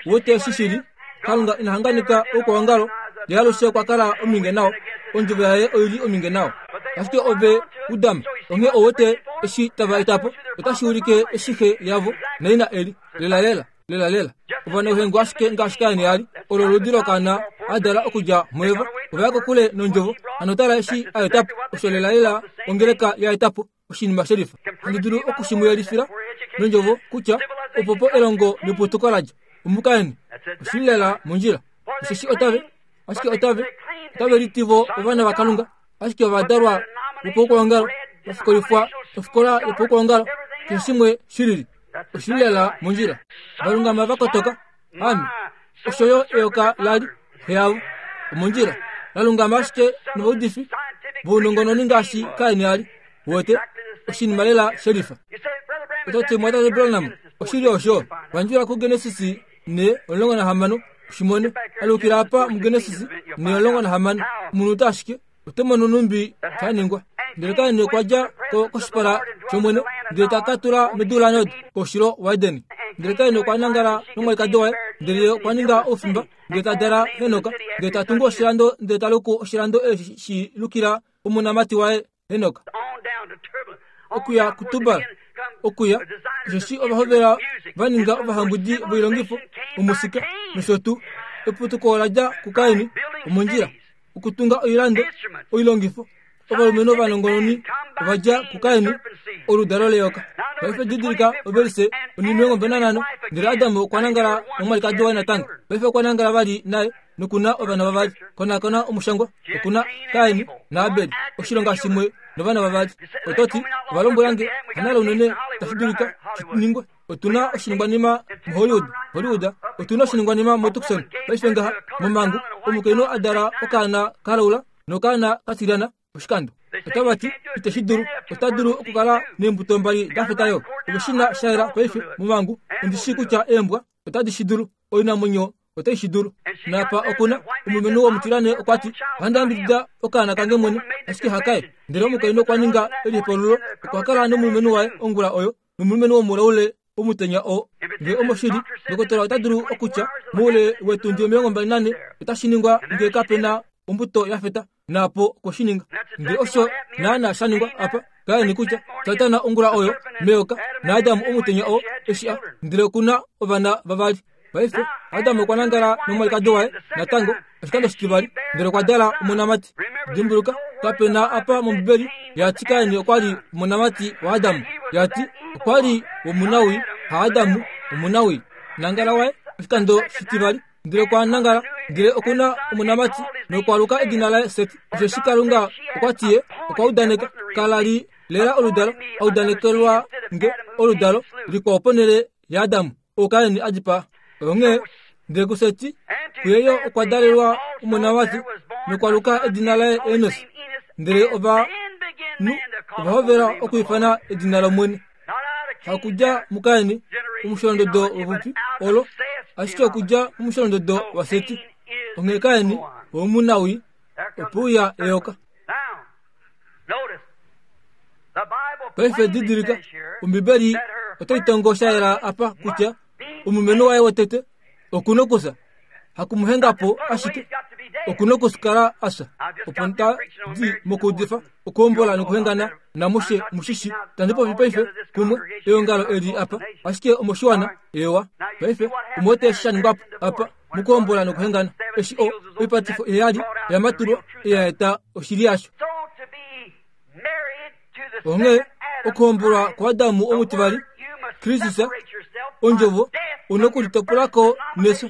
wete eshi shili. Kalunga ina hanganika oukwaongalo, ye alushe okwa kala ominge nao. Ondjovo yaye oi li ominge nao. Ashike ove u dama, onghee ou wete eshi tava eta po, otashi ulike eshi xe yavo naina e li. Lelalela. Lelalela. Ovanauhengu ashike ngaashi Kain a li, olo oludi lokaana a dala okudja muEva. Ova ya kokule nOndjovo. Hano tala eshi a eta po. Osho lelalela ongeleka ya eta po, oshinima shelifa. Handi dulu oku shi mu yelifila nOndjovo kutya opo po elongo neputuko la dja. OmuKain. Oshi li lela mondjila. Osheshi otave, ashike otave, otave liti vo ovana vaKalunga, ashike ova dalwa vopaukwaongalo, va fikolifwa ofikola yopaukwaongalo, keshe shimwe shilili. Oshi li lela mondjila. Valungama va kotoka. Ame. Osho yo eyoka la li, xe yavo. Omondjila. La lungama ashike novaudifi vounongononi ngaashi Kain a li. Wete, oshinima lela shelifa. Oto ti, Mumwatate Branham, oshili osho? Vandjula kuGenesis 4:16, ushi mone. Alukila apa muGenesis 4:16, omunute ashike. Oto mono nhumbi sha ningwa. Ndele Kain okwa dja ko koshipala shOmwene, ndele ta ka tula medu laNod, koushilo waEden. Ndele Kain okwa nangala nomwalikadi waye, ndele ye okwa ninga oufimba, ndele ta dala Henok, ndele ta tungu oshilando, ndele ta luku oshilando eshi shi lukila omonamati waye Henok. Okuya kuTubal, okuya, osheshi ova hovela va ninga ovahambwidi voilongifo, omusika nosho tuu. Eputuko ola dja kuKain, omondjila. Okutunga oilando, oilongifo, ovalumenhu ovanongononi ova dja kuKain, oludalo leyoka. Paife didilika ovelise 15, Ndele Adam okwa nangala nomwalikadi waye natango. Paife okwa nangala vali naye noku na ovana vavali. Konakona omushangwa. Oku na Kain naAbel, oshilonga shimwe novana vavali. Oto ti, Ova lombwela nge, hanale unene tashi dulika shi ningwe. Otu na oshiningwanima muHollywood, Hollywood. Otu na oshiningwanima moTucson paife ngaha, momhangu, omukainhu a dala okaana ka laula nokaana ka tilyana oshikando. Otava ti, Ite shi dulu. Ota dulu okukala neembuto mbali da feta yo. Ove shi na sha yela paife, momhangu. Ondi shii kutya eembwa otadi shi dulu. Oinamwenyo otai shi dulu. Naapa oku na omulumenhu womutilane okwa ti, Ohandi yambidida okaana kange mwene, ashike hakaye. Ndele omukainhu okwa ninga elihokololo, okwa kala nomulumenhu waye ongula oyo, nomulumenhu womulaule omutenya oo. Nge omoshili, ndokotola ota dulu okutya, moule wetundi 24 otashi ningwa nge kape na ombuto ya feta, naapo okwe shi ninga. Nge osho naana sha ningwa apa, Kain kutya Satana ongula oyo meyoka naAdam omutenya oo eshi a ndele oku na ovana vavali. Paife Adam okwa nangala nomwalikadi waye natango oshikando shitivali ndele okwa dala omonamati. Dimbuluka, kape na apa mOmbibeli ya ti Kain okwa li omonamati waAdam. Ya ti okwa li womunawii, haAdam omunawii. Nangala waye oshikando shitivali ndele okwa nangala ndele oku na omonamati nokwa luka edina laye Set. Osheshi Kalunga okwa ti ye okwa udaneka, kala li lela oludalo, a udanekelwa nge oludalo likwao ponhele yaAdam, ou Kain a dipaa. Onghee ndele kuSeti kuye yo okwa dalelwa omonamati nokwa luka edina laye Enos. Ndele ovanhu ova hovela okwiifana edina lOmwene. Hakudja muKain omusholondodo wopupi olo, ashike okudja momusholondodo waSeti. Onghee Kain womunawii ope uya eyoka. Paife didilika, Ombibeli otai tongo sha yela apa kutya omulumenhu waye wotete oku nokufya. Hakumuhenga po ashike, oku nokukala a fya. Opo nda di mokuudifa okuhombola nokuhengana namushe mushishi tandi popi paife kumwe eongalo eli apa, ashike omoshiwana ewa. Paife omu wete eshi sha ningwa po apa mokuhombola nokuhengana, eshi o oipatifo iheyali ya matulwa ya eta oshili yasho. Onghee okuhombolwa kuAdamu omutivali, Kristus, ondjovo, U na okulitopula ko nefyo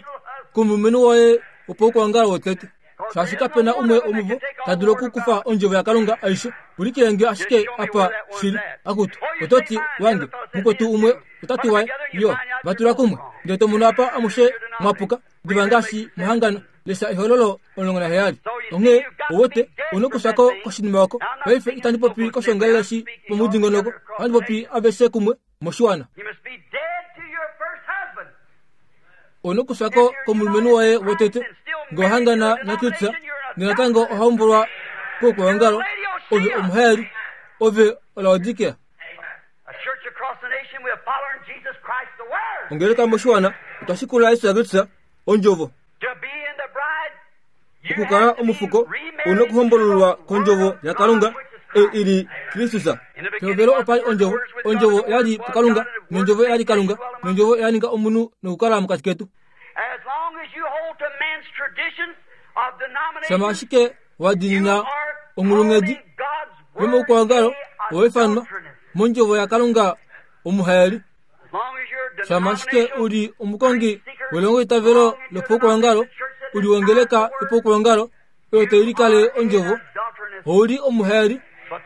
komulumenhu woye wopaukwangalo wotete. Shaashi kape na umwe womuvo ta dulu okukufa ondjovo yaKalunga aishe. Ulikile nge ashike apa shili. Akutu, oto ti, Wange, mukwetu umwe ota ti waye. Yo, va tula kumwe. Ndele to mono apa amushe mwa puka. Diva ngaashi mwa hangana. Lesha Ehololo 17. Onghee, ou wete, ou na okufya ko koshinima oko. Paife itandi popi koshoongalele shi pomudingonoko. Ohandi popi aveshe kumwe moshiwana. Ou na okufya ko komulumenhu woye wotete nge wa hangana naKristus, nonatango oha hombolwa koukwaongalo, ove omuhaeli, ove oLaodikea. Ongeleka moshiwana otwa shikula Jesus Kristus, Ondjovo. Okukala omufuko ou na okuhombololwa kondjovo yaKalunga ei i li Kristus. Pehovelo opa li Ondjovo, Ondjovo ya li puKalunga, nOndjovo ya li Kalunga, nOndjovo ya ninga omunhu nokukala mokati ketu. Shama ashike wa diinina onghulunghedi yomaukwaongalo owa ifanwa mondjovo yaKalunga omuhaeli. Shama ashike u li omukongi welongoitavelo lopaukuongalo, u li wongeleka yopaukuongalo oyo tai likale ondjovo, ou li omuhaeli,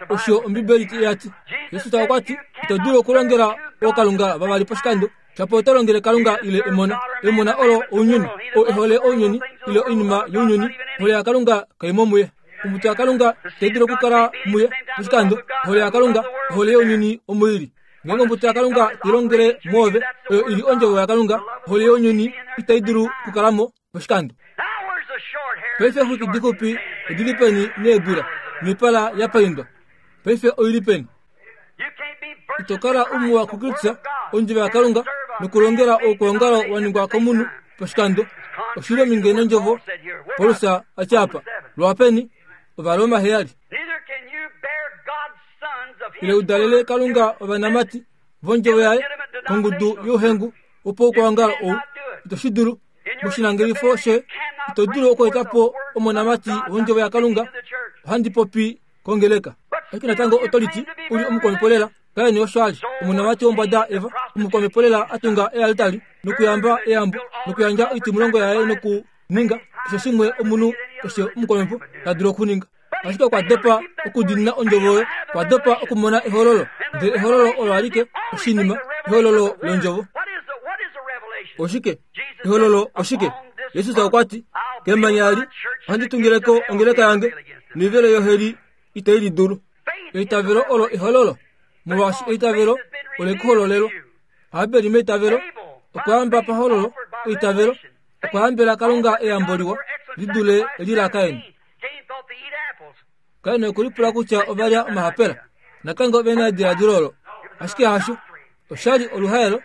osho Ombibeli ya ti. Jesus okwa ti, Ito dulu okulongela ookalunga vavali poshikando, shapo oto longele Kalunga ile emona. Emona olo ounyuni. Ou e hole ounyuni ile oinima younyuni, ohole yaKalunga kai mo muye. Ombuto yaKalunga itai dulu okukala muye poshikando. Ohole yaKalunga, ohole younyuni omo i li. Ngeenge ombuto yaKalunga tai longele mwoove, oyo i li ondjovo yaKalunga, ohole younyuni itai dulu okukala mo poshikando. Paife exwiki dixupi odi li peni needula noipala ya paindwa? Paife oi li peni? Ito kala umuwa kuKristus, ondjovo yaKalunga, nokulongela oukwaongalo wa ningwa komunhu poshikando. Oshi li ominge nondjovo, Paulus a tya apa. Lwaapeni? Ovaroma 7. Ile u dalele Kalunga ovanamati vondjovo yaye kongudu youhengu wopaukwangalo ou, ito shi dulu. Moshinangelifo she ito dulu okweeta po omonamati wondjovo yaKalunga. Ohandi popi kongeleka. Ashike natango oto liti u li omukwamhepolela. Kain osho a li, omonamati wombwada Eva, omukwamhepolela a tunga ealtari nokuyamba eyambo nokuyandja oitimulongo yaye nokuninga keshe shimwe omunhu keshe omukwamhepo ta dulu okuninga. Ashike okwa dopa okudiinina ondjovo oyo, okwa dopa okumona ehololo. Ndele ehololo olo alike oshinima, ehololo londjovo. Oshike? Ehololo oshike? Jesus okwa ti, Kemanya ali ohandi tungile ko ongeleka yange, noivelo yoheli itai li dulu. Eitavelo olo ehololo, molwaashi eitavelo ole ku hololelwa. Habeli meitavelo okwa yamba pahololo eitavelo, okwa yambela Kalunga eyambo liwa li dule eli laKain. Kain okwe lipula kutya ova lya omahapela. Natango ove na ediladilo olo. Ashike hasho. Osha li oluhaelo,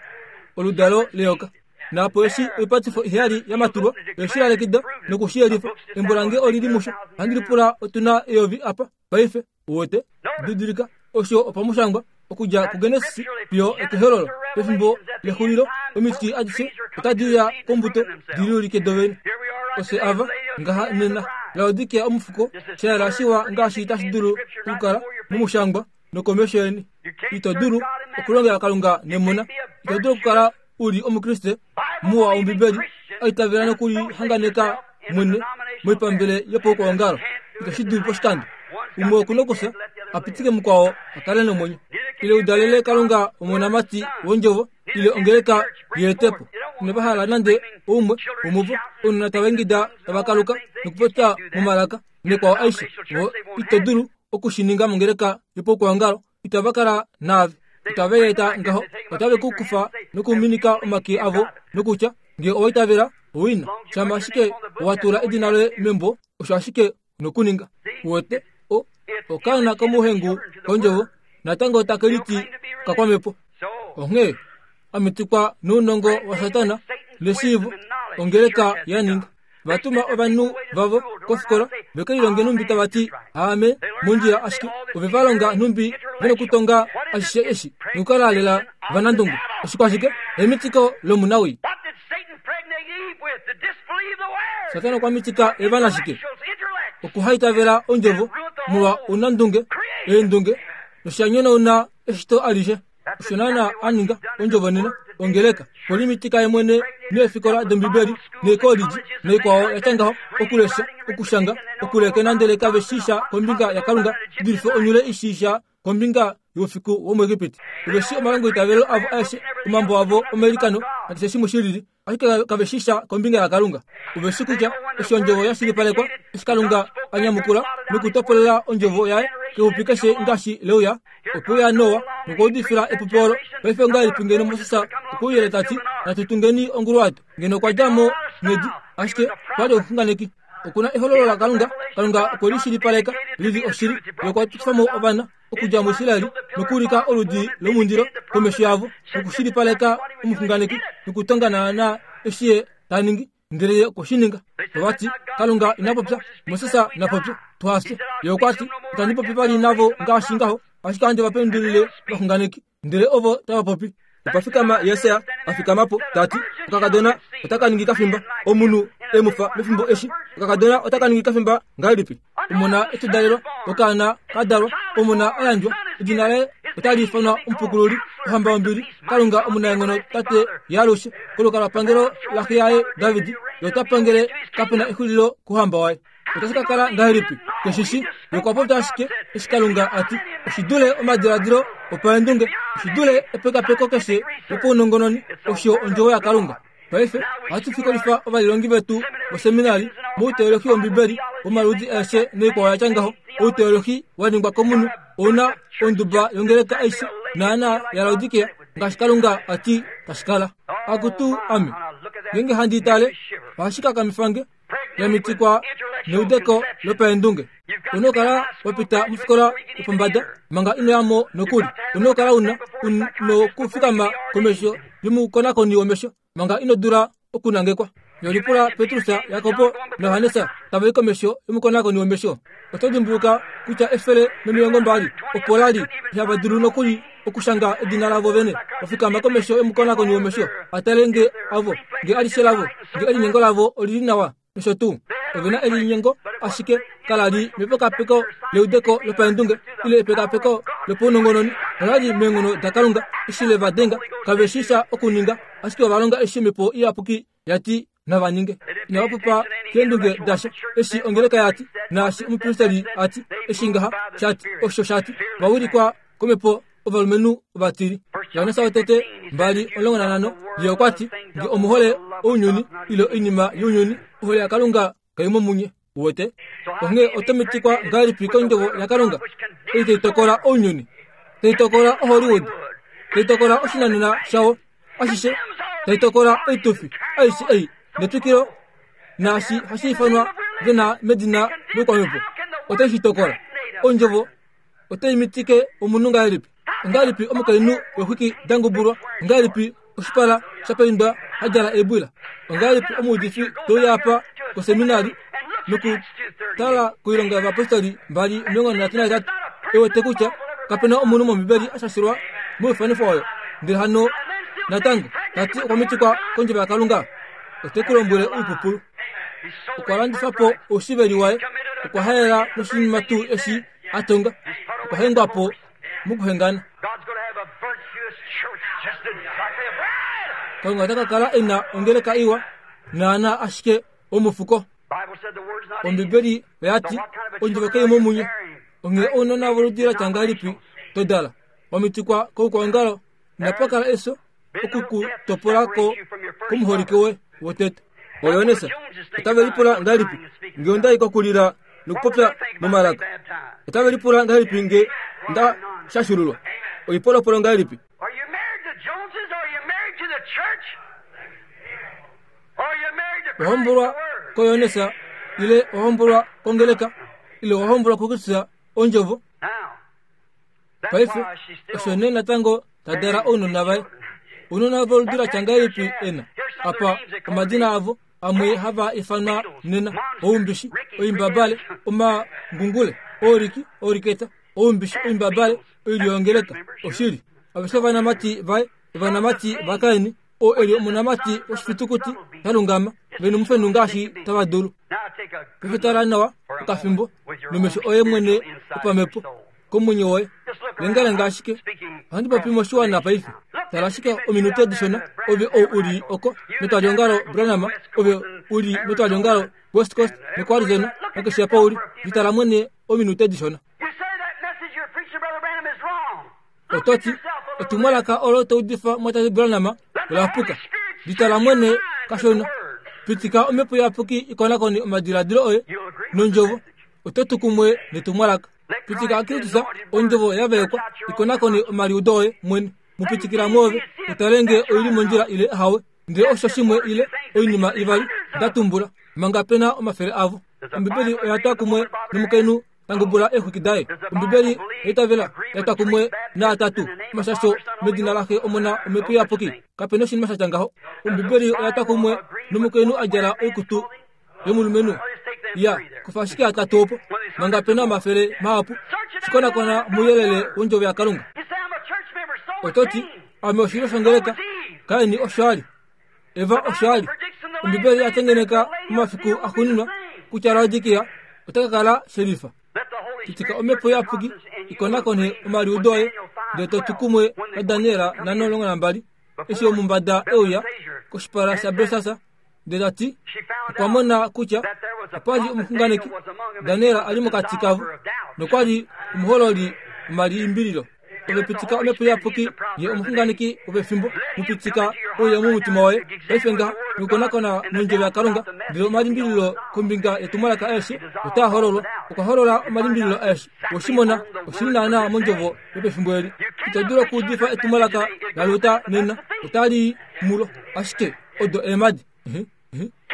oludalo leyoka. Naapo eshi oipatifo iheyali ya matulwa, oye shi lalekida noku shi yelifa. Embo lange oli li musho. Ohandi lipula otu na eyovi apa paife. Uwete? Didilika, osho opamushangwa, okudja kuGenesis fiyo ekEhololo, pefimbo lexulilo, omiti adishe otadi uya kombuto di liulike dovene. Ofye ava, ngaha nena, Laodikea omufuko, sha yela shiwa ngaashi tashi dulu okukala momushangwa nokomesho yeni. Ito dulu okulongela Kalunga nemona. Ito dulu okukala u li Omukriste muwa wOmbibeli, a itavela nokulihanganeka mwene moipambele yopaukwaongalo. Ito shi dulu poshikando. Umwe oku na okufya, a pitike mukwao a kale nomwenyo. Ile u dalele Kalunga omonamati wondjovo, ile ongeleka yeetepo. Inava hala nande oumwe womuvo, ounona tava ingida tava kaluka nokupopya momalaka nekwao aishe. Vo ito dulu oku shi ninga mongeleka yopaukwaongalo. Itava kala naave. Itave eta ngaho. Otave ku kufa nokuminika omake avo nokutya, Nge owa itavela, owina. Shama ashike wa tula edina loye membo, osho ashike nokuninga. Uwete, o, okaana komuhengu kondjovo natango take liti okakwamhepo. Onghee a mitikwa nounongo waSatana neshiivo, ongeleka ya ninga. Va tuma ovanhu vavo kofikola ve ke lilonge nhumbi tava ti aame mondjila ashike ove va longa nhumbi ve nokutonga ashishe eshi nokukala lela vanandungu. Oshikwashike? Emitiko lomunawii. Satana okwa mitika Eva nashike? Okuhaitavela ondjovo molwa ounandunge, eendunge, nosha nyonauna eshito alishe. Osho naana a ninga ondjovo nena. Ongeleka polimitika ye mwene neefikola dOmbibeli neekolidji naikwao ya tya ngaho, okulesha, okushanga, okulekena ndele kave shii sha kombinga yaKalunga, dulife onyule i shii sha kombinga youfiku womuEgipiti. Ove shii omalongoitavelo avo aeshe, omambo avo omailikano nakeshe shimwe shi lili, ashike kave shii sha kombinga yaKalunga. Ove shii kutya eshi Ondjovo ya shilipalekwa, eshi Kalunga a nyamukula nokutopolela Ondjovo Yaye kepupi keshe ngaashi leuya, Okwe uya Noa nokwa udifila epupi olo. Paife ongahelipi ngeno Moses okwe uyele ta ti, Natu tungeni onguluwato? Ngeno okwa dja mo medi, ashike okwa li omuxunganeki. Oku na ehololo laKalunga. Kalunga okwe li shilipaleka li li oshili. Ye okwa tufa mo ovana okudja muIsrael nokuulika oludi lomundilo komesho yavo nokushilipaleka omuxunganeki nokutonga naanaa eshi ye ta ningi. Ndele ye okwe shi ninga. Ova ti, Kalunga ina popya, Moses na popye, tuha fye. Ye okwa ti, Itandi popi vali navo ngaashi ngaho, ashike ohandi va pendulile ovaxunganeki. Ndele ovo tava popi. Okwa fikama Jesaja a fikama po, ta ti, Okakadona otaka ningi kafimba, omunhu e mu fa mefimbo eshi. Okakadona otaka ningi kafimba ngahelipi? Omona e tu dalelwa, okaana ka dalwa, omona a yandjwa, edina laye otali ifanwa Omupukululi, Ohamba yombili, Kalunga omunaenghono, Tate yaalushe. Kolukalwapangelo laxe yaye David, ye ota pangele, kape na exulilo kouhamba waye. Otashi ka kala ngahelipi? Keshishi. Ye okwa popya ashike eshi Kalunga a ti. Oshi dule omadiladilo opaendunge, oshi dule epekapeko keshe lopaunongononi, osho Ondjovo yaKalunga. Paife ohatu fikolifa ovalilongi vetu voseminari mouteolohi wOmbibeli womaludi aeshe noikwao ya tya ngaho. Outeolohi wa ningwa komunhu ou na onduba yongeleka aishe naana yaLaodikea ngaashi Kalunga a ti tashi kala. Akutu ame, ngeenge handi tale, ohashi kakamifa nge. Ya mitikwa neudeko lopaendunge. Una okukala wa pita mofikola yopombada manga ino ya mo nokuli. Una okukala una nokufikama komesho yomukonakoni womesho manga ino dula okunangekwa. Yolipula Petrus, Jakob naJohannes tava i komesho yomukonakoni womesho. Oto dimbuluka kutya 120 opo la li ihava dulu nokuli okushanga edina lavo vene. Va fikama komesho yomukonakoni womesho a tale nge avo, nge alishe lavo, nge elinyengo lavo oli li nawa nosho tuu. Ove na elinyengo, ashike kala li mepekapeko leudeko lopaendunge ile epekapeko lopaunongononi. Ola li meenghono daKalunga eshi le va denga. Kave shii sha okuninga, ashike ova longa eshi Omhepo Iyapuki ya ti nava ninge. Inava popa keendunge dasha eshi ongeleka ya ti, naashi omupristeli a ti, eshi ngaha sha ti, osho sha ti. Va wilikwa komhepo ovalumenhu ovatili. Johannes wotete 2:15 ye okwa ti, Nge omu hole ounyuni ile oinima younyuni, ohole yaKalunga kai mo munye. Uwete? Onghee oto mitikwa ngahelipi kondjovo yaKalunga ei tai tokola ounyuni, tai tokola oHollywood, tai tokola oshinanena shawo ashishe, tai tokola oitufi aishe ei netwikilo naashi hashi ifanwa ve na medina loukwamhepo, otai shi tokola. Ondjovo otai mitike omunhu ngahelipi? Ongahelipi omukainhu wexwiki da ngubulwa? Ongahelipi oshipala sha paindwa ha djala eebwila? Ongahelipi omuudifi te uya apa koseminari nokutala koilonga yovapostoli 2:38 e wete kutya kape na omunhu mOmbibeli a shashilwa moifanifo oyo, ndele hano natango ta ti okwa mitikwa kondjovo yaKalunga? Ote ku lombwele oipupulu. Okwa landifa po oushiveli waye, okwa haela noshinima tuu eshi a tonga, okwa hengwa po mokuhengana. Kalunga ota ka kala e na ongeleka iwa naanaa ashike omufuko. Ombibeli oya ti, Ondjovo kai mo munye. Onghee ounona voludi la tya ngahelipi to dala? Wa mitikwa koukwaongalo, inapa kala efyo oku ku topola ko komuholike woye wotete. Oyones otave lipula ngahelipi nge onda i kokulila nokupopya momalaka? Otave lipula ngahelipi nge nda shashululwa? Oipolopolo ngahelipi? Wahombolwa koYones ile wahombolwa kongeleka ile wahombolwa kuKristus Ondjovo? Paife osho nee natango ta dala ounona vaye. Ounona voludi la tya ngahelipi e na? Apa omadina avo amwe hava ifanwa nena, oumbishi, oimbabale, omangungule, ooriki, ooriketa, oumbishi, oimbabale, oilyo yongeleka. Oshili. Aveshe ovanamati vaye, ovanamati vaKain, oo e li omonamati woshifitukuti sha lungama, ve nomufenhu ngaashi tava dulu. Paife tala nawa okafimbo nomesho oye mwene opamhepo komwenyo woye. Lengalenga ashike. Ohandi popi moshiwana paife. Tala ashike ominute dishona, ove ou u li oko metwaliongalo Branham, ove u li metwaliongalo West Coast nokoArizona, nakeshe apa u li, litala mwene ominute dishona. Oto ti, Etumwalaka olo to udifa mwatate Branham ola puka. Litala mwene kashona. Pitika Omhepo Iyapuki i konakone omadiladilo oye nOndjovo. Oto tu kumwe netumwalaka. Pitika Kristus, Ondjovo ya vaekwa, i konakone omaliudo oye mwene. Mu pitikila mwoove, u tale nge oi li mondjila ile ahawe. Ndele osho shimwe ile oinima ivali nda tumbula, manga pe na omafele avo. Ombibeli oya twa kumwe nomukainhu ta ngubula eexwiki daye. Ombibeli oya itavela ya twa kumwe naatatu omashasho medina laXe, Omona, Omhepo Iyapuki. Kape na oshinima sha tya ngaho. Ombibeli oya twa kumwe nomukainhu a djala oikutu yomulumenhu. Ya, kufa ashike atatu opo, manga pe na omafele mahapu. Shi konakona mouyelele wOndjovo yaKalunga. Oto ti, Ame oshilyo shongeleka. Kain osho a li. Eva osho a li. Ombibeli oya tengeneka momafiku axuuninwa kutya Laodikia ota ka kala shelifa. Pitika omhepo iyapuki i konakone omaliudo oye, ndele to tu kumwe naDaniel 5:12, eshi omumbada e uya koshipala shaBelsasar ndele ta ti okwa mona kutya opa li omuxunganeki Daniel a li mokati kavo nokwa li omuhololi womalimbililo. Ove pitika Omhepo Iyapuki ye omuxunganeki wopefimbo, mu pitika uye momutima woye paife ngaha nokukonakona nondjovo yaKalunga, ndele omalimbililo kombinga yetumwalaka aeshe otaa hololwa. Okwa holola omalimbililo aeshe. Owe shi mona? Oshi li naanaa mondjovo yopefimbo eli. Ito dulu okuudifa etumwalaka laLuther nena, otali i mulo. Ashike odo eemhadi.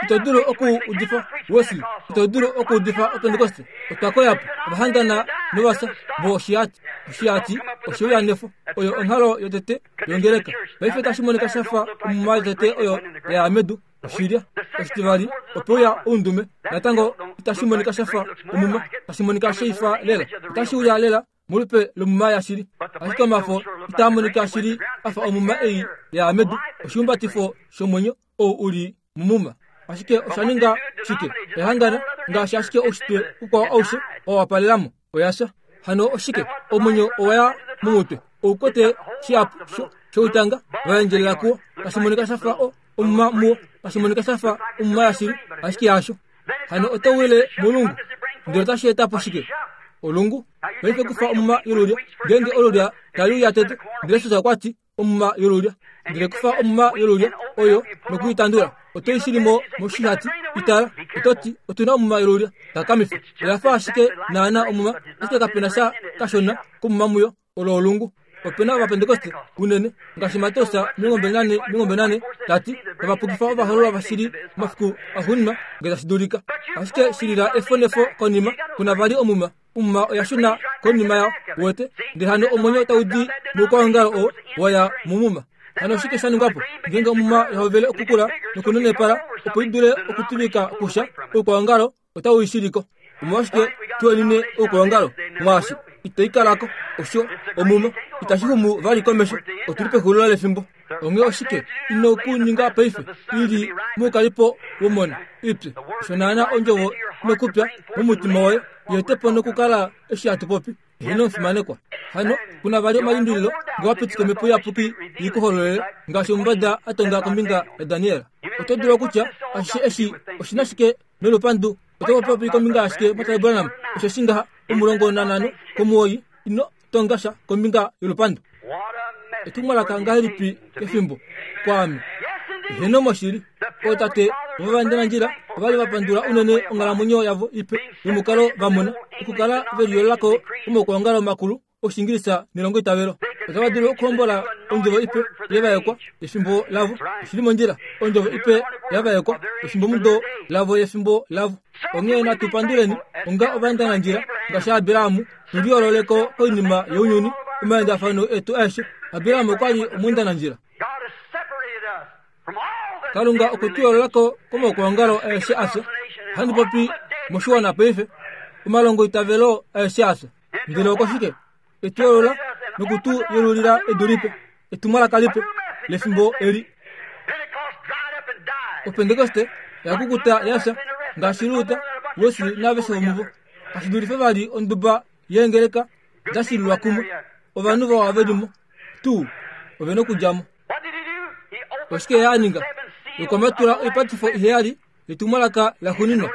Ito dulu oku udifa Wesley, ito dulu oku udifa Opentekoste. Otwa koya po, ova hangana novasa vo oshihati. Oshihati oshe uya nefo. Oyo onghalo yotete yongeleka. Paife tashi monika sha fa omuma yotete oyo ya ya medu, oshilya. Oshitivali, ope uya oundume. Natango itashi monika sha fa omuma, tashi monika sheifa lela. Otashi uya lela molupe lomuma yashili, ashike omafo itaa monika shili a fa omuma ei ya medu, oshihumbatifo shomwenyo ou u li momuma. Ashike osha ninga shike? Oya hangana, ngaashi ashike oushitwe ukwao aushe wa wapalela mo. Oya fya. Hano oshike? Omwenyo owa ya momutwe. Ou kwete shihapu shoutanga va endjelela kuwo, tashi monika sha fa o, omuma muwo, tashi monika sha fa omuma yashili, ashike hasho. Hano oto wile molungu. Ndele otashi eta po shike? Olungu. Paife kufa omuma yolulya. Ngeenge olulya tali uya tete, ndele Jesus okwa ti, omuma yolulya. Ndele kufa omuma yolulya oyo noku i tandula, oto i shili mo moshihati. I tala, oto ti, otu na omuma yolulya. Takamifa. Oya fa ashike naana omuma, ashike kape na sha kashona komuma muyo. Olo olungu. Ope na Ovapentekoste unene, ngaashi Mateus 24:24 ta ti, tava pukifa ovahoololwa vashili momafiku axuuninwa nge tashi dulika. Ashike shilila efo nefo konima, ku na vali omuma. Omuma oya shuna konima yao, uwete, ndele hano omwenyo tau di moukwaongalo oo wa ya momuma. Hano oshike sha ningwa po? Ngeenge omuma ya hovele okukula nokunenepala opo i dule okutuvika kusha, oukwaongalo otau i shiliko. Omolwashike tuenine oukwaongalo mwaashi itai kala ko? Osho omuma itashi xumu vali komesho. Otu li pexulilo lefimbo. Onghee oshike ino ku ninga paife? I li moukalipo womona ipye. Osho naana ondjovo nokupya momutima woye yeete po nokukala eshi hatu popi. Eheno omufimanekwa. Hano, ku na vali omalimbililo nge wa pitika omhepo iyapuki i ku hololele, ngaashi omumbada a tonga kombinga yaDaniel. Oto dulu okutya, Ashishe eshi oshi na shike nolupandu? Oto popi kombinga yashike, Mwatate Branham? Osheshi ngaha, 15 komuwoi, ino tonga sha kombinga yolupandu. Etumwalaka ngahelipi kefimbo, kwaame. Eheno moshili. Ootate vovaendanandjila ova li va pandula unene onghalamwenyo yavo ipe yomukalo va mona okukala ve liyoolola ko komaukwaongalo makulu Oshiingilisa nelongoitavelo. Otava dulu okuhombola ondjovo ipe yevaekwa yefimbo lavo. Oshi li mondjila. Ondjovo ipe ya vaekwa yefimbomudo lavo yefimbo lavo. Onghee natu panduleni onga ovaendanandjila ngaashi Abraham, tu liyoolole ko koinima younyuni, omaendafano etu aeshe. Abraham okwa li omweendanandjila. Kalunga okwe tu yoolola ko komaukwaongalo aeshe a fya. Ohandi popi moshiwana paife, omalongoitavelo aeshe a fya. Ndele okoshike? E tu yoolola noku tu yelulila edu lipe, etumwalaka lipe lefimbo eli. Opentekoste oya kukuta ya fya, ngaashi Luther, Wesley naaveshe vomuvo. Kashi dulife vali onduba yeengeleka da shililwa kumwe. Ovanhu vawa ve li mo tuu, ove nokudja mo. Oshike ye a ninga? Okwa matula oipatifo iheyali yetumwalaka laxuuninwa.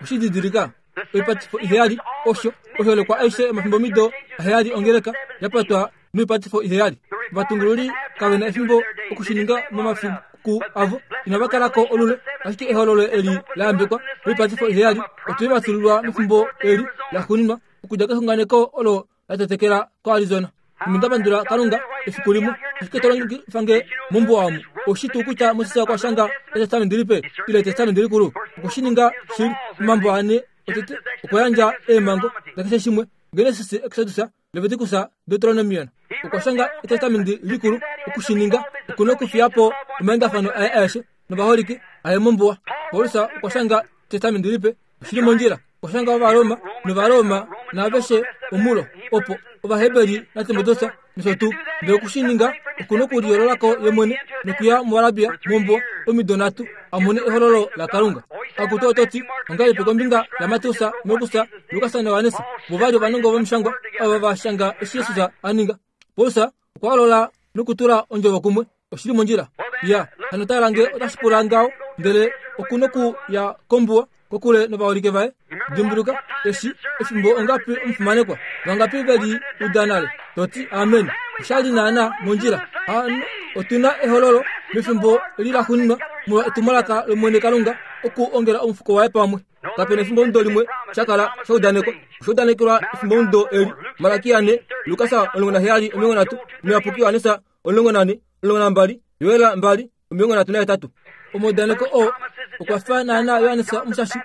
Oshididilika, oipatifo iheyali, osho oshoolekwa aishe yomafimbomido aheyali ongeleka ya patwa noipatifo iheyali. Ovatungululi kave na efimbo oku shi ninga momafiku avo, inava kala ko olule, ashike ehololo eli la yambekwa loipatifo iheyali otwe li vatululwa mefimbo eli laxuuninwa okudja kexunganeko olo la tetekela koArizona. Ame nda pandula Kalunga efiku limwe, ashike to longifa nge mombuwa omu. Oushi tuu kutya Moses okwa shanga Etestamenti Lipe ile Etestamenti Likulu? Okwe shi ninga shili. Omambo ane otete okwa yandja eemhango dakeshe shimwe, Genesis, Exodus, Leviticus, Deuteronomion. Okwa shanga Etestamenti Likulu oku shi ninga. Oku nokufiya po omaendafano aye aeshe novaholike aye mombuwa. Paulus okwa shanga Etestamenti Lipe oshi li mondjila. Okwa shanga Ovaroma nOvaroma naaveshe omulo, opo Ovaheberi naTimoteus nosho tuu. Ndele oku shi ninga, oku nokuliyoolola ko ye mwene nokuya muArabia mombuwa omido nhatu a mone ehololo laKalunga. Akutu oto ti, Ongahelipi kombinga yaMateus, Markus, Lukas naJohannes? Vo va li ovanongo vomishangwa ava va shanga eshi Jesus a ninga. Paulus okwa holola nokutula ondjovo kumwe. Oshi li mondjila? Ya, hano tala nge otashi pula ngaho, ndele oku noku ya kombuwa kokule novaholike vaye. Dimbuluka, eshi, efimbo ongapi omufimanekwa, vangapi ve li uda nale, to ti amen. Osha li naana mondjila. Hano otu na ehololo mefimbo eli laxuuninwa molwa etumwalaka lOmwene Kalunga oku ongela omufuko waye pamwe. Kape na efimbomudo limwe sha kala sha udanekwa. Osha udanekelwa efimbomudo eli. Malaki 4, Lukas 17, 30, Omuyapuki Johannes 14, 12, Joel 2, 38. Omaudaneko oo okwa fa naanaa Johannes Omushashi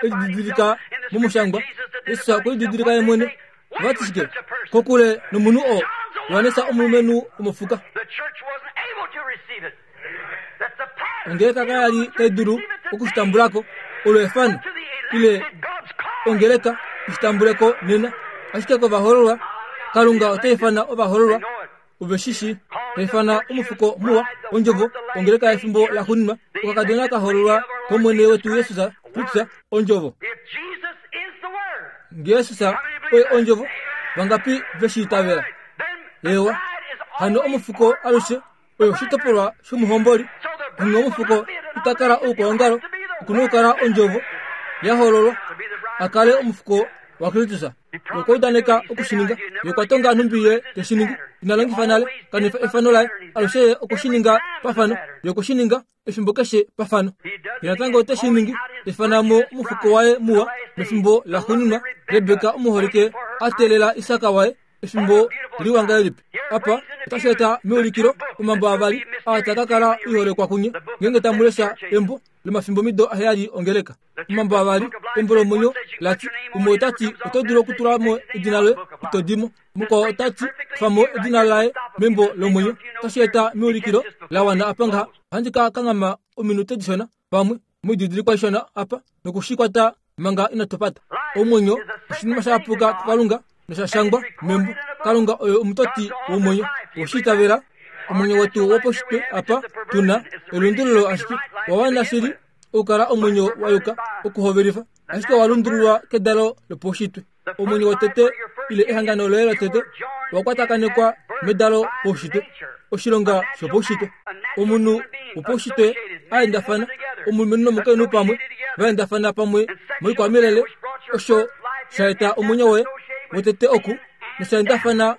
e lididilika momushangwa. Jesus okwe lididilika ye mwene. Ova ti shike? Kokule nomunhu oo, Johannes omulumenhu womofuka. Ongeleka kaya li tai dulu oku shi tambula ko, olo efano, ile ongeleka i shi tambule ko nena. Ashike kovahoololwa, Kalunga ota ifana ovahoololwa, ove shi shii, ta ifana omufuko muwa, Ondjovo, ongeleka yefimbo laxuuninwa, okakadona ka hoololwa kOmwene wetu Jesus Kristus, Ondjovo. Nge Jesus oye Ondjovo, vangapi ve shi itavela? Eewa. Hano omufuko alushe oyo oshitopolwa shomuhomboli. Onghee omufuko ita kala oukwaongalo, oku na okukala Ondjovo ya hololwa, a kale omufuko waKristus. Okwa udaneka oku shi ninga. Ye okwa tonga nhumbi ye te shi ningi. Ina longifa nale, kanifa efano laye. Alushe ye okwe shi ninga pafano. Ye okwe shi ninga efimbo keshe pafano. Ye natango ote shi ningi, ta ifana mo omufuko waye muwa mefimbo laxuuninwa, Rebeka omuholike a teelela Isak waye efimbo liwa ngahelipi. Apa otashi eta meulikilo omambo avali aa taa ka kala oiholekwa kunye ngeenge tamu lesha embo lomafimbomido aheyali ongeleka. Omambo avali embo lomwenyo la ti, umwe ota ti oto dulu okutula mo edina loye ito di mo. Mukwao ota ti kufa mo edina laye membo lomwenyo. Otashi eta meulikilo la wana apa ngaha. Ohandi ka kanghama ominute dishona pamwe moididilikwa ishona apa noku shi kwata manga inatu pata. Omwenyo oshinima sha yapuka kuKalunga nosha shangwa membo. Kalunga oye omutoti womwenyo. Owe shi itavela? Omwenyo wetu wopaushitwe apa tu na elundululo ashike owa wana shili okukala omwenyo wa yuka okuhovelifa, ashike owa lundululwa kedalo lopaushitwe. Omwenyo wotete ile ehangano loye lotete owa kwatakanekwa medalo paushitwe, oshilonga shopaushitwe. Omunhu wopaushitwe a endafana, omulumenhu nomukainhu pamwe, va endafana pamwe moikwamilele, osho sha eta omwenyo woye wotete oku, nosha endafana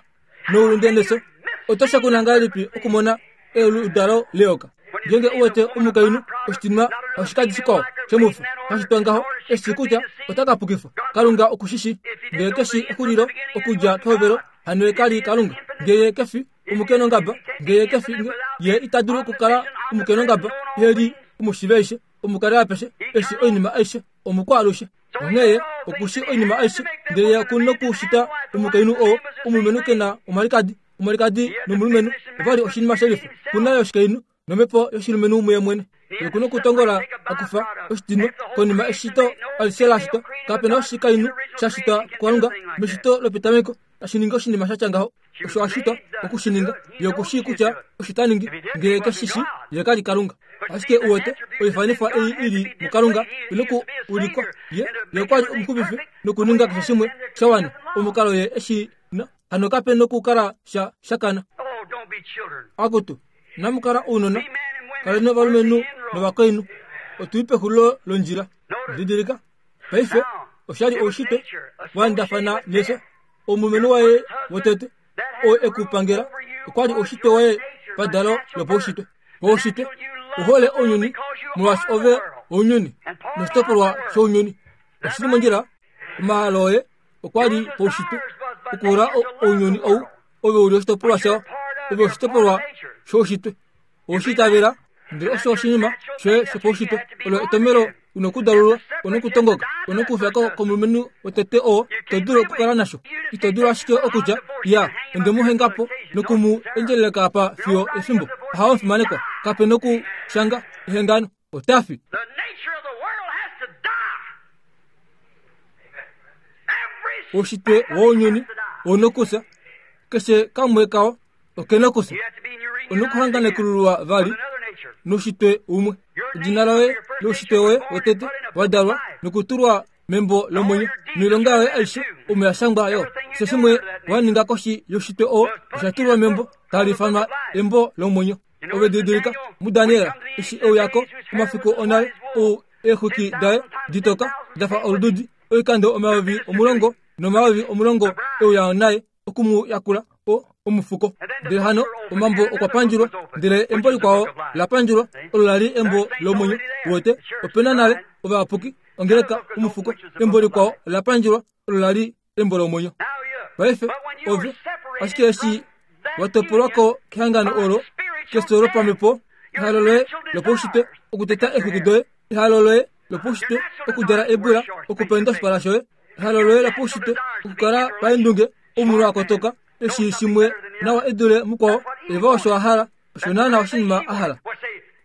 noulunde nefyo. Oto shakuna ngahelipi okumona eludalo leyoka? Ngeenge u wete omukainhu oshitinwa oshikadi shikwao shomufi hashi twa ngaho, e shii kutya ota ka pukifwa. Kalunga oku shi shii. Ngee ke shi exulilo okudja kehovelo, hano ye ka li Kalunga. Ngee ye ke fi omukenongaba, ngee ye ke fi, ye ita dulu okukala omukenongaba, ye li omushiveishe, omukali apeshe, e shii oinima aishe, omukwaalushe. Onghee ye oku shii oinima aishe, ndele ye oku nokushita omukainhu oo, omulumenhu ke na omwalikadi. Omwalikadi nomulumenhu ova li oshinima shelifa. Ku na yoshikainhu nomhepo yoshilumenhu muye mwene. Ye ku nokutongola a kufa oshitinwa konima eshito alishe la shitwa. Kape na oshikainhu sha shitwa kuKalunga meshito lopetameko tashi ningi oshinima sha tya ngaho. Osho a shitwa oku shi ninga. Ye oku shii kutya osho ta ningi. Ngee ye ke shi shii, ye ka li Kalunga. Ashike uwete, oifanifwa ei i li muKalunga i noku ulikwa. Ye, ye okwa li omuxupifi nokuninga keshe shimwe sha wana omukalo ye e shi na. Hano kape nokukala sha shakana. Akutu, inamu kala ounona. Kaleni ovalumenhu novakainhu, otu li pexulilo londjila. Didilika, paife, osha li oushitwe wa endafana nefyo. Omulumenhu waye wotete, oo e ku pangela, okwa li oushitwe waye padalo lopaushitwe. Paushitwe, u hole ounyuni, molwaashi ove ounyuni, noshitopolwa shounyuni. Oshi li mondjila, omahalo oye okwa li paushitwe okuhola ounyuni ou ove u li oshitopolwa shao ove oshitopolwa shoushitwe owe shi itavela ndele osho oshinima shoye shopaushitwe olo etomelo una okudalulwa una okutongoka una okufya ko komulumenhu wotete oo to dulu okukala nasho ito dulu ashike okutya ya onde mu henga po noku mu endjeleleka apa fiyo efimbo ohawa omufimanekwa kape nokushanga ehengano ota fi. Oushitwe wounyuni ounokufya, keshe kamwe kao oke na okufya. Onokuhanganekululwa vali noushitwe umwe. Edina loye loushitwe woye wotete wa dalwa nokutulwa membo lomwenyo noilonga yoye aishe omo ya shangwa yo. Keshe shimwe wa ninga koshi youshitwe oo osha tulwa membo tali ifanwa embo lomwenyo. Ove didilika muDaniel eshi e uya ko omafiku onale ou eexwiki daye ditoka da fa olududi oikando 10,000 nomayovi10 e uya naye oku mu yakula o omufuko. Ndele hano omambo okwa pandjulwa, ndele embo likwao la pandjulwa, olo la li embo lomwenyo. Uwete, ope na nale ovayapuki, ongeleka, omufuko. Embo likwao la pandjulwa, olo la li embo lomwenyo. Paife, ove, ashike eshi wa topolwa ko kehangano olo, kefyo lopamhepo, ehalo loye lopaushitwe okuteta eexwiki doye, ehalo loye lopaushitwe okudjala eebula, okupenda oshipala shoye, ehalo loye lopaushitwe okukala paendunge, omunhu a kotoka, eshi shimwe nawa e dule mukwao, Eva osho a hala, osho naana oshinima a hala.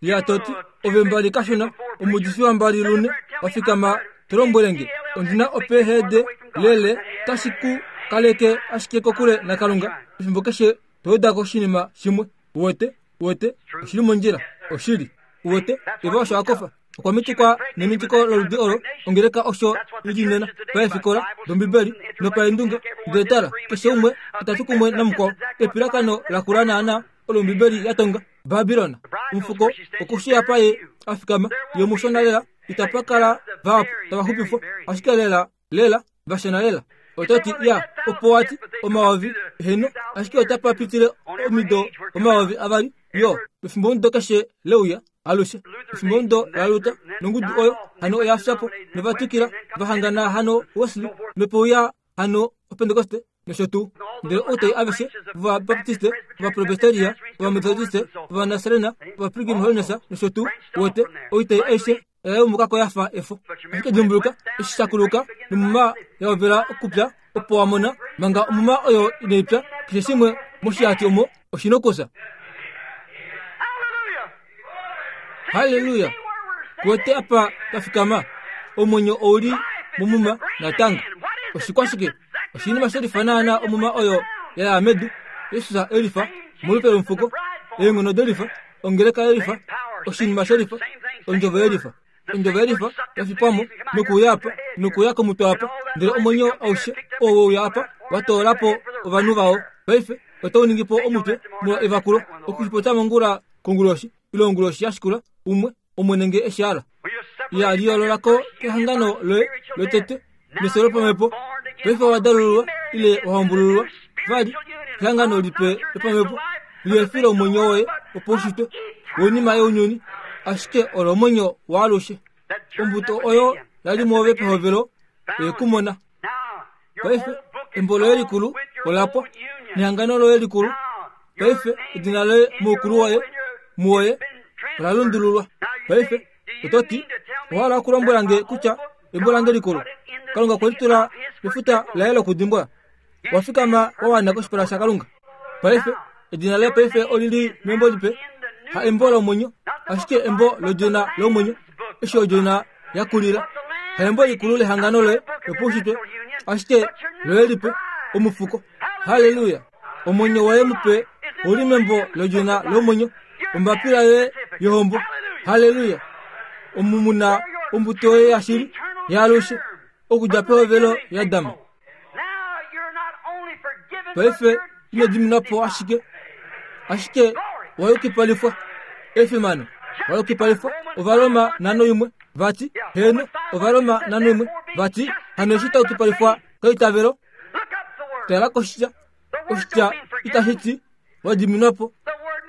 Ya to ti, Ove mbali kashona, omuudifi wambali lune, wa fikama to lombwele nge, ondi na opeehede lele, tashi ku kaleke ashike kokule naKalunga, efimbo keshe to weda ko oshinima shimwe. Uwete? Uwete? Oshi li mondjila. Oshili. Uwete? Eva osho a kofa. Okwa mitikwa nemitiko loludi olo, ongeleka osho i li nena, paefikola dOmbibeli nopaendunge. Ndele tala, keshe umwe ota tu kumwe namukwao. Epilakano lakula naana olo Ombibeli ya tonga. Babilon, omufuko okushiya paye a fikama, ye omushona lela, itapa kala vahapu tava xupifwa, ashike lela lela vashona lela. Oto ti, ya, opo wa ti, omayovi, heeno, ashike otapa pitile omido 2000, yo, pefimbomudo keshe leuya, alushe. Efimbomudo laLuther, nongudu oyo hano oya fya po, nova twikila, va hangana hano Wesley, nopeuya hano Opentekoste, nosho tuu. Ndele outai aveshe vOvabaptiste, Ovapresbiteria, Ovametodiste, Ovanasarena, Ovapilgrim Holiness, nosho tuu, wote, oitai aishe oya yumuka ko ya fa efo. Ashike dimbuluka, eshi sha kuluka nomuma ya hovela okupya, opo wa mona, manga omuma oyo inai pya, keshe shimwe moshihati omo oshi nokufya. Halleluya! Kuwete apa twa fikama? Omwenyo ou li momuma natango. Oshikwashike? Oshinima she lifa naanaa omuma oyo ya ya medu, Jesus e lifa, molupe lomufuko, eenghono delifa, ongeleka yelifa, oshinima shelifa, ondjovo yelifa. Ondjovo yelifa ya fipwa mo nokuuya apa, nokuuya komutwe apa, ndele omwenyo aushe oo we uya apa wa toola po ovanhu vao. Paife otau ningi po omutwe molwa evakulo, okushipopya mongula konguloshi ile onguloshi ya shikula, umwe, Omwene nge e shi hala. Ya liyoolola ko kehangano loye lotete nefyo lopamhepo. Paife owa dalululwa ile wa hombulululwa vali kehangano lipe lopamhepo lihe fi lomwenyo woye wopaushitwe woinima younyuni, ashike olo omwenyo waalushe. Ombuto oyo ya li mwoove pehovelo oye ku mona. Paife embo loye likulu ola pwa, nehangano loye likulu. Paife edina loye moukulu woye muwoye ola lundululwa. Paife oto ti, Owa hala okulombwela nge kutya embo lange likulu, Kalunga okwe li tula mefuta laye lokudimbwa? Wa fikama wa wana koshipala shaKalunga. Paife edina loye paife oli li membo lipe, ha embo lomwenyo, ashike embo lodjona lomwenyo, eshi odjona ya kulila. Ha embo likulu lehangano loye lopaushitwe, ashike loye lipe, omufuko. Halleluya! Omwenyo woye mupe ou li membo lodjona lomwenyo, ombapila yoye yohombo. Halleluya! Omu mu na ombuto yoye yashili yaalushe, okudja pehovelo yaAdam. Paife ino diminwa po ashike, ashike wa yukipalifwa. Efimano! Wayukipalifwa. Ovaroma 5:1 vati, heeno, Ovaroma 5:1 vati, hano eshi tayukipalifwa keitavelo, tala koshitya. Oshitya itashi ti wa diminwa po.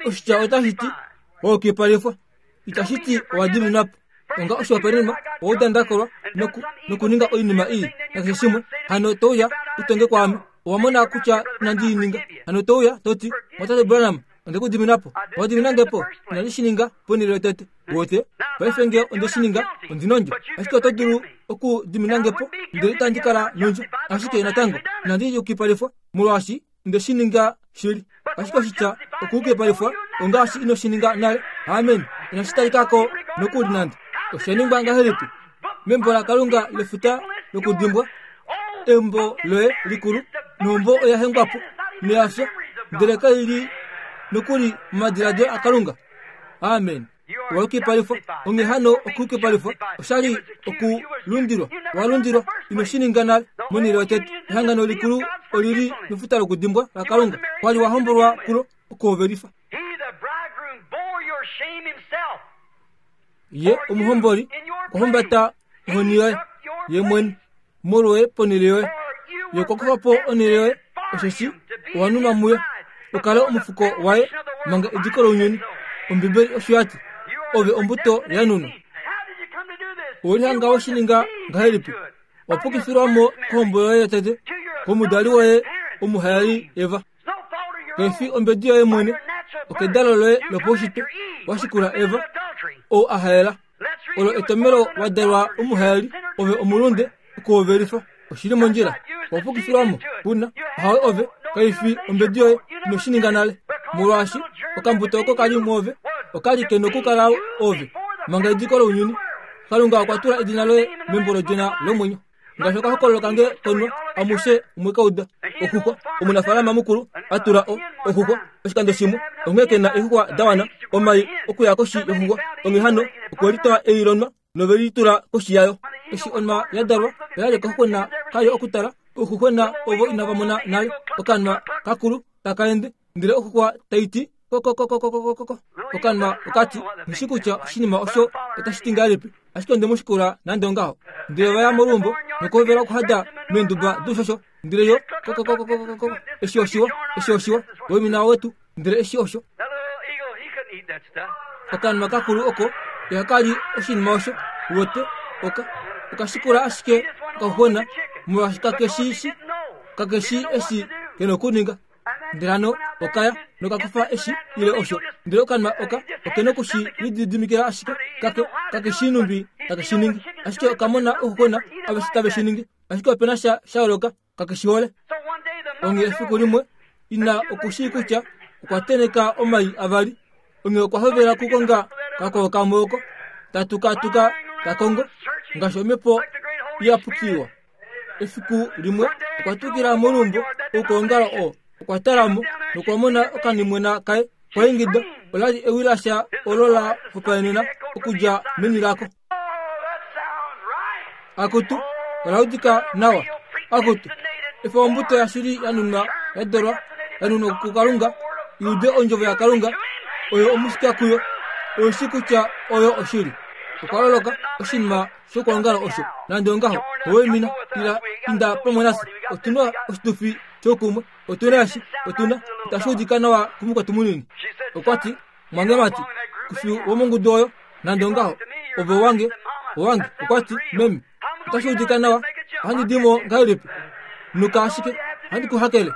Oshitya otashi ti wayukipalifwa. Itashi ti owa diminwa po. Onga oshihopaenenwa, owa uda nda kolwa noku, nokuninga oinima ii nakeshe shimwe, hano to uya u tonge kwaame. Owa mona kutya inandi i ninga. Hano to uya, to ti, Mwatate Branham, onde ku dimina po. Owa dimina nge po. Inandi shi ninga ponhele yotete. Uwete? Paife nge onde shi ninga, ondi nondjo. Ashike oto dulu oku dimina nge po, ndele itandi kala nondjo. Ashike natango, inandi yukipalifwa, molwaashi onde shi ninga shili. Ashike oshitya okuyukipalifwa ongaashi ino shi ninga nale. Amen. Inashi talika ko nokuli nande. Osha ningwa ngahelipi? Membo laKalunga lefuta lokudimbwa, embo loye likulu, nohombo oya hengwa po noya fya, ndele kai li nokuli momadiladilo aKalunga. Amen. Owayukipalifwa. Onghee hano okuyukipalifwa osha li okulundilwa. Owa lundilwa. Ino shi ninga nale. Monhele yotete, ehangano likulu oli li mefuta lokudimbwa laKalunga. Kwa li wa hombolwa kulo okuhovelifa. Ye omuhomboli okwa humbata ohoni yoye ye mwene molwoye ponhele yoye. Ye okwa kufa po onhele yoye, osheshi owa nunwa muye u kale omufuko waye manga ediko lounyuni. Ombibeli osho ya ti, Ove ombuto ya nunwa. Owe lihanga we shi ninga ngahelipi? Wa pukifilwa mo kohombo yoye yotete, komudali woye omuhaeli Eva. Kai fi ombedi yoye mwene, okedalo loye lopaushitwe wa shikula Eva, ou a haela. Olo etomelo wa dalwa omuhaeli, ove omulunde, okuhovelifa. Oshi li mondjila. Owa pukifilwa mo, kuna. Ahawe ove, kai fi ombedi yoye, ino shi ninga nale. Molwaashi, okambuto oko ka li mwoove, oka li ke nokukala ove, manga ediko lounyuni. Kalunga okwa tula edina loye membo lodjona lomwenyo. Ngaashi okahokololo kange konwa, amushe omwe ka uda. Oxuxwa, omunafaalama mukulu a tula o, oxuxwa oshikando shimwe, onghee ke na eexuxwa da wana, omai okuya koshi yoxuxwa. Onghee hano, okwe litwa ei lonwa nove li tula koshi yayo. Eshi onwa ya dalwa, oya li okaxuxwena kayo okutala, ouxuxwena ovo inava mona nale okanwa kakulu taka ende, ndele oxuxwa tai ti, Kokokokokokoko. Okanwa oka ti, Nghi shi kutya oshinima osho otashi ti ngahelipi, ashike onde mu shikula nande ongaho. Ndele ova ya moluumbo nokuhovela okuhada meenduba doushosho, ndele yo, Kokokokokokoko, eshi oshiwa, eshi oshiwa, waimina wetu, ndele eshi osho. Okanwa kakulu oko ihaka li oshinima osho, uwete, oka, oka shikula ashike okaxuxwena, molwaashi kake shi shi, kake shi eshi ke nokuninga. Ndele hano oka ya noka kufa eshi ile osho, ndele okanwa oka oke noku shi lididimikila ashike, kake, kake shii nhumbi take shi ningi. Ashike oka mona ouxuxwena aveshe tave shi ningi, ashike ope na sha sha yooloka, kake shi hole. Onghee efiku limwe ina oku shii kutya okwa tenheka omai avali, onghee okwa hovela okukonga kakwao kamwe oko ta tukatuka ta kongo, ngaashi omhepo iyapuki iwa. Efiku limwe okwa tukila moluumbo oukwaongalo oo. Okwa tala mo nokwa mona okanimwena kaye kwa ingida. Ola li ewi lasha olo la hopaenena okudja meni lako. Akutu, ola udika nawa. Akutu, efa ombuto yashili ya nunwa ya dolwa, ya nunwa kuKalunga, i ude ondjovo yaKalunga, oyo omusika kuyo, oyo shi kutya oyo oshili. Okwa loloka oshinima shokwoongala osho. Nande ongaho, owe mina, ila, inda pamwe nafye. Otu na oshitufi shoukumwe. Otu na eshi. Otu na. Itashi udika nawa kumukwetu munini. Okwa ti, Mwangemati, ku fi womongudu oyo. Nande ongaho, ove owange, owange. Okwa ti, Meme, itashi udika nawa. Ohandi di mo ngahelipi? Nuka ashike, ohandi ku hakele.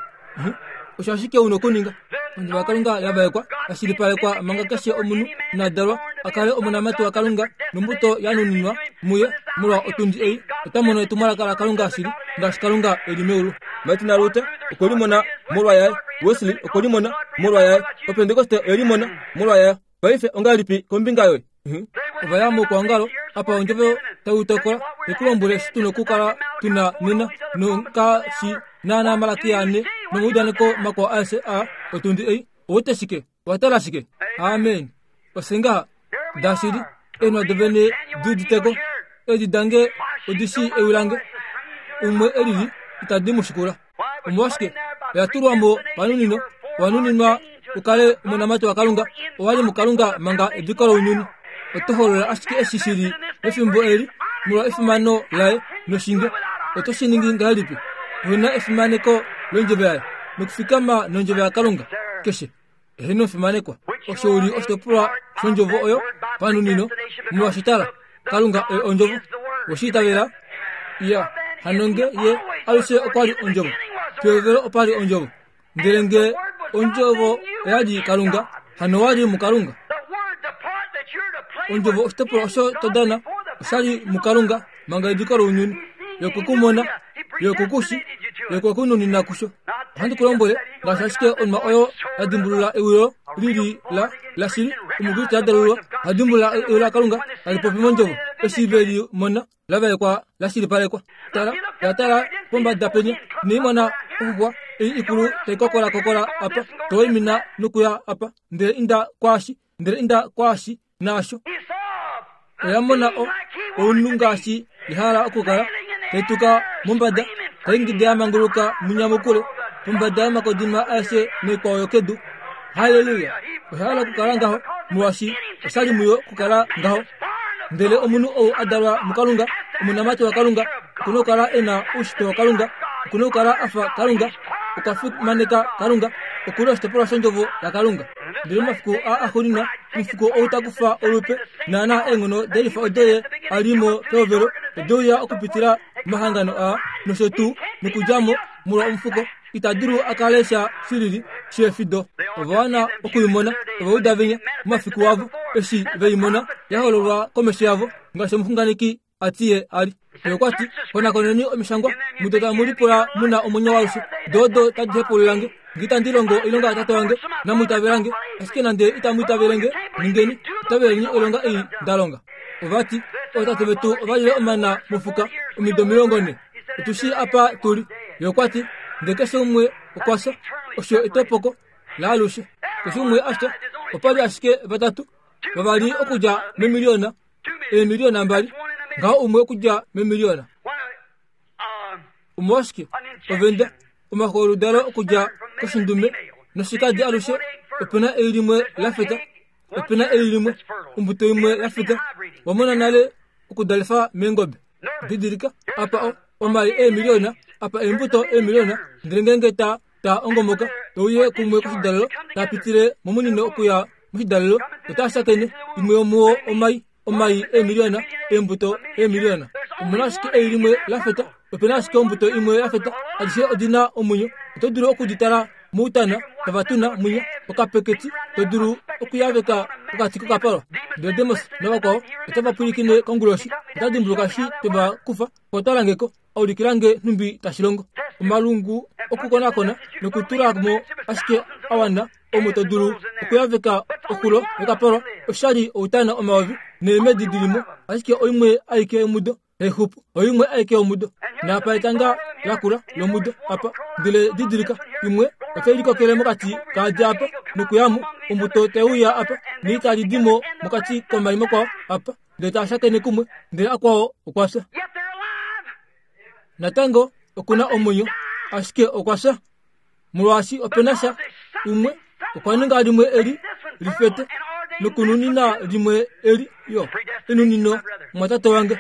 Osho ashike u na okuninga. Ondjovo yaKalunga ya vaekwa, ya shilipalekwa manga keshe omunhu ina dalwa a kale omonamati waKalunga nombuto ya nuninwa muye molwa otundi ei, ota mono etumwalaka laKalunga shili ngaashi Kalunga e li meulu. Martin Luther okwe li mona molwa yaye. Wesley okwe li mona molwa yaye. Opentekoste oye li mona molwa yayo. Paife ongahelipi kombinga yoye? Ova ya moukwaongalo apa ondjovo tai tokola te ku lombwele eshi tu na okukala tu na nena nongaashi naanaa Malakia ane nomaudaneko makwao aeshe aa otundi ei. Ou wete shike? Owa tala shike? Amen. Ofye ngaha. Dashili, eenwa dovene di udite ko. Eedi dange odi shii ewi lange. Umwe e lili itadi mu shikula. Omolwashike? Oya tulwa mo panunino, owa nuninwa u kale omonamati waKalunga, owa li muKalunga manga ediko lounyuni. Oto holola ashike eshi shi li mefimbo eli molwa efimano laye noshinge. Oto shi ningi ngahelipi? Ohe na efimaneko londjovo yaye nokufikama nondjovo yaKalunga keshe. Eheno omufimanekwa, osho u li oshitopolwa shondjovo oyo panunino, molwaashi tala, Kalunga oye ondjovo. Owe shi itavela? Iya, hano nge Ye alushe okwa li ondjovo, pehovelo opa li ondjovo. Ndele nge ondjovo oya li Kalunga, hano owa li muKalunga. Ondjovo oshitopolwa osho to dana osha li muKalunga manga ediko lounyuni. Ye okwe ku mona, Ye okwe ku shi, Ye okwe ku nunina kusho. Ohandi ku lombwele, ngaashi ashike onwa oyo ya dimbulula ewilo li li la lashili, Omukriste a dalulwa oha dimbulula ewi laKalunga tali popi mondjovo eshi ve li mona la vaekwa la shilipalekwa. Tala, oya tala pombada penya, inai mona oxuxwa ei ikulu tai kokola kokola apa, to waimina nokuya apa, ndele inda kwaashi, ndele inda kwaashi, naasho. Oya mona o, ounhu ngaashi ya hala okukala, tai tuka mombada, tai ingida ya manguluka munyamukule, pombada yomakodima aeshe noikwao yokedu. Halleluya! Oya hala okukala ngaho, molwaashi osha li muyo okukala ngaho. Ndele omunhu ou a dalwa muKalunga, omonamati waKalunga, oku na okukala e na oushitwe waKalunga, oku na okukala a fa Kalunga, okwa fimaneka Kalunga, oku li oshitopolwa shOndjovo yaKalunga. Ndele momafiku aa axuuninwa, omufuko ou ta kufa olupe naanaa eenghono delifa odo ye a li mo pehovelo, ode uya okupitila momahangano aa nosho tuu, nokudja mo molwa omufuko. Ita dulu a kale sha shilili sheefido. Ova wana oku i mona. Ova uda venya momafiku avo eshi ve i mona ya hololwa komesho yavo ngaashi omuxunganeki a ti ye a li. Ye okwa ti, Konakoneni omishangwa, mudo tamu lipula mu na omwenyo waalushe. Do odo tadi hepaulula nge. Nge itandi longo oilonga yaTate wange, namu itavela nge. Ashike nande itamu itavele nge, ningeni, itaveleni oilonga ei nda longa. Ova ti, Ootate vetu ova lile omana mofuka omido 40. Otu shii apa tu li. Ye okwa ti, Ndele keshe umwe okwa fya. Osho etopoko laalushe. Keshe umwe a fya. Opa li ashike vatatu, vavali okudja memiliona, eemiliona mbali, ngaho umwe okudja memiliona. Omolwashike ovenda omafo oludalo okudja koshindume noshikadi alushe ope na ei limwe la feta, ope na ei limwe ombuto imwe ya feta. Wa mona nale okudalifa meengobe? Didilika apa o omai eemiliona, apa eembuto eemiliona, ndele ngeenge ta ta ongomoka e uye kumwe koshidalelo, ta pitile momunino okuya moshidalelo, otaa shakene imwe yomuo omai, omai eemiliona, eembuto eemiliona. Omu na ashike ei limwe la feta, ope na ashike ombuto imwe ya feta, adishe odi na omwenyo. Oto dulu oku di tala moutana tava tuna mwinya okapeketi, to dulu okuyaveka pokati kokapalwa. Ndele Demos navakwao otava pwilikine konguloshi, ota dimbuluka eshi twe va kufa po tala nge ko. A ulikila nge nhumbi tashi longo. Omalungu okukonakona nokutula mo ashike a wana omo to dulu okuyaveka oxulo yokapalwa oshali outana omayovi neemedi di li mo, ashike oimwe aike yomudo tai xupu, oimwe aike yomudo. Naapa etanga lakula lomudo apa, ndele didilika, imwe otai likokele mokati kaadi apa nokuya mo, ombuto tai uya apa, neitali di mo mokati komai makwao apa. Ndele taa shakene kumwe, ndele akwao okwa fya. Natango oku na omwenyo, ashike okwa fya. Molwaashi ope na sha umwe okwa ninga limwe eli lifete nokununina limwe eli yo enunino mwatate wange.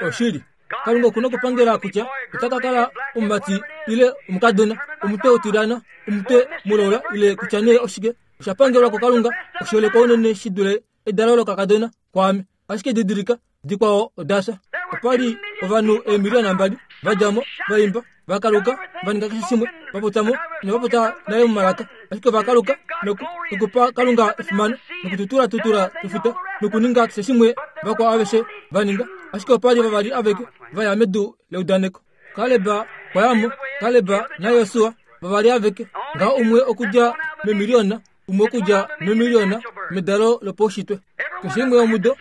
Oshili. Kalunga oku na okupangela kutya ota ka kala omumati ile omukadona, omutwe utilyana, omutwe mulaula ile kutya nee oshike. Osha pangelwa kuKalunga oshiholekwa unene shi dule edalo lokakadona kwaame. Ashike didilika, dikwao oda fya. Opa li ovanhu eemiliona mbali va dja mo, va imba, va kaluka, va ninga keshe shimwe, va popya mo, inava popya nale momalaka, ashike ova kaluka noku, nokupa Kalunga efimano, nokututulatutula efuta, nokuninga keshe shimwe vakwao aveshe va ninga. Ashike opa li vavali aveke va ya medu leudaneko. Kaleb okwa ya mo, Kaleb naJosua, vavali aveke, ngaho umwe okudja memiliona, umwe okudja memiliona medalo lopaushitwe. Keshe imwe yomudo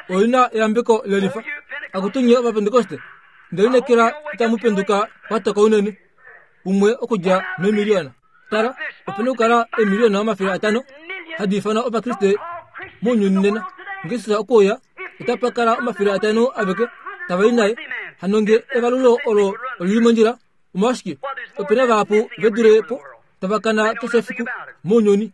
oi na eyambeko lelifa. Akutu nye Ovapentekoste, nde lineekela itamu penduka kwa toka unene. Umwe okudja memiliona. Tala, ope na okukala eemiliona 500 hadi ifanwa Ovakriste mounyuni nena. Nge Jesus okwe uya, otapa kala 500 aveke tava i naye. Hano nge evalulo olo oli li mondjila, omolwashike ope na vahapu ve dule po tava kana keshe efiku mounyuni?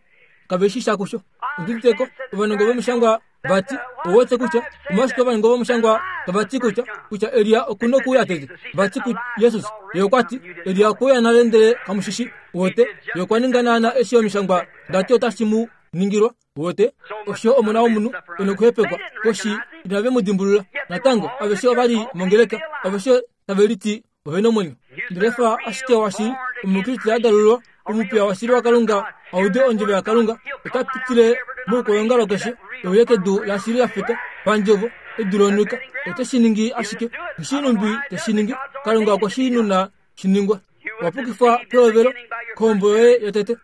Kave shi sha kusho. Ondi udite ko, ovanongo vomishangwa. Vati, Ouwete kutya omolwashike ovanongo vomushangwa tava ti kutya, kutya Elia oku nokuuya tete? Vati kuJesus, Ye okwa ti, Elia okwe uya nale ndele kamu shi shii. Uwete, Ye okwa ninga naana eshi omishangwa da ti otashi mu ningilwa. Uwete, osho Omona wOmunhu e nokuhepekwa. Koshi inave mu dimbulula. Natango, aveshe ova li mongeleka, aveshe tave liti ove nomwenyo. Ndele fa ashike washili, Omukriste a dalulwa, omupiya washili waKalunga, a ude ondjovo yaKalunga, ota pitile moukwaongalo keshe, e uye kedu lashili la feta, pandjovo, edu lonwika. Ote shi ningi ashike. Nghi numbi te shi ningi. Kalunga okwe shi nuna shi ningwa. Owa pukifwa pehovelo kohombo yoye yotete.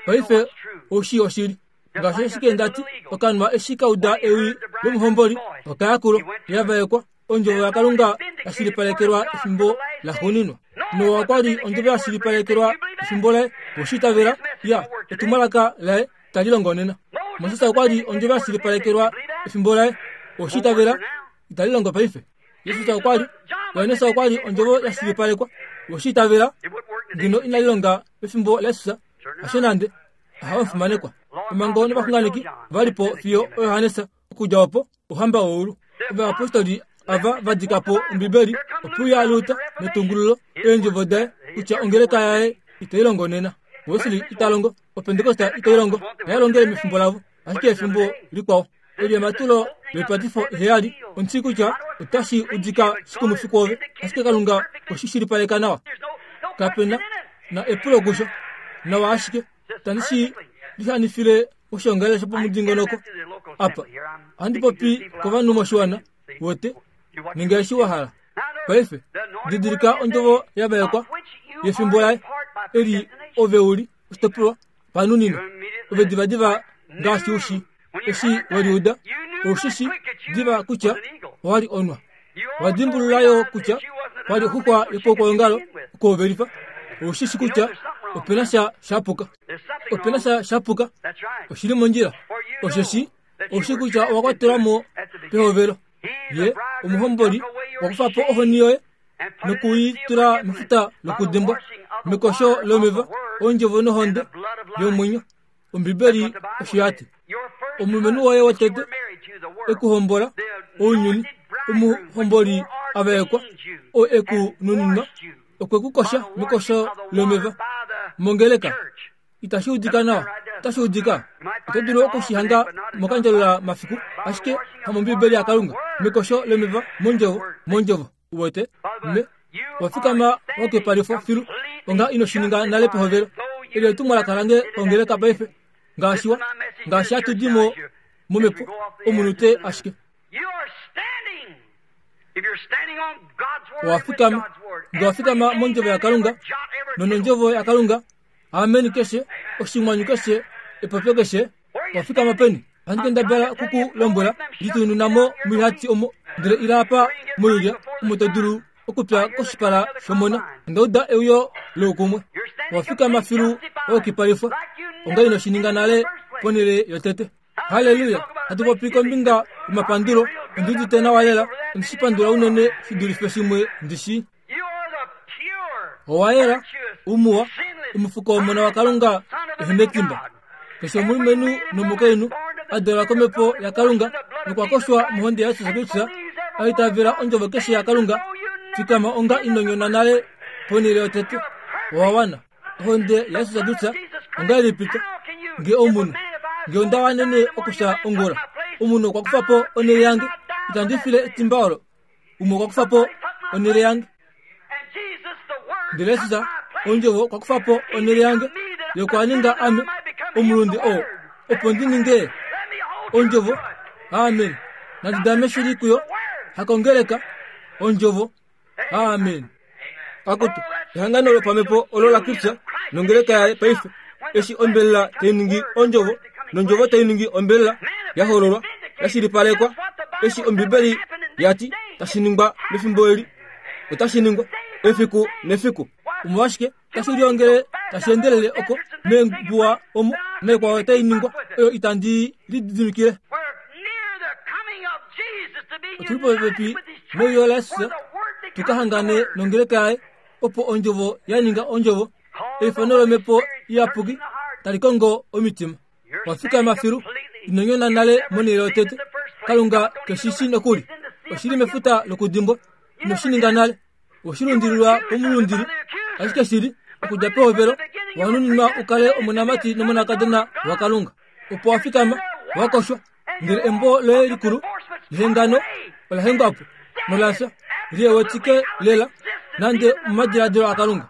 Paife ou shii oshili. Ngaashi ashike nda ti, okanwa eshi ka uda ewi lomuhomboli, oka ya kulo, ya vaekwa. Ondjovo yaKalunga ya shilipalekelwa efimbo laxuuninwa. Noa okwa li ondjovo ya shilipalekelwa efimbo laye, oshi itavela, ya, etumwalaka laye tali longo nena. Moses okwa li ondjovo ya shilipalekelwa efimbo laye, oshi itavela, itali longo paife. Jesus okwa li, Johannes okwa li ondjovo ya shilipalekwa, oshi itavela, ngeno inali longa pefimbo laJesus, hasho nande, aha omufimanekwa. Omhango novaxunganeki va li po fiyo oJohannes, okudja opo Ouhamba weulu. Ovayapostoli ava va dika po Ombibeli opuya Luther netungululo eendjovo daye kutya ongeleka yaye itai longo nena. Wesley ita longo, Opentekosta itai longo, ihai longele mefimbo lavo, ashike efimbo likwao. Eli ematulo loipatifo iheyali, ondi shii kutya otashi udika shikumufi kwoove, ashike Kalunga oshi shilipaleka nawa. Kape na, na epulo kusho. Nawa ashike. Tandi shi lihanifile oshoongalele shopomudingonoko apa. Ohandi popi kovanhu moshiwana, wete, ninga eshi wa hala. Paife, didilika ondjovo ya vaekwa yefimbo laye, eli ove u li oshitopolwa panunino. Ove divadiva ngaashi u shi, eshi we liuda, ou shi shi diva kutya owa li onwa. Wa dimbulula yo kutya kwa li oxuxwa yopokwoongalo okuhovelifa. Ou shi shi kutya ope na sha sha puka. Ope na sha sha puka. Oshi li mondjila. Osheshi ou shi kutya owa kwatelwa mo pehovelo. Ye omuhomboli okwa kufa po ohoni yoye noku i tula mefuta lokudimbwa, mekosho lomeva, ondjovo nohonde yomwenyo. Ombibeli osho ya ti. Omulumenhu woye wotete e ku hombola, ounyuni, omuhomboli a vaekwa, oo e ku nuninwa, okwe ku kosha mekosho lomeva. Mongeleka. Itashi udika nawa. Otashi udika. Oto dulu oku shi hanga mokandjalula mafiku, ashike hamombibeli yaKalunga. Mekosho lomeva, mondjovo, mondjovo. Uwete? Me, wa fikama wa kepalifwa filu, onga ino shi ninga nale pehovelo. Eli etumwalaka lange kongeleka paife, ngaashi wa, ngaashi hatu di mo momhepo, omunute ashike. Owa fikama, nge wa fikama mondjovo yaKalunga, nonondjovo yaKalunga, Amen keshe, oshinghwanyu keshe, epopyo keshe, wa fikama peni? Ohandi kendabala oku ku lombwela, litununa mo moihati omo, ndele ila apa moilya, omo to dulu okupya koshipala shOmona. Onda uda euyo loukumwe. Owa fikama filu wa yukipalifwa, onga ino shi ninga nale ponhele yotete. Halleluya! Hatu popi kombinga yomapandulo, ondi udite nawa lela, ondi shi pandula unene shi dulife shimwe ndi shii. Owa yela, umuwa, omufuko wOmona waKalunga ehe netimba. Keshe omulumenhu nomukainhu a dalwa kOmhepo yaKalunga nokwa koshwa mohonde yaJesus Kristus, a itavela ondjovo keshe yaKalunga, fikama onga ino nyona nale ponhele yotete. Owa wana. Ohonde yaJesus Kristus ongahelipi to nge omunhu nge onda wanene okufya ongula omunhu okwa kufa po onhele yange itandi file etimba olo umwe okwa kufa po onhele yange ndele Jesus ondjovo okwa kufa po onhele yange yokwa ninga ame omulunde oo opo ndi ninge ondjovo amen nandi dame shili kuyo hakongeleka ondjovo amen akutu ehangano lopamhepo olo la Kristus nongeleka yaye paife eshi ombelela tai ningi ondjovo nondjovo tai ningi ombelela ya hololwa ya shilipalekwa eshi ombibeli ya ti tashi ningwa mefimbo eli otashi ningwa efiku nefiku omolwashike tashi liongele tashi endelele oko meembuwa omo naikwao tai ningwa oyo itandi lididimikile otuli popepi neuyo laJesus tu ka hangane nongeleka yaye opo ondjovo ya ninga ondjovo eifano lomhepo iyapuki tali kongo omitima. Wa fikama filu, ino nyona nale monhele yotete. Kalunga keshi shi nokuli. Oshi li mefuta lokudimbwa. Ino shi ninga nale. Oshi lundililwa komulundili. Ashike shili, okudja pehovelo, wa nuninwa u kale omonamati nomonakadona waKalunga. Opo wa fikama, wa koshwa, ndele embo loye likulu lehengano ola hengwa po nola fya, li wetike lela nande omomadiladilo aKalunga.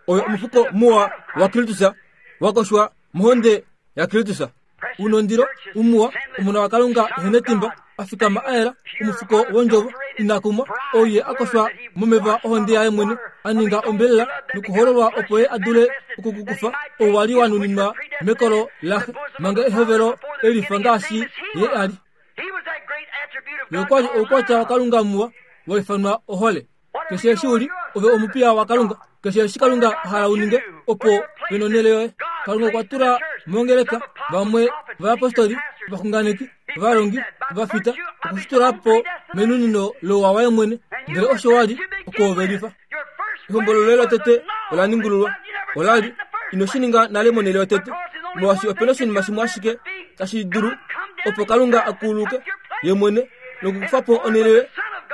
Oyo omufuko muwa waKristus wa koshwa mohonde yaKristus. Unondilo umuwa omona waKalunga ehenetimba a fikama a yela omufuko wondjovo ina kumwa ou ye a koshwa momeva ohonde yaye mwene a ninga ombelela nokuhololwa opo ye a dule okukukufa ou wa li wa nuninwa mekolo laxe manga ehovelo elifa ngaashi ye a li. Ye okwa li oukwatya waKalunga muwa wa ifanwa ohole. Keshe eshi u li, ove omupiya waKalunga. Keshe eshi Kalunga a hala u ninge, opo pe nonhele yoye. Kalunga okwa tula mongeleka vamwe ovayapostoli, ovaxunganeki, ovalongi, ovafita, oku shi tula po menunino louwa waye mwene. Ndele osho wa li okuhovelifa. Ehombolo loye lotete ola ningululwa. Ola li ino shi ninga nale monhele yotete, molwaashi ope na oshinima shimwe ashike tashi dulu opo Kalunga a kuluke ye mwene nokukufa po onhele yoye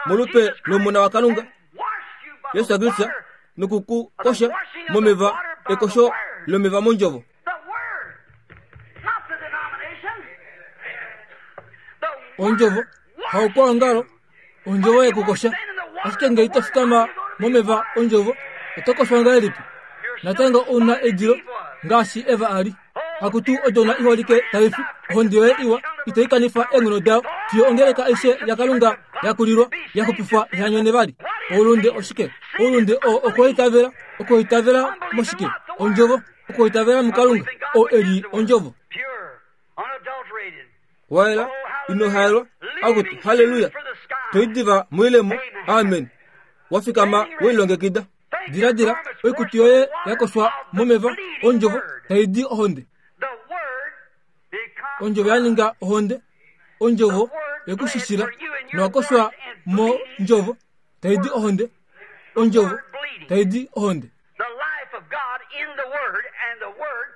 molupe lOmona waKalunga, Jesus Kristus, noku ku kosha momeva ekosho lomeva mondjovo. Ondjovo haukwaongalo, ondjovo yekukosha. Ashike ngee ito fikama momeva ondjovo, oto koshwa ngahelipi? Natango ou na edilo ngaashi Eva a li. Akutu odona iholike tai fi, ohonde yoye iwa ito i kanifa eenghono dayo fiyo ongeleka aishe yaKalunga ya kulilwa, ya xupifwa iha nyone vali. Oulunde oshike? Oulunde oo okwoitavela. Okwoitavela moshike? Ondjovo. Okwoitavela muKalunga, oo e li Ondjovo. Wa yela, ino haelwa, akutu, halleluya! To i diva moilemo, amen, wa fikama we lilongekida. Diladila, oikutu yoye ya koshwa momeva ondjovo tai di ohonde. Ondjovo ya ninga ohonde, ondjovo yekushishila, nowa koshwa mondjovo tai di ohonde, ondjovo tai di ohonde.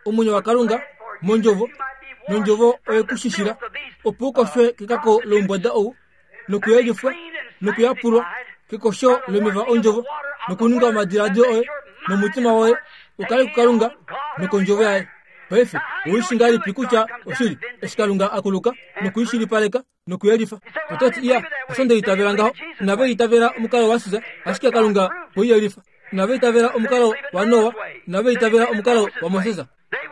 Omwenyo waKalunga mondjovo, nondjovo oye ku shishila, opo u koshwe kekako loumbwada ou, nokuyelifwa nokuyapulwa kekosho lomeva ondjovo, nokuninga omadiladilo oye nomutima woye u kale kuKalunga nokondjovo yaye. Paife ou shi ngahelipi kutya oshili eshi Kalunga a kuluka noku i shilipaleka nokuyelifa? Oto ti, Iya, osho nde itavela ngaho. Inava itavela omukalo waSisa, ashike Kalunga okwe i yelifa. Inava itavela omukalo waNoa, inava itavela omukalo waMoses.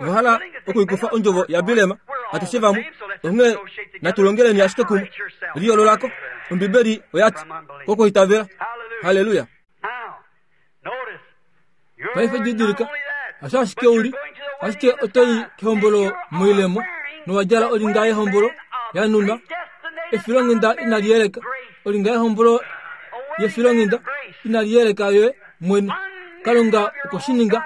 Ova hala okuikufa ondjovo yaBileam, atushe vamwe. Onghee natu longeleni ashike kumwe. Liyoolola ko. Ombibeli oya ti, Kokuitavela. Halleluya! Paife didilika, hasho ashike u li, ashike oto i kehombolo moilemo, nowa djala olinga yehombolo ya nunwa, efilonghenda inali yeleka, olinga yehombolo yefilonghenda inali yeleka yoye mwene. Kalunga okwe shi ninga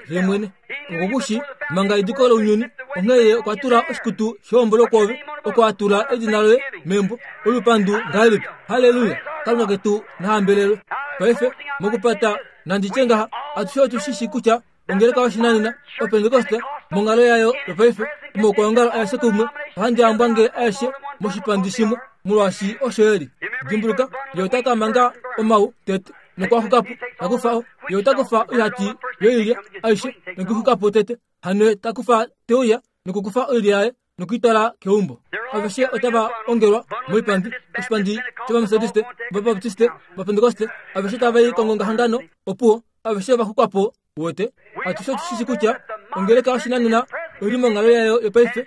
ye mwene. Okwe ku shi manga ediko lounyuni, onghee ye okwa tula oshikutu shehombolo kwoove, oko a tula edina loye membo. Olupandu ngahelipi! Halleluya! Kalunga ketu na hambelelwe. Paife, mokupata, nandi tye ngaha, atushe otu shi shi kutya ongeleka yoshinanena, Opentekoste, monghalo yayo yopaife, omaukwaongalo aeshe kumwe, ohandi a mbwange aeshe moshipandi shimwe, molwaashi osho e li. Dimbuluka, ye ota ka manga omau tete, nokwa xuka po, ta kufa o, ye ota kufa oihati yoilya aishe, nokuxuka po tete, hano ye ta kufa te uya nokukufa oilya yaye nokuitwala keumbo. Aveshe otava ongelwa moipandi, oshipandi shOvametodiste, Ovabaptiste, Ovapentekoste, aveshe tava i kongongahangano, opuwo, aveshe ova xukwa po. Uwete, atushe otu shi shi kutya ongeleka yoshinanena oi li monghalo yayo yopaife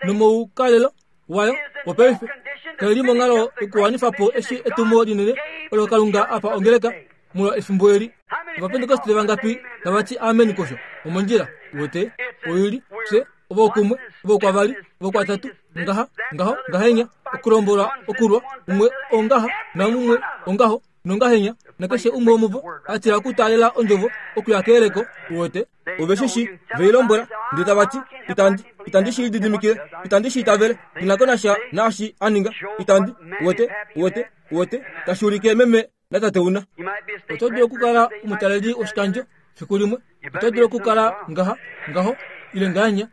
nomoukalelo wayo wopaife kai li monghalo yokuwanifa po eshi etumo linene olo Kalunga a pa ongeleka molwa efimbo eli. Ovapentekoste vangapi tava ti amen kosho? Omondjila. Uwete, oi li, fye, ovo kumwe, ovo kwavali, ovo kwatatu, ngaha, ngaho, ngahenya, okulombolwa, okulwa, umwe ongaha, namumwe ongaho, nongahenya, nakeshe umwe womuvo a tila okutaalela ondjovo okuya keyeleko, uwete. Ove shi shi, ve i lombwela, ndele tava ti, Itandi, itandi shi lididimikile, itandi shi itavele, ndi na ko nasha naashi a ninga, itandi, uwete, uwete, uwete, tashi ulike meme natate una. Oto dulu okukala omutaleli woshikandjo fiku limwe, oto dulu okukala ngaha, ngaho, ile ngahenya.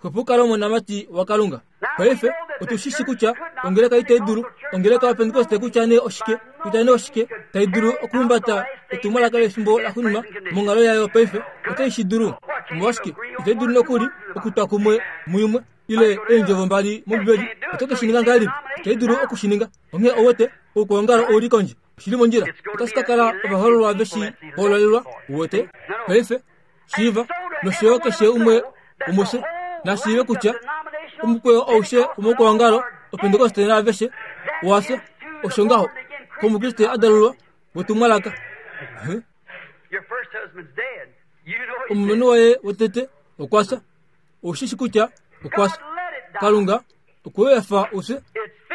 Xwepo u kale omonamati waKalunga. Paife, otu shi shi kutya ongeleka itai dulu, ongeleka yaPentekoste kutya nee oshike, kutya nee oshike, tai dulu okuhumbata etumwalaka lefimbo laxuuninwa monghalo yayo paife, otai shi dulu. Omolwashike, itai dulu nokuli okutwa kumwe muimwe ile eendjovo mbali mOmbibeli. Oto ke shi ninga ngahelipi? Itai dulu oku shi ninga. Onghee ou wete, oukwaongalo ou li kondje. Oshi li mondjila. Otashi ka kala ovahoololwa ve shi hoololelwa, u wete. Paife, shiiva, nosho yo keshe umwe womufye na shiive kutya omukweyo aushe womoukwaongalo opentekoste naaveshe owa fya. Osho ngaho kOmukriste a dalulwa wetumwalaka. Huh? Omulumenhu waye wotete okwa fya. Ou shi shi kutya okwa fya. Kalunga okwe efa u fye.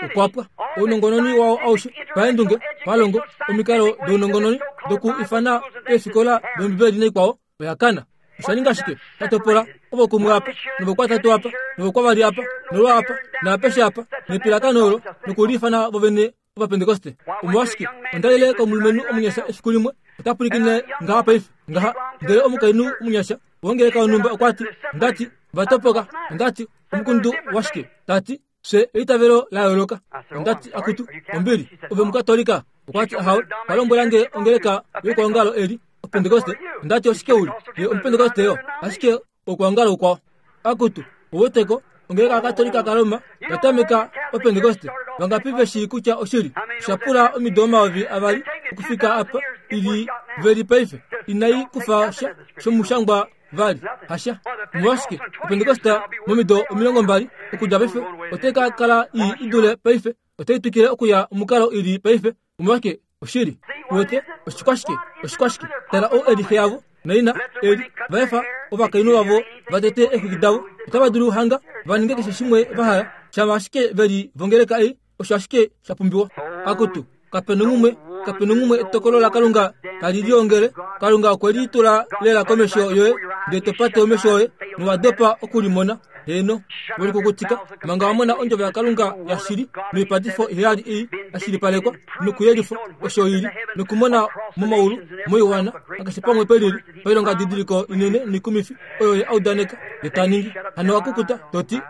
Okwa pwa. Ounongononi wao aushe, paendunge, palongo, omikalo dounongononi doku ifana eefikola dOmbibeli naikwao, oya kana. Osha ninga shike? Sha topola ovo kumwe apa, novokwatatu apa, novokwavali apa, nolwa apa, naapeshe apa, nepilakano olo, nokuliifana vovene Ovapentekoste. Omolwashike, onda ile komulumenhu omunyasha efiku limwe, ota pwilikine ngaha paife, ngaha. Ndele omukainhu omunyasha wongeleka yonhumba okwa ti, onda ti, va topoka. Onda ti, Omukundu washike? Ta ti, Fye eitavelo la yooloka. Onda ti, Akutu, ombili, ove Omukatolika? Okwa ti, Ahawe. Okwa lombwela nge ongeleka youkwaongalo eli, Opentekoste. Onda ti, Oshike u li? Ye Omupentekoste yo, ashike okwoongala ukwao. Akutu, ouweteko, ongeleka yaKatolika kaRoma ya tameka Opentekoste. Vangapi ve shii kutya oshili? Osha pula omido 2000 okufika apa i li ve li paife. Inai kufa sha shomushangwa vali. Hasha. Omolwashike? Opentekoste momido 20 okudja paife otai ka kala ii i dule paife. Otai twikile okuya omukalo i li paife. Omolwashike? Oshili. Uwete? Oshikwashike? Oshikwashike? Tala ou e li xe yavo naina e li. Va efa ovakainhu vavo va tete eexwiki davo. Otava dulu hanga va ninge keshe shimwe va hala, shama ashike ve li vongeleka ei, osho ashike sha pumbiwa. Akutu, kape nonghumwe, kape nonghumwe etokolo laKalunga tali liongele. Kalunga okwe li tula lela komesho yoye, ndele to pate omesho oye, nowa dopa oku li mona. Heeno, we likukutika manga wa mona ondjovo yaKalunga yashili noipatifo iheyali ei ya shilipalekwa nokuyelifwa osho i li, nokumona momaulu, moiwana, nakeshe pamwe pelili, pailongadidiliko inene noikumifi oyo ye a udaneka ye ta ningi. Hano wa kukuta, to ti,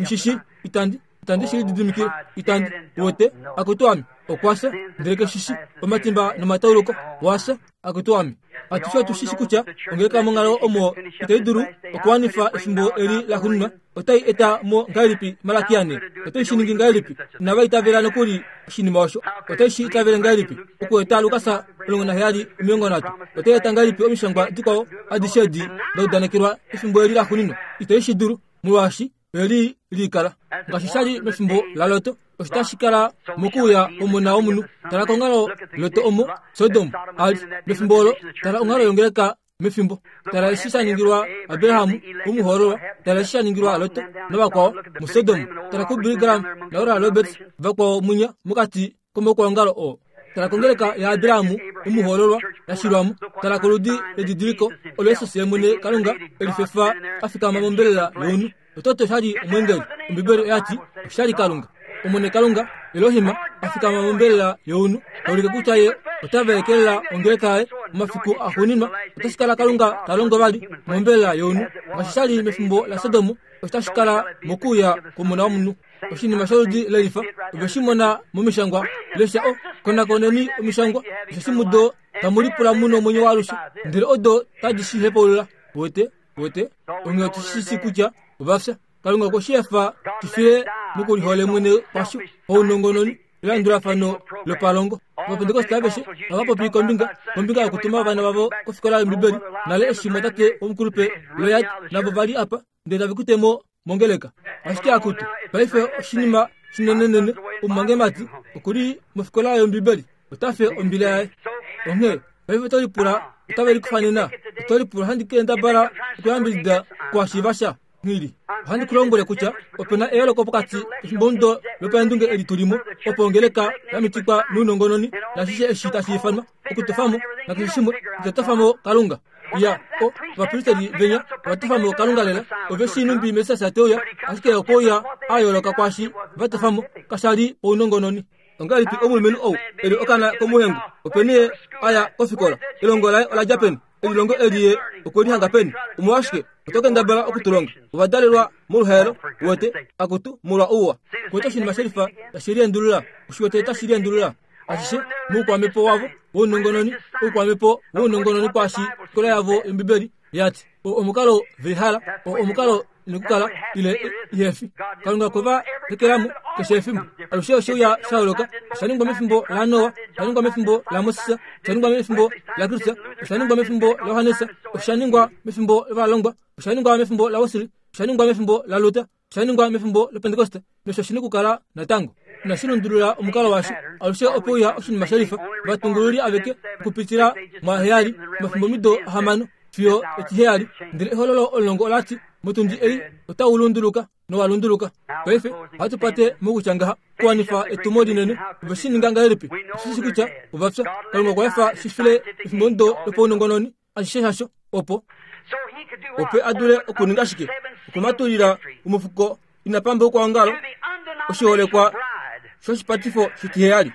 Nghi shi shii, itandi, itandi shi lididimikile, itandi. Uwete, akutu ame, okwa fya, ndele ke shi shii, omatimba nomatauluko, wa fya. Akutu ame, atushe otu shi shi kutya ongeleka monghalo omo itai dulu okuwanifa efimbo eli la xuninwa. Otai eta mo ngahelipi Malakia ne? Otai shi ningi ngahelipi? Inava itavela nokuli oshinima osho. Otai shi itavele ngahelipi okueta Lukas 17 30? Otai eta ngahelipi omishangwa dikwao adishe edi da udanekelwa efimbo eli la xuninwa? Itai shi dulu, molwaashi oye li likala. Ngaashi sha li mefimbo laLot, osho tashi kala mokuuya kwOmona wOmunhu. Tala konghalo Lot omo Sodom a li mefimbo olo. Tala onghalo yongeleka mefimbo. Tala eshi sha ningilwa Abraham omuhoololwa. Tala eshi sha ningilwa Lot navakwao muSodom. Tala kuBilly Graham naOral Roberts vakwao munya mokati komaukwaongalo oo. Tala kongeleka yaAbraham omuhoololwa ya shilwa mo. Tala koludi ledidiliko olo Jesus ye mwene Kalunga e lifefa a fikama mombelela younhu. Ototo osha li omweengeli. Ombibeli oya ti osha li Kalunga. Omwene Kalunga, Elohim, a fikama mombelela younhu, ta ulike kutya ye ota vaekelela ongeleka yaye momafiku axuuninwa. Otashi kala Kalunga ta longo vali mombelela younhu ngaashi sha li mefimbo laSodom, osho tashi kala mokuuya kwOmona womunhu. Oshinima sholudi lelifa ove shi mona momishangwa. Lesha o, konakoneni omishangwa, osheshi mudo tamu lipula mu nomwenyo waalushe, ndele odo tadi shi hepaulula. Uwete? Uwete? Onghee otu shi shii kutya ova fya. Kalunga okwe shi efa shi file mokulihole mwene kwasho, paunongononi, elandulafano lopalongo. Ovapentekoste aveshe ohava popi kombinga, kombinga yokutuma ovana vavo kofikola yOmbibeli. Nale eshi mwatate womukulupe Lloyd navo va li apa, ndele tave ku te mo mongeleka. Ashike akutu, paife oshinima shinenenene, omumwangemati oku li mofikola yOmbibeli, ota fe ombila yaye. Onghee paife oto lipula otave likufa nena? Oto lipula ohandi kendabala okuyambidida kuhashiiva sha? Nghili, ohandi ku lombwele kutya ope na eyooloko pokati kefimbomudo lopaendunge eli tu li mo, opo ongeleka ya mitikwa nounongononi nashishe eshi tashi ifanwa okutofa mo nakeshe shimwe, ita tofa mo Kalunga. Ya, o, ovapristeri venya ova tofa mo Kalunga lela. Ove shii nhumbi Messias te uya, ashike okwe uya a yooloka kwaashi va tofa mo. Kasha li ounongononi. Ongahelipi omulumenhu ou e li okaana komuhengu? Openi ye a ya kofikola? Elongo laye ola dja peni? Elilongo eli ye okwe li hanga peni? Omolwashike oto kendabala oku tu longa? Ova dalelwa moluhaelo, uwete, akutu, molwa ouwa. Kuwete oshinima shelifa tashi liendulula? Oshi wete tashi liendulula? Ashishe moukwamhepo wavo wounongononi, oukwamhepo wounongononi kwaashi ofikola yavo yOmbibeli ya ti, Oo omukalo ve hala, oo omukalo nokukala ile ihefi. Kalunga okwe va hekelamo keshe efimbo. Alushe oshe uya sha holoka. Osha ningwa mefimbo laNoa, osha ningwa mefimbo laMoses, osha ningwa mefimbo laKristus, osha ningwa mefimbo laJohannes, osha ningwa mefimbo lovalongwa, osha ningwa mefimbo laWesley, osha ningwa mefimbo laLuther, osha ningwa mefimbo lOpentekoste, nosho shi nokukala natango. Inashi lundulula omukalo washo. Alushe ope uya oshinima shelifa, ovatungululi aveke okupitila mwaheyali, omafimbomido ahamano fiyo etiheyali. Ndele ehololo omulongo ola ti, Motundi ei otau lunduluka nowa lunduluka. Paife ohatu pate mokutya ngaha, okuwanifa etumo linene. Ove shi ninga ngahelipi? Oshi shi kutya ova fya. Kalunga okwa efa shi file efimbomudo lopaunongononi, ashishe shasho, opo opo a dule okuninga shike? Okumatulila omufuko ina pamba okwaongalo oshiholekwa shoshipatifo shitiheyali.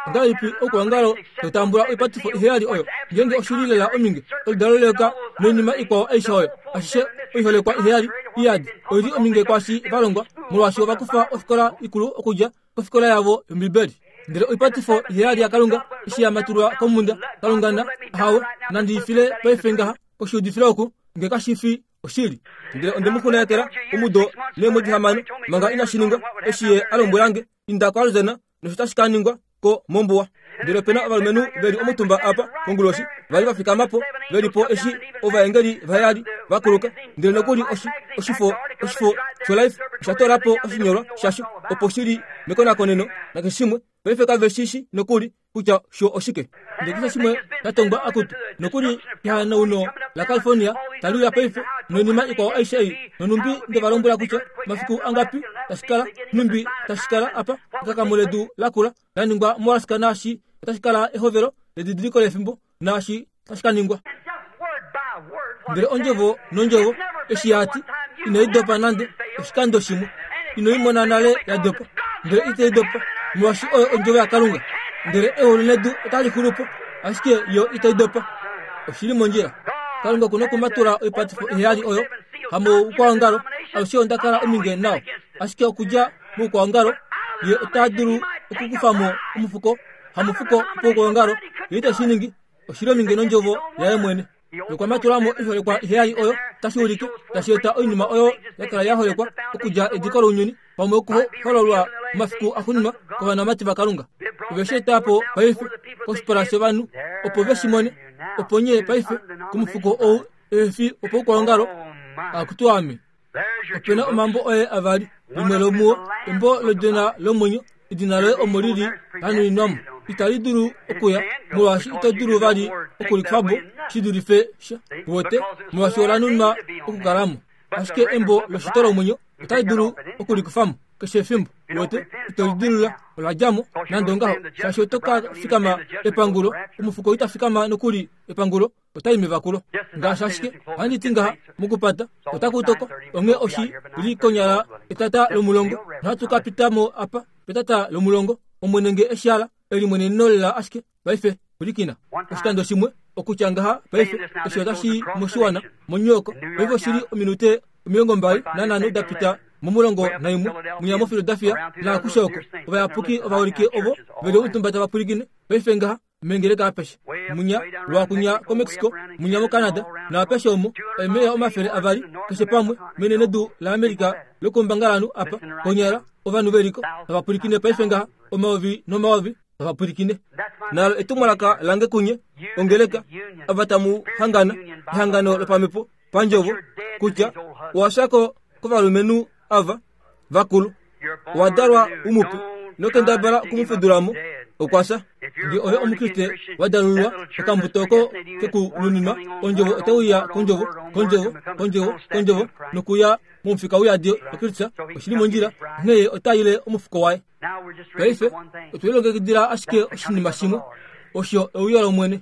Ongahelipi okwaongalo to tambula oipatifo iheyali oyo ngeenge oshi li lela ominge oludalo leyoka noinima ikwao aishe oyo? Ashishe oiholekwa iheyali iyadi oi li ominge kwaashi va longwa, molwaashi ova kufa ofikola ikulu okudja kofikola yavo yOmbibeli. Ndele oipatifo iheyali yaKalunga eshi ya matulwa komhunda, Kalunga na, ahawe, nandi i file paife ngaha koshiudifilo oku, nge kashi fi oshili. Ndele onde mu xunayekela omudo neemwedi hamano manga inashi ningwa, eshi ye a lombwela nge, Inda koArizona, nosho tashi ka ningwa ko mombuwa. Ndele ope na ovalumenhu ve li omutumba apa konguloshi, va li va fikama po, ve li po eshi ovaengeli vaheyali va kuluka. Ndele nokuli oshi, oshifo, oshifo shoLife osha toola po oshinyolwa shasho, opo shi li mekonakoneno nakeshe shimwe. Paife kave shi shi nokuli kutya sho oshike. Ndele keshe shimwe sha tongwa akutu, nokuli kehanauno laCalifornia tali uya paife, noinima ikwao aishe ei. Nonhumbi nde va lombwela kutya mafiku angapi tashi kala, nhumbi tashi kala apa, ekakamo ledu lakula la ningwa moAlaska naashi otashi kala ehovelo ledidiliko lefimbo, naashi tashi ka ningwa. Ndele ondjovo nondjovo eshi ya ti, inai dopa nande oshikando shimwe. Ino i mona nale ya dopa, ndele itai dopa, molwaashi oyo ondjovo yaKalunga. Ndele eulu nedu otali xulu po, ashike yo itai dopa. Oshi li mondjila. Kalunga oku nokumatula oipatifo iheyali oyo, hamoukwaongalo, alushe onda kala ominge nao. Ashike okudja moukwaongalo, ye ota dulu okukufa mo omufuko, hamufuko poukwaongalo, ye ite shi ningi. Oshi li ominge nondjovo yaye mwene. Nokwa matula mo oiholekwa iheyali oyo tashi ulike tashi eta oinima oyo ya kala ya holekwa okudja ediko lounyuni pamwe okuhololwa momafiku axuuninwa kovanamati vaKalunga. Ove shi eta po paife koshipala shovanhu opo ve shi mone, opo nye paife komufuko ou ehe fi wopaukwaongalo, akutu ame. Ope na omambo oye avali, limwe lomuo embo ledina lomwenyo, edina loye omo li li la nuninwa mo. Itali dulu okuya, molwaashi ito dulu vali okulikufa po shi dulife sha, wote, molwaashi ola nunwa okukala mo. Ashike embo loshito lomwenyo otali dulu okulikufa mo keshe efimbo, wote, ito lidilula, ola dja mo, nande ongaho, shaashi oto ka fikama epangulo, omufuko ita fikama nokuli epangulo, otai mevakulo. Ngaashi ashike ohandi ti ngaha, mokupata otaku toko, onghee oshi li konyala etata lomulongo, nohatu ka pita mo apa petata lomulongo, Omwene nge e shi hala, elimweneneno lela ashike. Paife, pwilikina. Oshikando shimwe, okutya ngaha paife, eshi otashi i moshiwana, moNew York, paife oshi li ominute 25 da pita momulongo naimwe, mwinya moPhiladelphia, naakushe oko. Ovayapuki ovaholike ovo ve li omutumba tava pwilikine paife ngaha, mengeleka apeshe, munya lwakunya koMexico, munya moCanada, naapeshe omo, eemeya 200, keshe pamwe, menenedu laAmerica lokoumbangalanhu apa, konyala, ovanhu ve liko, tava pwilikine paife ngaha, omayovi nomayovi, tava pwilikine. Nalo etumwalaka lange kunye, ongeleka, ava tamu hangana, ehangano lopamhepo, pandjovo, kutya, owa fya ko kovalumenhu ava, vakulu. Owa dalwa umupe, nokendabala okumufudula mo, okwa fya. Nge ove Omukriste wa dalululwa, okambuto oko ke ku nuninwa, ondjovo otai uya kondjovo, kondjovo, kondjovo, kondjovo, nokuya momufika uyadi waKristus, oshi li mondjila, onghee ye ota ile omufuko waye. Paife, otwe lilongekidila ashike oshinima shimwe, osho euyo lOmwene.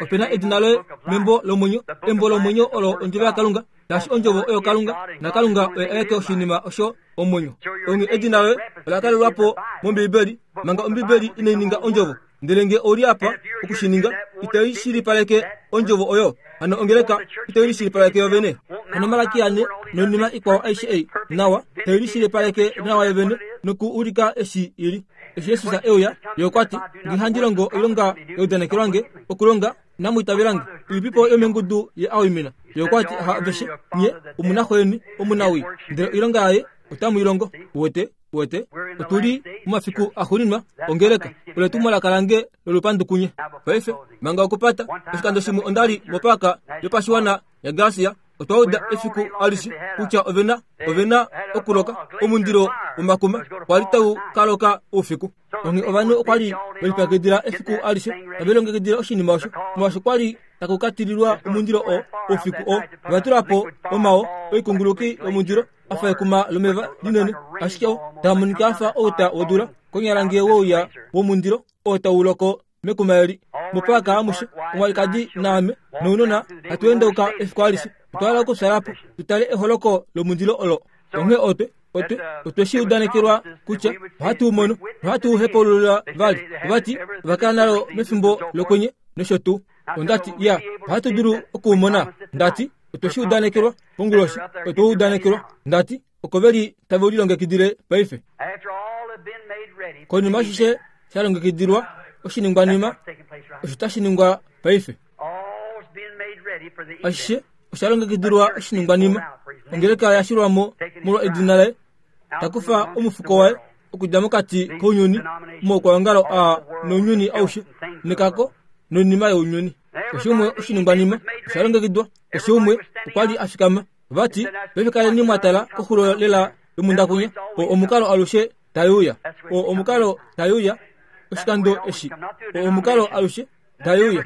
Ope na edina loye membo lomwenyo. Embo lomwenyo olo ondjovo yaKalunga, ngaashi ondjovo oyo Kalunga, naKalunga oye aeke oshinima osho omwenyo. Onghee edina loye ola kalelwa po mOmbiibeli manga Ombiibeli inai ninga ondjovo. Ndele nge ou li apa okushininga, itai shilipaleke ondjovo oyo. Hano ongeleka itai lishilipaleke yovene. Hano Malaki ane noinima ikwao aishe ei, nawa, tai lishilipaleke nawa yovene noku ulika eshi i li. Eshi Jesus e uya, Ye okwa ti, Nge handi longo oilonga ya udanekelwa nge okulonga, inamu itavela nge. Ilipipo yomengudu Ye a waimina? Ye okwa ti, Ha aveshe nye, omu na xo yeni omunawii, ndele oilonga yaye otamu i longo. Uwete? Uwete? Otu li momafiku axuuninwa ongeleka. Olo etumwalaka lange lolupandu kunye. Paife, manga okupata, oshikando shimwe onda li mopaaka yopashiwana yaGarcia. Otwa uda efiku alishe kutya ove na, ove na okuloka omundilo womakuma kwa li tau ka loka oufiku. Onghee ovanhu okwa li ve lipyakidila efiku alishe tave lilongekidile oshinima osho, molwaashi kwa li taku ka tililwa omundilo oo oufiku oo. Ova tula po omao oikunguluki yomundilo a fa ekuma lomeva linene, ashike oo taa monika a fa outa wodula, konyala ngee wouya womundilo oo tau loko mekuma eli. Mopaaka amushe, omwalikadi naame nounona hatu endauka efiku alishe. Otwa hala okufyala po tu tale eholoko lomundilo olo. Onghee otwe, otwe, otwe shi udanekelwa kutya ohatu u mono nohatu u hepaulula vali. Ova ti ova kala nalo mefimbo lokwenye nosho tuu. Onda ti, Ya, ohatu dulu oku u mona. Nda ti, Otwe shi udanekelwa konguloshi. Otwe u udanekelwa. Nda ti, Oko ve li tave u lilongekidile paife. Konima ashishe sha longekidilwa oshiningwanima osho tashi ningwa paife. Ashishe osha longekidilwa oshiningwanima. Ongeleka ya shilwa mo molwa edina laye, ta kufa omufuko waye okudja mokati kounyuni, omaukwaongalo aa nounyuni aushe, nekako noinima younyuni. Keshe umwe oshiningwanima osha longekidwa. Keshe umwe okwa li a fikama. Vati, paife kaleni mwa tala koxulo lela yomundakunya, oo omukalo alushe tai uya. Oo omukalo tai uya oshikando eshi. Oo omukalo alushe tai uya.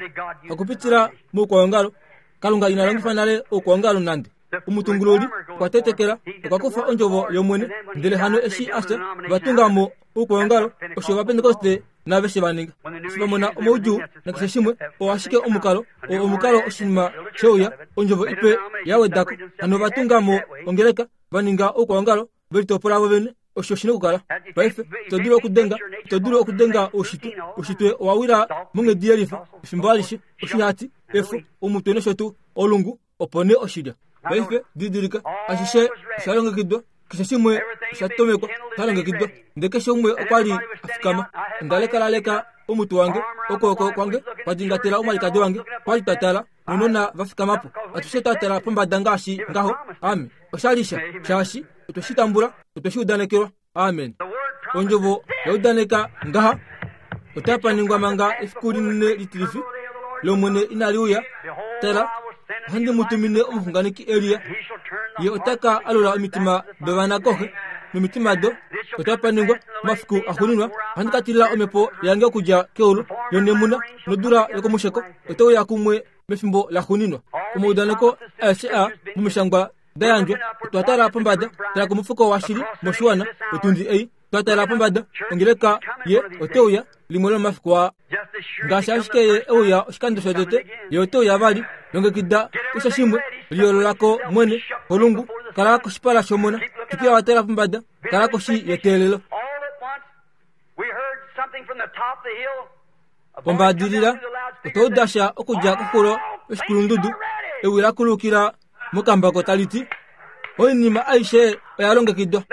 Hakupitila moukwaongalo. Kalunga ina longifa nale oukwaongalo nande. Omutungululi okwa tetekela, okwa kufa ondjovo yOmwene, ndele hano eshi a fya, ova tunga mo oukwaongalo, osho Ovapentekoste naaveshe va ninga. Eshi va mona omaudjuu nakeshe shimwe, oo ashike omukalo, oo omukalo oshinima she uya, ondjovo ipe ya weda ko. Hano ova tunga mo ongeleka, va ninga oukwaongalo, ve litopola vo vene. Osho shi na okukala. Paife, ito dulu okudenga, ito dulu okudenga oushitwe. Oushitwe owa wila monghedi yelifa, efimbo alishe, oshihati, efo, omutwe nosho tuu, olungu, opo nee oshilya. Paife, didilika, ashishe osha longekidwa, keshe shimwe osha tomekwa, sha longekidwa. Ndele keshe umwe okwa li a fikama. Onda lekalaleka omutwe wange, okwooko kwange kwa dingatela omwalikadi wange, kwa li twa tala, nounona va fikama po. Atushe twa tala pombada ngaashi ngaho. Ame. Osha li sha, shaashi otwe shi tambula, otwe shi udanekelwa. Amen. Ondjovo ya udaneka ngaha, Otapa ningwa manga efiku linene litilifi lOmwene inali uya. Tala, ohandi mu tumine omuxunganeki Elia. Ye ota ka alula omitima dovana koxe nomitima do. Otapa ningwa omafiku axuuninwa, ohandi ka tilila omhepo yange okudja keulu yonemuna nodula yokomusheko otai uya kumwe mefimbo laxuuninwa. Omaudaneko aeshe aa momishangwa da yandjwa. Otwa tala pombada, tala komufuko washili moshiwana, otundi ei. Twa tala pombada, ongeleka ye ote uya limwe lomomafiku aa. Ngaashi ashike ye e uya oshikando shotete, ye ote uya vali. Longekida keshe shimwe, liyoolola ko mwene, kolungu, kala koshipala shOmona, twikila wa tala pombada, kala koshi yeteelelo. Ombaadilila, otwa uda sha okudja koxulo yoshikulundudu, ewi la kulukila mokambako tali ti, Oinima aishe oya longekidwa.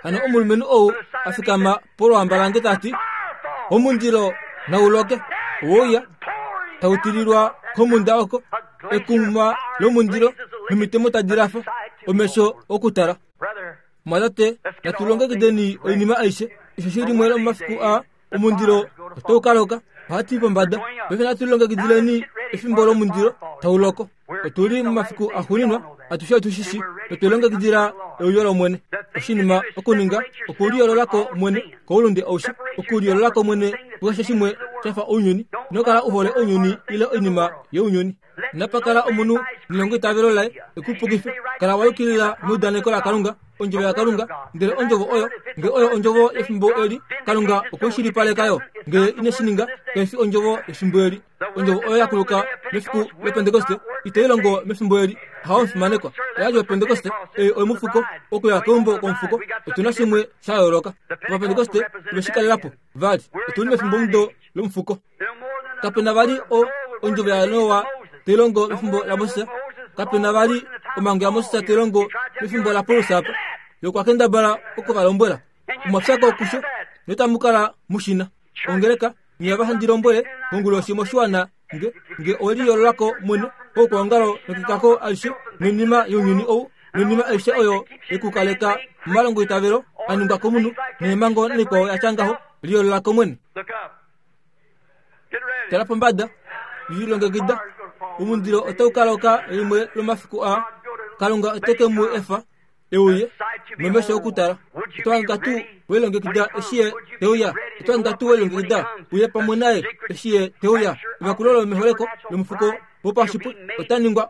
Hano omulumenhu ou a fikama polwamba lange ta ti, Omundilo nau loke, oweuya tau tililwa komhunda oko, ekuma lomundilo nomitemo tadi lafa omesho okutala. Mwatate, natu longekideni oinima aishe. Osheshi limwe lomomafiku aa omundilo otau ka loka. Ohatu i pombada. Paife natu lilongekidileni efimbo lomundilo tau loko. Otu li momafiku axuuninwa, atushe otu shi shii, notwe lilongekidila euyo lOmwene. Oshinima okuninga okuliyoolola ko mwene koulunde aushe, okuliyoolola ko mwene kukeshe shimwe sha fa ounyuni. Ino kala u hole ounyuni ile oinima younyuni. Inapa kala omunhu nelongo itavelo laye e ku pukife. Kala wa yukilila meudaneko laKalunga, Ondjovo yaKalunga. Ndele Ondjovo oyo, nge oyo Ondjovo yefimbo eli, Kalunga okwe shilipaleka yo. Ngele ine shi ninga, kai fi ondjovo yefimbo eli. Ondjovo oyo ya kuluka mefiku lOpentekoste itai longo mefimbo eli. Hawo omufimanekwa. Oya li Opentekoste, ei oyomufuko, okuya keumbo komufuko. Otu na shimwe sha yooloka. Ovapentekoste ove shi kalela po. Vali, otu li mefimbomudo lomufuko. Kape na vali o, ondjovo yaNoa tai longo mefimbo laMoses. Kape na vali omhango yaMoses tai longo mefimbo laPaulus apa. Ye okwa kendabala oku va lombwela. Omwa fya ko kusho, notamu kala mu shi na. Ongeleka, nye ava handi lombwele konguloshi moshiwana nge, nge owe liyoolola ko mwene koukwaongalo nokekako alishe noinima younyuni ou, noinima aishe oyo ye ku kaleka momalongoitavelo a ningwa komunhu, neemhango naikwao ya tya ngaho, liyoolola ko mwene. Tala pombada, lilongekida. Omundilo otau ka loka limwe lomafiku aa. Kalunga ote ke mu efa e uye nomesho okutala. Oto hanga tuu we lilongekida eshi ye te uya? Oto hanga tuu we lilongekida uye pamwe naye eshi ye te uya? Evakulo lomeholeko lomufuko wopashipwe ota ningwa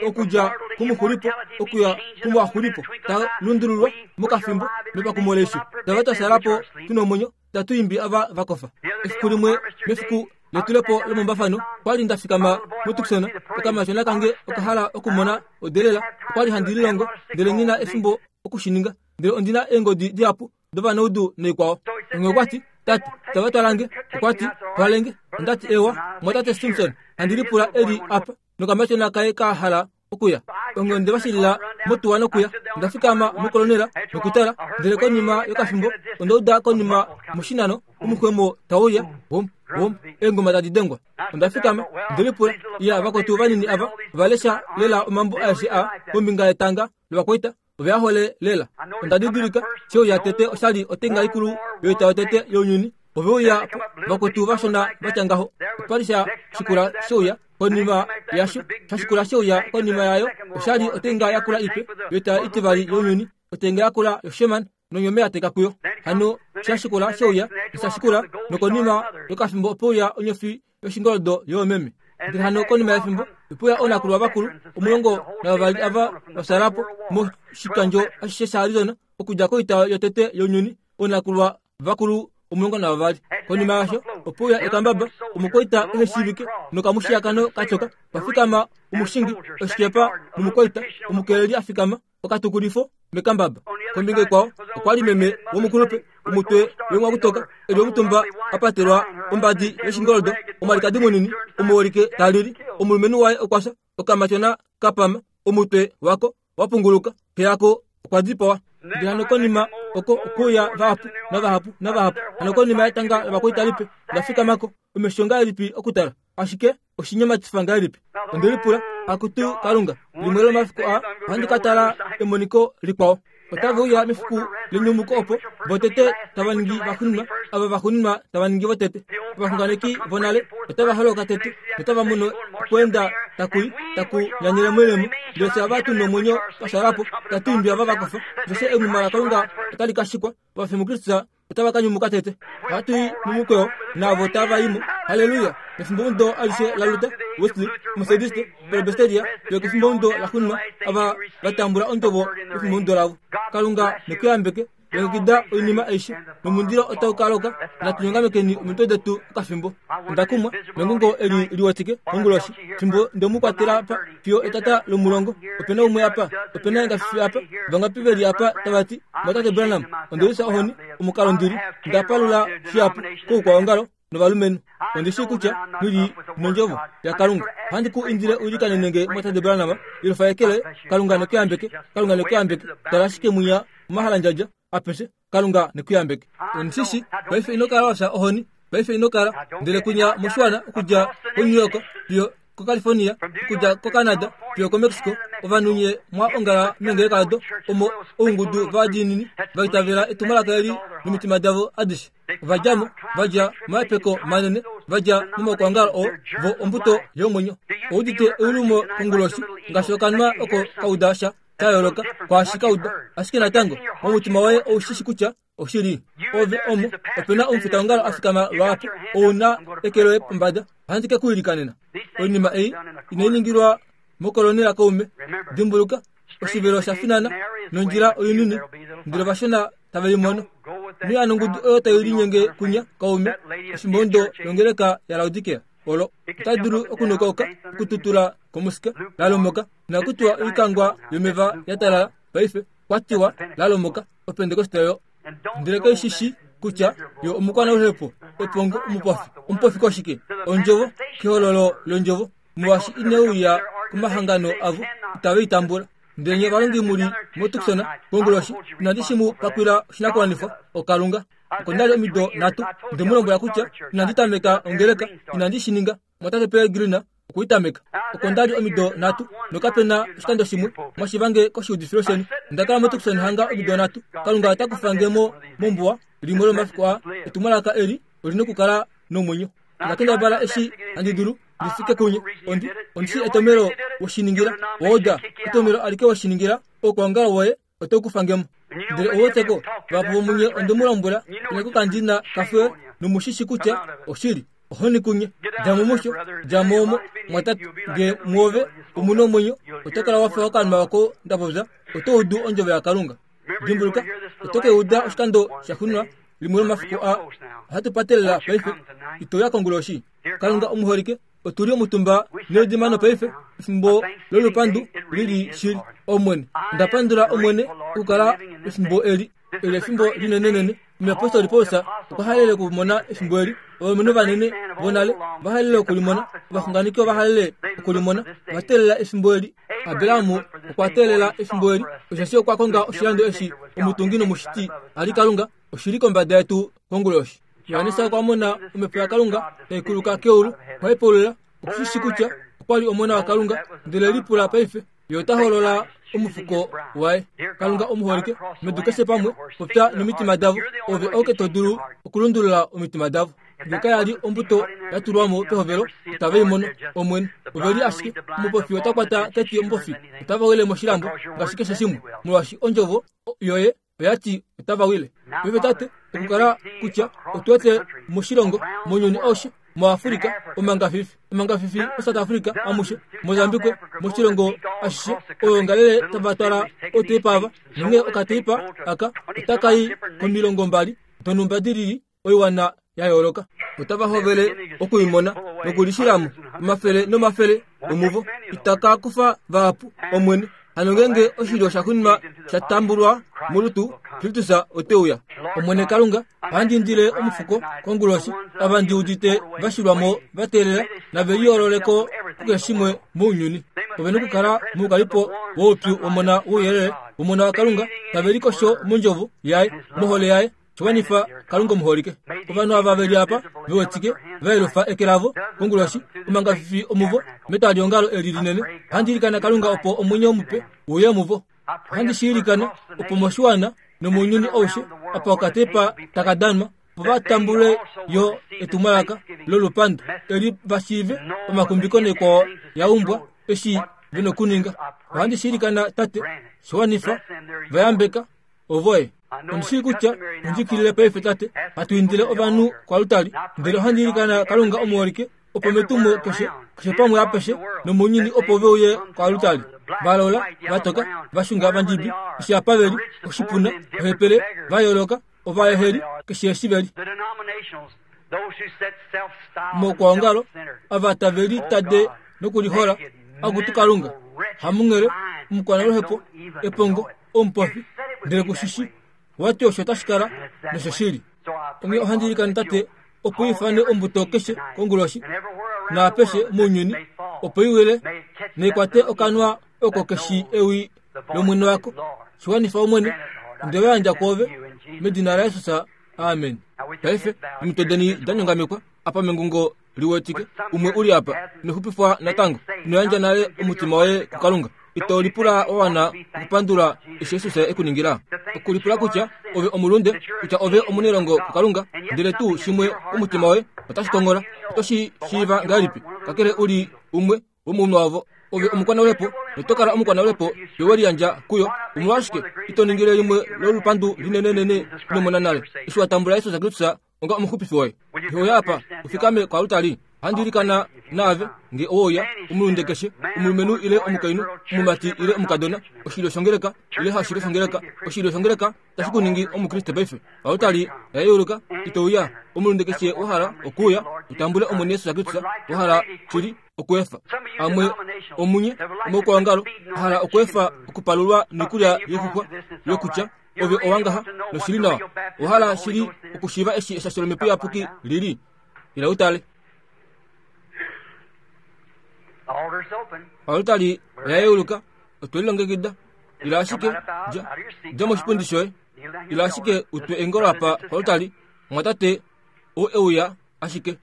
okudja kumuxulipo okuya kumuaxulipo, ta lundululwa mokafimbo mepakumo leisho. Tava twa shala po tu nomwenyo tatu imbi ava va kofa. Efiku limwe mefiku letulepo lomombafano, okwali nda fikama moTucson, okamatyona kange oka hala okumona odelela. Okwali handi lilongo, ndele nghi na efimbo oku shi ninga. Ndele ondi na eengodi dihapu dovanaudu naikwao. Onghee okwa ti, Tate, tava twala nge. Okwa ti, Twale nge. Onda ti, Ewa, mwatate Simpson, handi lipula e li apa nokamatyona kaye ka hala okuya. Onghee onde va shilila motuwa nokuya. Onda fikama mokolonela nokutala, ndele konima yokafimbo onda uda konima moshinano omuxwemo tau uya, wom, wom, eengoma tadi dengwa. Onda fikama, nde lipula, Iya, vakwetu vanini ava ova lesha lela omambo aeshe aa kombinga yetanga lovakwaita. Ove a hole lela. Onda didilika, she uya tete osha li otenga ikulu yoita yotete younyuni. Ove uya vakwetu vashona va tya ngaho. Opa li sha shikula she uya konima yasho, sha shikula she uya konima yayo, osha li otenga yakula ipe yoita itivali younyuni, otenga yakula yoSherman nonyome ya teka kuyo. Hano sha shikula she uya, nosha shikula, nokonima yokafimbo ope uya onyofi yoshingoldo yoomeme. Ndele hano konima yefimbo, ope uya oonakulwa vakulu 12 ava va fyaala po moshikandjo ashishe shaArizona okudja koita yotete younyuni, oonakulwa vakulu 12. Konima yasho, ope uya ekambaba, omukwaita ehe shiivike nokamushiyakano ka tyoka, pa fikama omushingi oshikepa nomukwaita omukeleli a fikama okatukulifo mekambaba. Kombinga ikwao okwa li meme womukulupe, omutwe wemwakutoka, e li omutumba a patelwa ombadi yoshingoldo, omwalikadi munini omuholike ta lili. Omulumenhu waye okwa fya, okamatyona ka pama, omutwe wako wa punguluka, xe yako okwa dipawa. Ndele hano konima oko okuuya vahapu navahapu navahapu. Hano konima yetanga lovakwaita lipe la fikama ko, omesho ngahelipi okutala! Ashike oshinyematifa ngahelipi! Onde lipula, Akutu Kalunga, limwe lomafiku aa ohandi ka tala emoniko likwao. Otave uya mefiku lenyumuko opo votete tava ningi vaxuuninwa, ava vaxuuninwa tava ningi votete. Ovaxunganeki vonale otava holoka tete notava mono okweenda taku i taku nyanyele moilemo. Ndele fye ava tu nomwenyo twa fyaala po, tatu imbi ava va kofa. Osheshi enghuma laKalunga otali ka shikwa, ovafi muKristus otava ka nyumuka tete. Ohatu i momukweyo naavo tava i mo. Halleluya! Mefimbomudo alishe laLuther, Wesley, Methodiste, Presbyteria, fiyo okefimbomudo laxuuninwa, ava va tambula ondjovo yefimbomudo lavo. Kalunga ne ku yambeke. Longekida oinima aishe, nomundilo otau ka loka. Natu nyongamekeni omitwe detu okafimbo. Onda kumwa mengungo eli liwetike konguloshi, fimbo nde mu kwatela apa fiyo etata lomulongo. Ope na umwe apa, ope na engafifi apa, vangapi ve li apa tava ti, Mwatate Branham, onde lifya ohoni, omukalo ndi li, nda palula shihapu koukwaongalo novalumenhu. Ondi shii kutya ndi li mondjovo yaKalunga. Ohandi ku indile u ilikanene nge, Mwatate Branham, yelufa eke loye. Kalunga ne ku yambeke. Kalunga ne ku yambeke. Tala ashike mwinya momahalandjadja apeshe. Kalunga ne ku yambeke. Ondi shi shii. Paife ino kala wa fya ohoni. Paife ino kala. Ndele kunya moshiwana okudja koNew York fiyo koCalifornia, okudja koCanada fiyo koMexico, ovanhu nye mwa ongala meengeleka odo omo oungudu vadiinini va itavela etumwalaka eli nomitima davo adishe. Ova dja mo, va dja momahepeko manene, va dja momaukwaongalo oo, vo ombuto yomwenyo. Ou udite eulumo konguloshi, ngaashi okanwa oko ka uda sha sha yooloka kwaashi ka uda, ashike natango momutima woye ou shi shi kutya oshili. Ove omo, ope na omufitaongalo a fikama lwaapo, ou na eke loye pombada, ohandi ke ku ilikanena. Oinima ei inai ningilwa mokolonela kaume. Dimbuluka, oshivelo osha finana nondjila oinini, ndele ovashona tave i mono. Ino ya nongudu oyo tai linyenge kunya, kaume, efimbo longeleka yaLaodikea olo. Ota dulu okunokauka, okututula komusika, lalomoka, nakutiwa oikangwa yomeva ya talala paife, kwa tiwa lalomoka, Opentekoste oyo. Ndele kai shi shi kutya yo omukwanauhepo, epongo, omupofi. Omupofi koshike? Ondjovo, kehololo londjovo. Molwaashi ine uya komahangano avo, itave i tambula. Ndele nye ovalongi mu li moTucson konguloshi, inandi shi mu pakwila oshinakuwanifwa, oKalunga. Oko nda li omido nhatu, nde mu lombwela kutya inandi tameka ongeleka, inandi shi ninga. Mwatate Peregrine okwe i tameka. Oko nda li omido nhatu, nokape na oshikando shimwe mwa shiva nge koshiudifilo sheni. Onda kala moTucson hanga omido nhatu. Kalunga ota kufa nge mo mombuwa limwe lomomafiku aa. Etumwalaka eli oli nokukala nomwenyo. Onda kendabala eshi handi dulu ndi fike kunye. Ondi, ondi shii etomelo we shi ningila. Oda, etomelo alike we shi ningila, oukwaongalo woye oto kufa nge mo. Ndele ou weteko, vahapu vomunye onde mu lombwela, ileko kandi na kafe nomu shi shi kutya oshili. Ohoni kunye. Dja mo musho, dja mo omo, mwatate. Nge muove omu na omwenyo, oto kala wa fa okanima oko nda popya, oto udu ondjovo yaKalunga. Dimbuluka, oto ke uda oshikando shaxuuninwa limwe lomafiku aa. Ohatu patelela paife. Ito ya konguloshi? Kalunga omuholike, otu li omutumba needimano paife, efimbo lolupandu li li shili. Omwene, onda pandula Omwene okukala efimbo eli. Eli efimbo linenenene. Omuyapostoli Paulus okwa halele okumona efimbo eli. Ovalumenhu vanene vonale ova halele okulimona. Ovaxunganeki ova halele okulimona. Ova teelela efimbo eli. Abraham okwa teelela efimbo eli, osheshi okwa konga oshilando eshi omutungi nomushiti a li Kalunga. Oshi li kombada yetu konguloshi. Johannes okwa mona omhepo yaKalunga tai kuluka keulu, okwa hepaulula, oku shi shii kutya okwa li Omona waKalunga, ndele lipula paife, ye ota holola omufuko waye. Kalunga omuholike, medu keshe pamwe, popya nomitima davo, ove oke to dulu okulundulula omitima davo. Nge kaya li ombuto ya tulwa mo pehovelo, itave i mono. Omwene, ove li ashike omupofi ota kwata keti omupofi, otava wile moshilambo ngaashi keshe shimwe, molwaashi ondjovo yoye oya ti otava wile. Paife Tate, okukala kutya otu wete moshilongo, mounyuni aushe, moAfrica, omangafifi, omangafifi moSouth Africa amushe, Mozambique, moshilongo ashishe, oyoongalele tava twala oteipa ava, nonghee okateipa aka otaka i komilongombali donhumba di lili oiwana ya yooloka. Otava hovele oku i mona nokulishila mo, omafele nomafele omuvo. Itaka kufa vahapu, Omwene. Hano ngeenge oshilyo sha xunwa sha tambulwa molutu, Kristus ote uya. Omwene Kalunga, ohandi indile omufuko konguloshi, ava ndi udite va shilwa mo va teelela, nave liyoolole ko kukeshe shimwe mounyuni. Ove nokukala moukalipo woupyu wOmona wouyelele, wOmona waKalunga, tave likosho mondjovo yaye, mohole yaye, Shiwanifa Kalunga omuholike. Ovanhu ava ve li apa ve wetike va yelufa eke lavo konguloshi omangafifi omuvo metwaliongalo eli linene. Ohandi ilikana Kalunga opo omwenyo mupe uye muvo. Ohandi shi ilikana opo moshiwana nomounyuni aushe apa okatepa taka danwa opo va tambule yo etumwalaka lolupandu eli va shiive omakumbiko naikwao ya umbwa eshi ve nokuninga. Ohandi shi ilikana Tate, shiwanifa, va yambeka ovoye. Ondi shii kutya ondjikilile paife Tate, hatu indile ovanhu koalutari, ndele ohandi ilikana Kalunga omuholike, opo metumo keshe, keshe pamwe apeshe nomounyuni opo ve uye koalutari, va laula, va toka, va xunga, vandjibi, eshi apa ve li, oshipuna, ohepele, va yooloka, ovaeheli, keshe eshi ve li. Moukwaongalo, ava tave litade nokulihola, Akutu Kalunga, hamunghele, omukwanaluhepo, epongo, omupofi, ndele ku shi shi. Owa ti osho tashi kala, noshoshili. Onghee ohandi ilikana Tate opo i ifane ombuto keshe konguloshi naapeshe mounyuni, opo i wile naikwate okanwa oko keshi ewi lOmwene wako. Shi wanifa, Omwene, onde va yandja kwoove, medina laJesus. Amen. Paife, omitwe deni da nyongamekwa apa mengungo liwetike, umwe u li apa, ino xupifwa natango, ino yandja nale omutima woye kuKalunga, ito lipula wa wana okupandula eshi Jesus e ku ningila? Okulipula kutya ove omulunde, kutya ove omunelongo kuKalunga, ndele tuu shimwe omutima woye otashi konghola, oto shi shiiva ngahelipi, kakele u li umwe womounhu wavo? Ove omukwanaulepo, noto kala omukwanaulepo fiyo we liyandja kuyo. Omolwashike ito ningile limwe lolupandu linenenene ino mona nale, eshi wa tambula Jesus Kristus onga omuxupifi woye? Iho uya apa u fikame koalutari. Ohandi ilikana naave nge owouya, omulunde keshe, omulumenhu ile omukainhu, omumati ile omukadona, oshilyo shongeleka ile hashilyo shongeleka, oshilyo shongeleka tashi ku ningi Omukriste paife. Oaltari oya yeuluka, ito uya. Omulunde keshe wa hala okuuya u tambule Omwene Jesus Kristus, wa hala shili okuefa. Amwe omunye omaukwaongalo a hala okuefa okupalulwa noikulya yoixuxwa yokutya, Ove owa ngaha, noshili nawa. Owa hala shili okushiiva eshi eshasho lOmhepo Iyapuki li li. Ila u tale. Oaltari oya yeuluka, otwe lilongekida. Ila ashike, dja, dja moshipundi shoye. Ila ashike u twe eengolo apa koaltari, mumwatate, ou e uya ashike.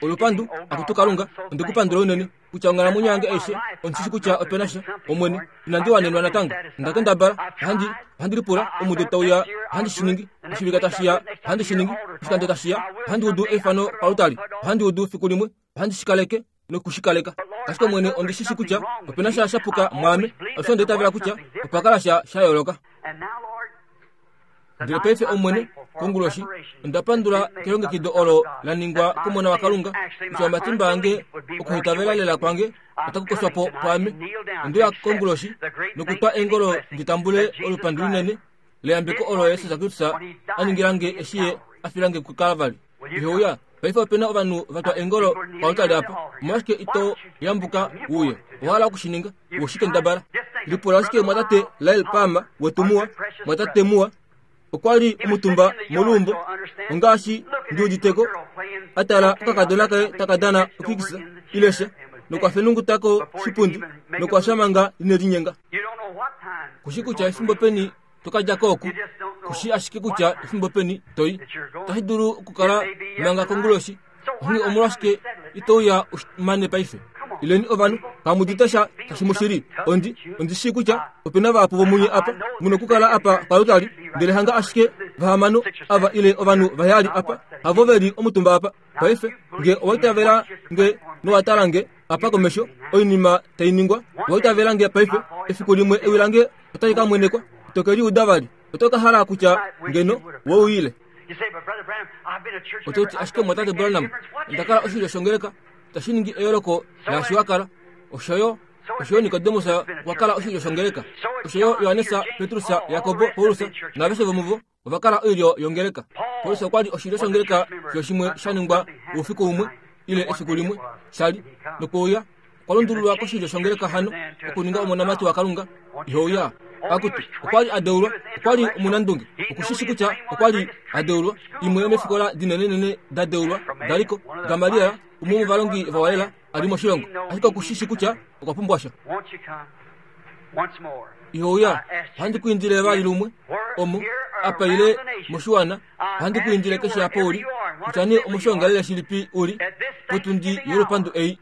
Olupandu, Akutu Kalunga, onde ku pandula unene, kutya onghalamwenyo yange aishe, ondi shi kutya ope na sha, Omwene, inandi wanenwa natango. Onda kendabala, ohandi, ohandi lipula, omudo tau ya, ohandi shi ningi, oshivika tashi ya, ohandi shi ningi, oshikando tashi ya, ohandi udu eifano palutali, ohandi udu fiku limwe, ohandi shi kaleke noku shi kaleka. Ashike Omwene, ondi shi shi kutya ope na sha sha puka mwaame, osho onda itavela kutya opa kala sha sha yooloka. Ndele paife, Omwene, konguloshi, onda pandula kelongekido olo la ningwa kOmona waKalunga, kutya omatimba ange okuhitavela lela kwange otaku koshwa po pwaame. Onde uya konguloshi nokutwa eengolo ndi tambule olupandu linene leyambeko olo Jesus Kristus a ningila nge eshi Ye a fila nge kuKalvari. Ihe uya. Paife ope na ovanhu va twa eengolo pautali apa. Omolwashike ito yambuka u uye? Owa hala oku shi ninga? U shi kendabala. Lipula ashike mwatate Lyle Palmer wetu muwa, mwatate muwa. Okwa li omutumba moluumbo, ongaashi ndi uditeko, a tala okakadona kaye taka dana okikisa ile sha, nokwa fenunguta koshipundi nokwa fya manga ine linyenga. Kushi kutya efimbo peni to ka dja ko oku, ku shii ashike kutya efimbo peni to i. Otashi dulu okukala manga konguloshi. Onghee omolwashike ito uya u mane paife? Ileni ovanhu, kamu udite sha tashi mu shili. Ondi, ondi shii kutya ope na vahapu vomunye apa mu nokukala apa palutali, ndele hanga ashike vahamano ava ile ovanhu vaheyali apa havo ve li omutumba apa. Paife, nge owa itavela nge nowa tala nge apa komesho oinima tai ningwa, owa itavela nge paife, efiku limwe ewi lange otali ka mwenekwa, ito ke li uda vali. Oto ka hala kutya ngeno we uyile. Oto ti ashike mwatate Branham, onda kala oshilyo shongeleka, tashi ningi eyooloko naashi wa kala. Osho yo, osho yo Nikodemus okwa kala oshilyo shongeleka. Osho yo Johannes, Petrus, Jakobo, Paulus naaveshe vomuvo ova kala oilyo yongeleka. Paulus okwa li oshilyo shongeleka fiyo shimwe sha ningwa oufiku umwe ile efiku limwe sha li nokweuya okwa lundululwa koshilyo shongeleka hano okuninga omonamati waKalunga ihouya. Akutu, okwa li a deulwa, okwa li omunandunge, oku shi shi kutya okwa li a deulwa. Imwe yomefikola dinenenene da deulwa da li ko, Gamaliel, umwe womovalongi vawalela a li moshilongo, ashike oku shi shi kutya okwa pumbwa sha. Ihouya, ohandi ku indile vali lumwe, omo, apa ile moshiwana, ohandi ku indile keshe apa u li, kutya nee omoshiongalele shilipi u li, potundi yolupandu ei.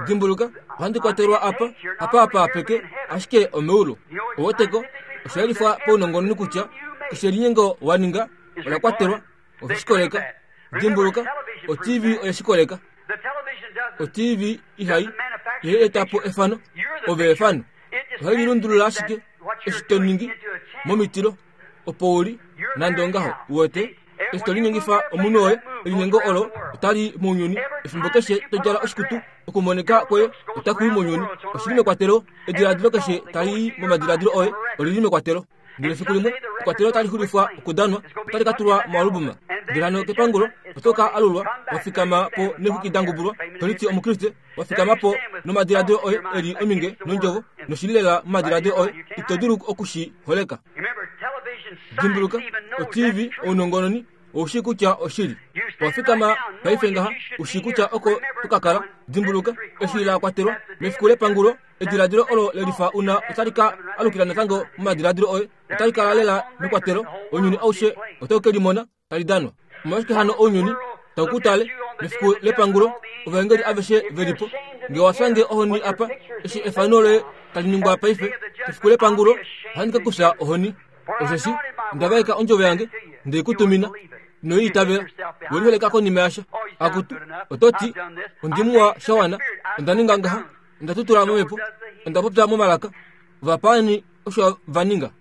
Dimbuluka, ohandi kwatelwa apa, apa apa apeke, ashike omeulu. Oweteko, osha yelifwa paunongononi kutya keshe elinyengo wa ninga ola kwatelwa, ove shi koleka. Dimbuluka, o-TV oye shi koleka. O-TV ihai ihai eta po efano, ove efano. Ohai lilundulula ashike eshi to ningi momitilo opo u li, nande ongaho, uwete. Eshi to linyengifa omunhu woye, elinyengo olo otali i mounyuni. Efimbo keshe to djala oshikutu, okumonika kwoye otaku i mounyuni. Oshi li mekwatelo. Ediladilo keshe tali i momadiladilo oye oli li mekwatelo. Ndele efiku limwe ekwatelo otali xulifwa okudanwa, otali ka tulwa moalubuma. Ndele hano kepangulo oto ka alulwa wa fikama po neexwiki da ngubulwa, to liti Omukriste, wa fikama po nomadiladilo oye e li ominge nondjovo, noshi li lela momadiladilo oye, ito dulu oku shi holeka. Dimbuluka, o-TV, ounongononi, Ou shii kutya oshili. Owa fikama paife ngaha, u shii kutya oko to ka kala. Dimbuluka, eshi la kwatelwa mefiku lepangulo, ediladilo olo le lifa u na otali ka alukila natango momadiladilo oye. Otali kala lela mekwatelo. Ounyuni aushe otau ke limona tali danwa. Omolwashike hano ounyuni tau ku tale mefiku lepangulo, ovaengeli aveshe ve li po? Nge owa fya nge ohoni apa, eshi efano loye tali ningwa paife, kefiku lepangulo ohandi ka kufya ohoni. Osheshi onda vaeka ondjovo yange, nde i ku tumina, ino i itavela. We liholeka konima yasha. Akutu, oto ti, Ondi muwa sha wana, onda ninga ngaha, onda tutula momhepo, onda popya momalaka. Ovapaani osho va ninga.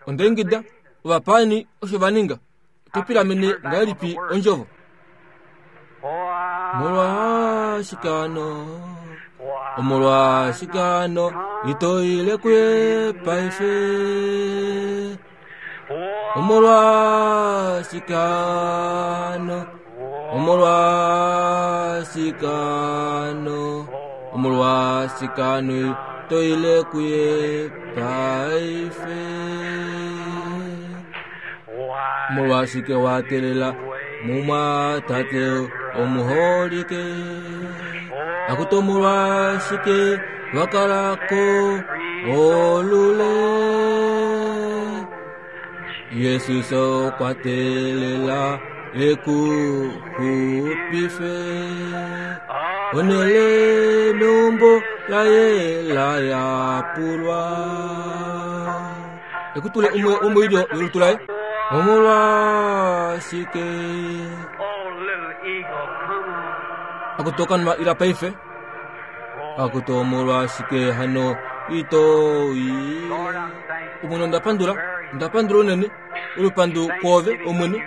Onda ingida, ovapaani osho va ninga. Oto pilamene ngahelipi ondjovo? Molwa. Omolwashike hano? Omolwashike hano ito ile kuye paife? Omolwashike hano? Omolwashike hano? Omolwashike hano ito ile kuye paife? Omolwashike wa teelela mumwatate omuholike? Akutu omolwashike wa kala ko olule? Jesus okwa teelela e ku xupife. Onhele meumbo laye la yapulwa. Ekutule umwe womoilyo yolutu laye. Omolwashike akutu okanwa ila paife? Akutu omolwashike hano ito i? Omwene onda pandula, onda pandula unene olupandu kwoove Omwene,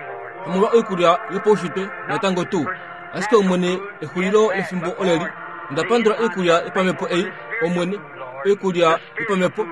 omolwa oikulya yopaushitwe natango tuu. Ashike Omwene exulilo lefimbo oleli. Onda pandula oikulya yopamhepo ei, Omwene, oikulya yopamhepo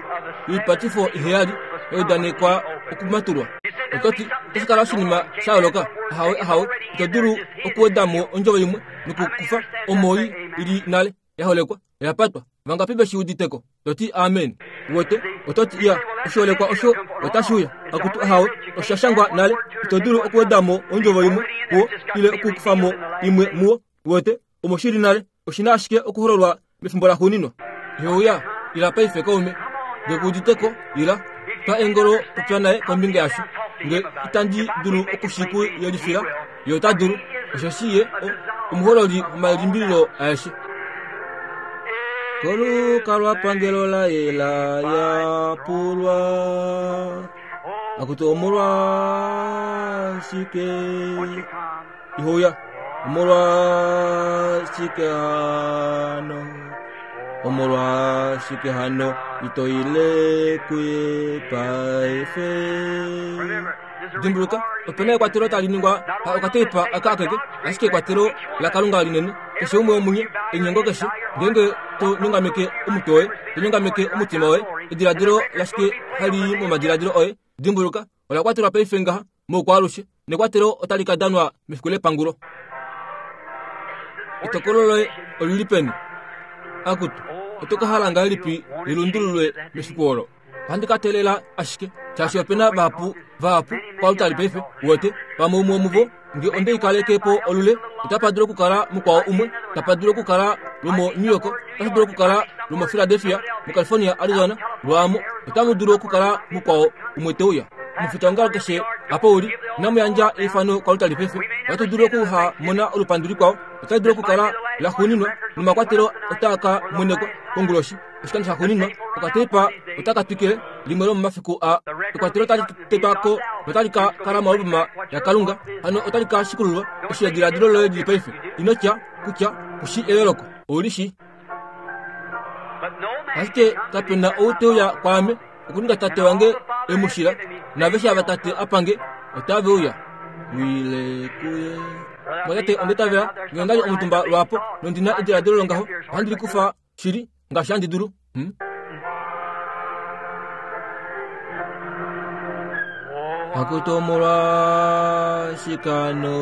yoipatifo iheyali ya udanekwa okumatulwa. Oto ti, Otashi kala oshinima sha yooloka? Ahawe, ahawe. Ito dulu okuweda mo ondjovo imwe nokukufa omo i li nale, ya holekwa, oya patwa. Vangapi ve shi udite ko? To ti, Amen. Uwete? Oto ti, Iya, oshiholekwa osho otashi uya. Akutu, ahawe, osha shangwa nale. Ito dulu okuweda mo ondjovo imwe muwo ile okukufa mo imwe muwo. Uwete? Omo shi li nale. Oshi na ashike okuhololwa mefimbo laxuuninwa. Ihe uya, ila paife kaume. Nge ku udite ko, ila. Twa engolo popya naye kombinga yasho. Nge itandi dulu oku shi ku yelifila, ye ota dulu, osheshi ye o, omuhololi womalimbililo aeshe. Kolukalwapangelo laye la yapulwa. Akutu omolwashike? Ihouya, omolwashike hano? Omolwashike hano ito ile kuye paife? Dimbuluka, ope na ekwatelo tali ningwa pa okateipa aka akeke, ashike ekwatelo laKalunga linene. Keshe umwe womunye, einyengo keshe, ngeenge to nyongameke omutwe woye, to nyongameke omutima woye, ediladilo lashike hali i momadiladilo oye? Dimbuluka, ola kwatelwa paife ngaha moukwaalushe, nekwatelo otali ka danwa mefiku lepangulo. Etokolo loye oli li peni? Akutu, oto ka hala ngahelipi li lundululwe mefiku olo? Ohandi ka teelela ashike, shaashi ope na vahapu, vahapu kwalutali paife, uwete, pamwe umwe womuvo, nge onde i kaleke po olule, otapa dulu okukala mukwao umwe, tapa dulu okukala lomoNew York, otashi dulu okukala lomoPhiladelphia, moCalifornia, Arizona, lwaamo, otamu dulu okukala mukwao umwe te uya. Omufitaongalo keshe apa u li, inamu yandja eifano kwalutali paife. Ohatu dulu okuha mona olupandu likwao, otali dulu okukala laxuuninwa, nomakwatelo otaa ka mwenekwa konguloshi. Oshikando shaxuuninwa, okateipa otaka twikile, limwe lomomafiku aa. Ekwatelo otali tetwa ko notali ka kala moalbuma yaKalunga, hano otali ka shikululwa. Eshi ediladilo loye lili paife, ino tya kutya ku shii eyooloko. Ou li shii. Ashike kape na ou te uya kwaame okuninga Tate wange e mu shila, naaveshe ava Tate a pa nge, otave uya. Wile kuye. Mwatate, onda itavela, nge onda li omutumba lwaapo nondi na ediladilo longaho, ohandi li kufa shili ngaashi handi dulu. Hmm? Akutu omolwashike hano?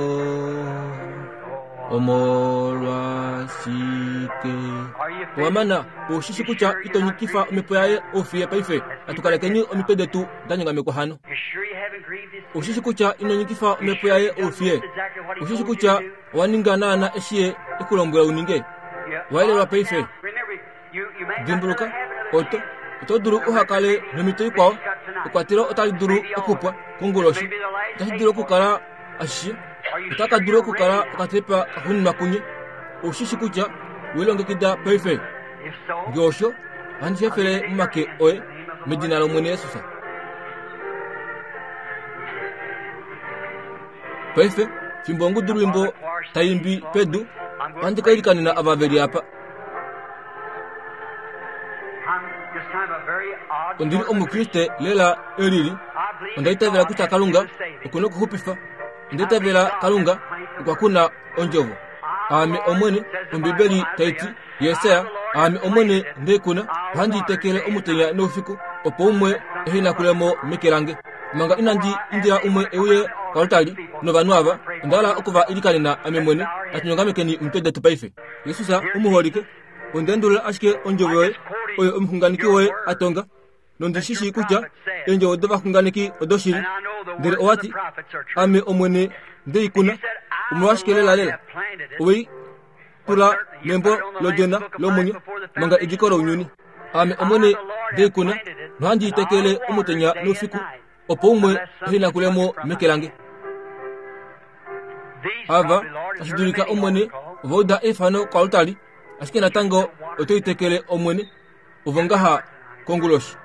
Omolwashike? Owa mana, ou shi shi kutya ito nyikifa omhepo yaye oufiye paife. Natu kalekeni omitwe detu da nyongamekwa hano. Ou shi shi kutya ino nyikifa omhepo yaye oufiye? Ou shi shi kutya owa ninga naana eshi ye e ku lombwela u ninge? Wa yelelwa paife. Dimbuluka, oto, oto dulu uha kale nomhito ikwao. Ekwatelo otali dulu okupwa konguloshi. Otashi dulu okukala ashishe. Ota ka dulu okukala okatepa kaxuuninwa kunye. Ou shi shi kutya we longekida paife? Nge osho, ohandi hefele momake oye, medina lOmwene Jesus. Paife, fimbo ongudulwimbo tai imbi pedu, ohandi ka ilikanena ava ve li apa. Ondi li Omukriste lela e lili. Onda itavela kutya Kalunga oku na okuxupifa. Onda itavela Kalunga okwa kuna Ondjovo. Aame Omwene, Ombibeli tai ti, Jesaja, Aame Omwene nde kuna, ohandi i tekele omutenya noufiku, opo umwe ehe nakule mo meke lange. Manga inandi indila umwe e uye koaltari novanhu ava, onda hala oku va ilikanena ame mwene. Natu nyongamekeni omitwe detu paife. Jesus omuholike, onda endulula ashike ondjovo yoye oyo omuxunganeki woye a tonga, nondi shi shii kutya eendjovo dovaxunganeki odoshili. Ndele owa ti, Ame Omwene nde i kuna. Omolwashike lelalela owe i tula membo lOdjona lomwenyo manga ediko lounyuni? Ame Omwene nde i kuna, nohandi i tekele omutenya noufiku, opo umwe ehe nakule mo meke lange. Ava tashi dulika Omwene ova uda eifano koaltari, ashike natango oto i tekele Omwene. Ovo ngaha konguloshi.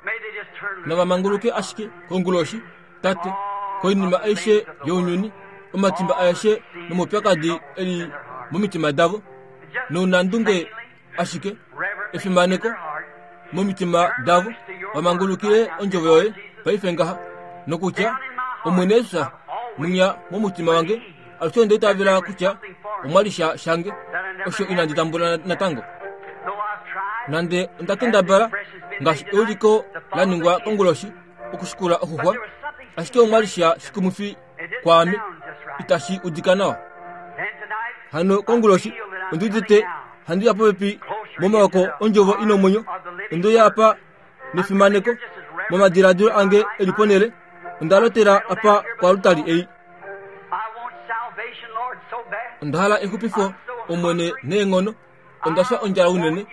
Nava manguluke ashike konguloshi, Tate, koinima aishe younyuni, omatimba aeshe nomaupyakadi e li momitima davo, nounandunge ashike, efimaneko momitima davo, va mangulukile ondjovo yoye paife ngaha, nokutya, Omwene Jesus, mwinya momutima wange, alushe onda itavela kutya omwa li sha shange osho inandi tambula natango. Nande onda kendabala ngaashi euliko la ningwa konguloshi okushikula oxuxwa, ashike omwa li sha shikumwifi kwaame, itashi udika nawa. Hano konguloshi ondi udite handi ya popepi momaoko ondjovo i nomwenyo, onde uya apa nefimaneko momadiladilo ange e li ponhele, onda lotela apa koalutali ei. Onda hala exupifo, Omwene, neenghono. Onda fya ondjala unene.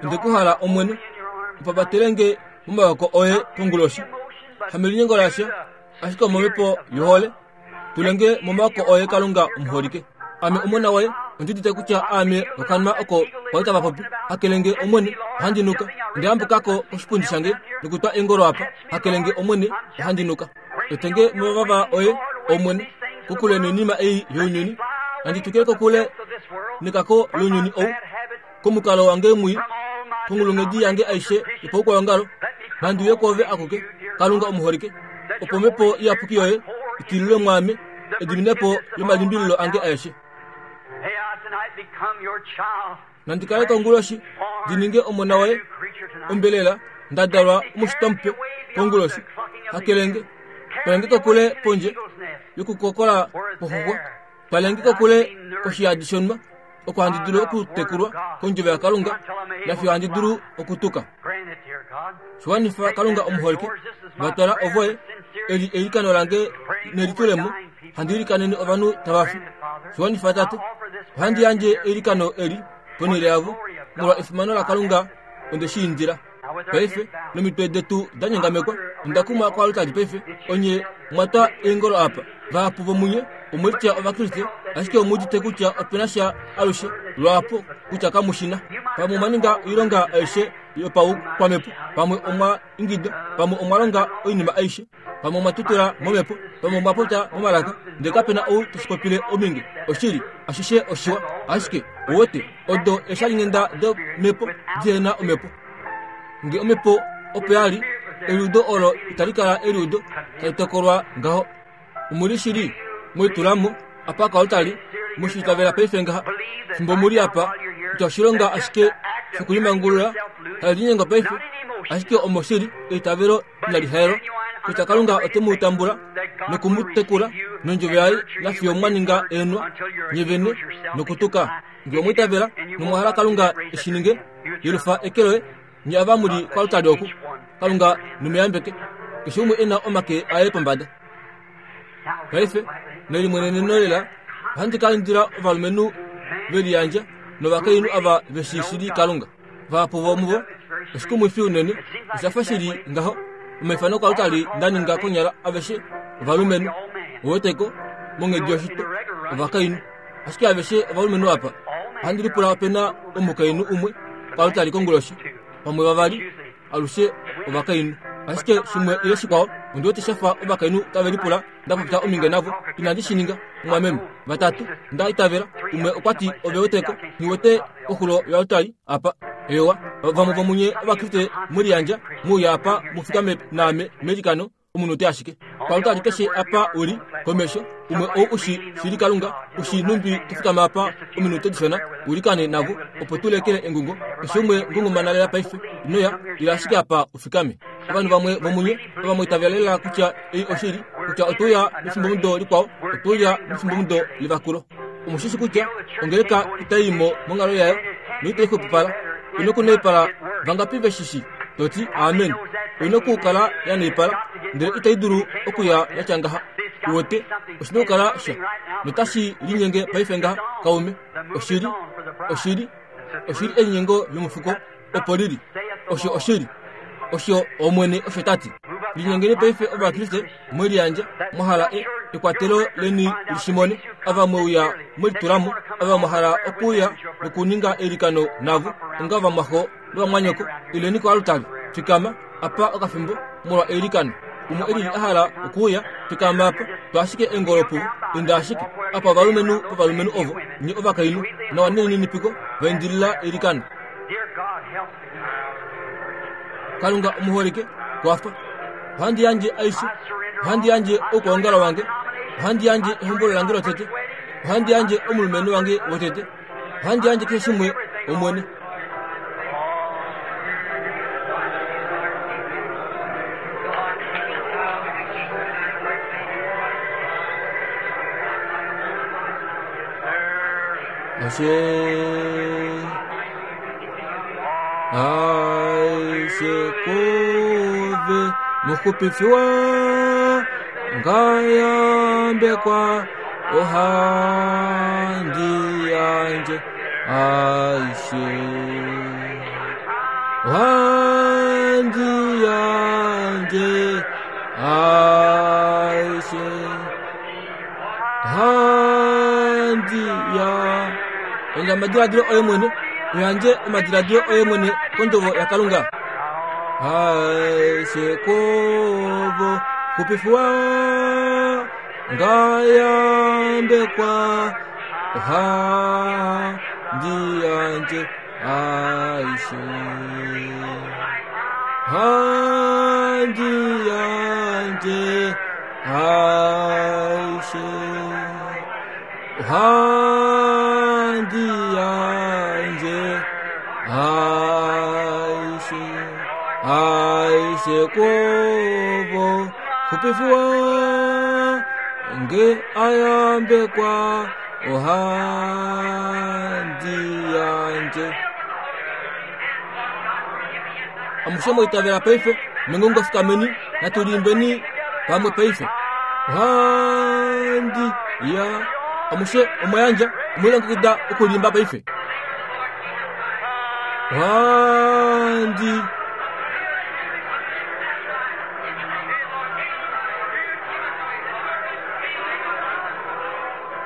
Onde ku hala, Omwene. Upapatele nge momaoko oye konguloshi. Hamelinyengo lasha, ashike omomhepo yohole. Tule nge momaoko oye, Kalunga omuholike. Ame omona woye, ondi udite kutya aame okanwa oko kwali tava popi. Hakele nge, Omwene, ohandi nuka. Onda yambuka ko koshipundi shange nokutwa eengolo apa. Hakele nge, Omwene, ohandi nuka. Etenge movava oye, Omwene, kokule noinima ei younyuni. Nandi tukile kokule nekako lounyuni ou, komukalo wange mwii, konghulunghedi yange aishe yopaukwaongalo. Nandi uye kwoove akuke, Kalunga omuholike, opo Omhepo Iyapuki yoye i tililwe mwaame, ediminepo lomalimbililo ange aeshe. Nandi kale konguloshi ndi ninge omona woye ombelela nda dalwa omushitwa mupe konguloshi. Hakelenge, twalenge kokule pondje yokukokola kwoxuxwa, twalenge kokule koshiyadi shonhwa, oko handi dulu okutekulwa kondjovo yaKalunga nafiyo handi dulu okutuka. Shiwanifa Kalunga omuholike, va twala ovoye, eli eilikano lange nelitulemo, handi ilikanene ovanhu tava fi. Shiwanifa Tate, ohandi yandje eilikano eli ponhele yavo, molwa efimano laKalunga onde shi indila. Paife, nomitwe detu da nyongamekwa, onda kumwa koaltari paife, onye mwa twa eengolo apa. Vahapu vomunye omwe litya Ovakriste, ashike omu udite kutya ope na sha alushe lwaapo kutya kamu shi na. Pamwe omwa ninga oilonga aishe yopaukwamhepo, pamwe omwa ingida, pamwe omwa longa oinima aishe, pamwe omwa tutula momhepo, pamwe omwa popya momalaka, ndele kape na ou te shi popile ominge. Oshili, ashishe oshiwa, ashike, ou wete, odo eeshalinghenda domhepo dihe na omhepo. Nge omhepo opo ya li, eliudo olo itali kala eliudo tali tokolwa ngaho. Omu li shili mwelitula mo apa koaltari, mu shi itavela paife ngaha, fimbo mu li apa, kutya oshilonga ashike shokulimangulula hali linyengo paife, ashike omo shili eitavelo inali haelwa, kutya Kalunga ote mu tambula noku mu tekula nondjovo yaye nafiyo mwa ninga eenwa nye vene nokutuka. Nge omwa itavela nomwa hala Kalunga e shi ninge, yelufa eke loye, nye ava mu li koaltari oku. Kalunga nomuyambeke, keshe umwe e na omake aye pombada. Paife, melimweneneno lela, ohandi ka indila ovalumenhu ve liyandja novakainhu ava ve shii shili Kalunga. Vahapu vomuvo, oshikumwifi unene, osha fa shi li ngaho, omaifano koaltari nda ninga konyala aveshe ovalumenhu, uweteko, monghedi yoshitwa, ovakainhu. Ashike aveshe ovalumenhu apa, ohandi lipula ope na omukainhu umwe koaltari konguloshi, pamwe vavali, alushe ovakainhu. Ashike shimwe ile shikwao, ondi wete sha fa ovakainhu tave lipula nda popya ominge navo. Inandi shi ninga, mumwameme. Vatatu, nda itavela. Umwe okwa ti, Ove weteko, nghi wete koxulo yoaltari apa. Eewa, vamwe vomunye Ovakriste mwe liyandja, mu uye apa mu fikame naame meilikano, omunute ashike. Koaltari keshe apa u li, komesho. Umwe ou u shi shili Kalunga, u shii nhumbi to fikama apa ominute dishona u likane navo, opo tu lekele engungo. Keshe umwe ngungumana lela paife. Ino ya, ila ashike apa u fikame. Ovanhu vamwe vomunye ova mwa itavela lela kutya ei oshili, kutya otwe uya mefimbomudo likwao, otwe uya mefimbomudo levakulo. Omu shi shi kutya ongeleka itai i mo monghalo yayo noitai xwepopala. Oi na okunaipala. Vangapi ve shi shi? To ti, Amen. Oi na okukala ya naipala, ndele itai dulu okuya ya tya ngaha. Uwete, oshi na okukala sha. Notashi linyenge paife ngaha, kaume. Oshili, oshili, oshili elinyengo lomufuko opo li li. Osho oshili. Osho Omwene osho ta ti. Linyengeni paife Ovakriste mwe liyandja, mwa hala e, ekwatelo leni li shi mone, ava mwe uya mwe litula mo, ava mwa hala okuuya nokuninga eilikano navo, onga vamwaxo novamwanyoko, ileni koalutari. Fikama apa okafimbo molwa eilikano. Umwe e lili a hala okuuya, fikama apa, twa ashike eengolo puvo, inda ashike apa ovalumenhu povalumenhu ovo, nye ovakainhu, nawa nelininipiko, va indilila eilikano. Kalunga omuholike, kwafa. Ohandi yandje aishe. Ohandi yandje oukwaongalo wange. Ohandi yandje ehombolo lange lotete. Ohandi yandje omulumenhu wange wotete. Ohandi yandje keshe shimwe, Omwene. Ashe. Aishe kove muxupifi ngayambekwa ohandi yandje aishe ohandi yandje aishe ohandi ya Yandja omadiladilo oye mwene, u yandje omadiladilo oye mwene kondjovo yaKalunga. Aishe kwovo xupifwa ngayambekwa ohandi yandje aishe handi yandje aishe Ohandi yandje aishe aishe kwovo xupifiwa nge ayambekwa ohandi yandje amushe mwa itavela paife mengongo fikameni natu liimbeni pamwe paife ohandi ya amushe omwa yandja omwe lilongekida okuliimba paife ohandi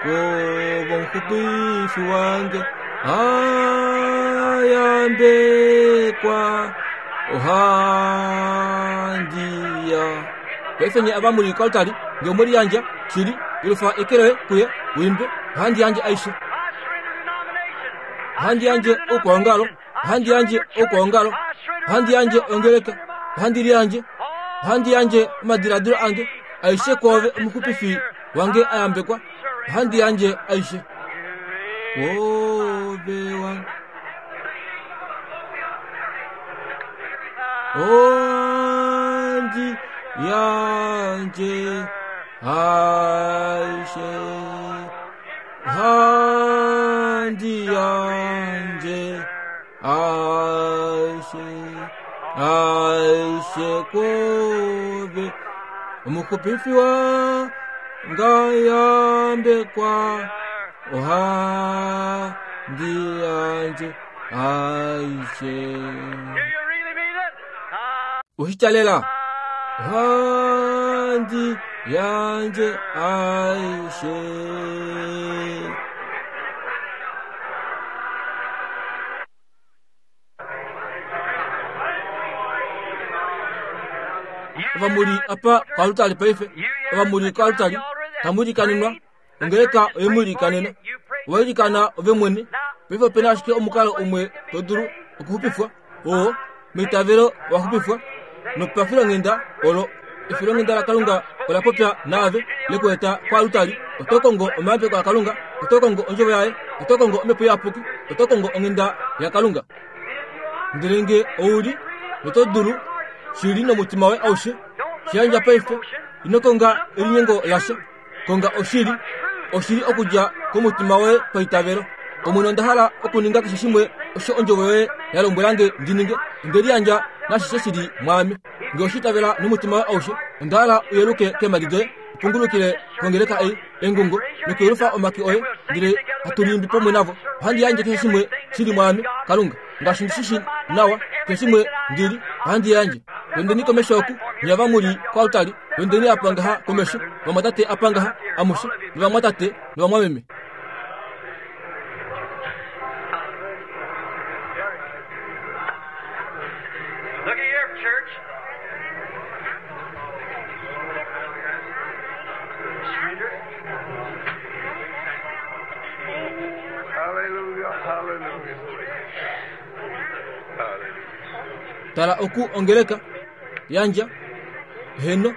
kovomuxupifi wange ayambekwa ohandi ya paife nye ava muli koaltari nge omwe liyandja shili yelufa eke loye kuye uimbe ohandi yandje aishe ohandi yandje oukwaongalo ohandi yandje oukwaongalo ohandi yandje ongeleka ohandi liyandje ohandi yandje omadiladilo ange aishe kwoove omuxupifi wange a yambekwa ohandi yandje aishe kwoove wange Ohandi yandje aishe ohandi yandje aishe aishe kwoove omuxupifi wange ayambekwa ohandi yandje aishe Ushityalela ohandi yandje aishe. Ovamuli apa koalutali paife, ovamuli koalutali, tamu ilikanenwa Ongeleka oye mu ilikanena. Owa ilikana ove mwene. Paife ope na ashike omukalo umwe to dulu okuxupifwa, oo, meitavelo wa xupifwa, nopafilonghenda olo efilonghenda laKalunga. ola popya naave, le ku eta koalutali. Oto kongo omayambeko aKalunga, oto kongo ondjovo yaye, oto kongo Omhepo Iyapuki, oto kongo onghenda yaKalunga. Ndele nge ou li, noto dulu shili nomutima woye aushe, shi yandja paife. Ino konga elinyengo lasha. Konga oshili, oshili okudja komutima woye paitavelo. Omwene, onda hala okuninga keshe shimwe osho ondjovo yoye ya lombwela nge ndi ninge. Onde liyandja nashishe shi li mwaame. Nge oshi itavela nomutima woye aushe, onda hala u yeluke keemhadi doye, u pungulukile kongeleka ei, engungo, nokuyelufa omake oye, ndele hatu liimbi pamwe navo. Ohandi yandje keshe shimwe shi li mwaame, Kalunga. Ngaashi ndi shi shii nawa, keshe shimwe ndi li, ohandi yandje. Wendeni komesho oku, nye ava mu li koaltari, wendeni apa ngaha komesho, vamwatate apa ngaha, amushe, novamwatate novamwameme. Look at here, church. Surrender. Hallelujah, hallelujah. Hallelujah. Tala oku ongeleka, yandja, heno,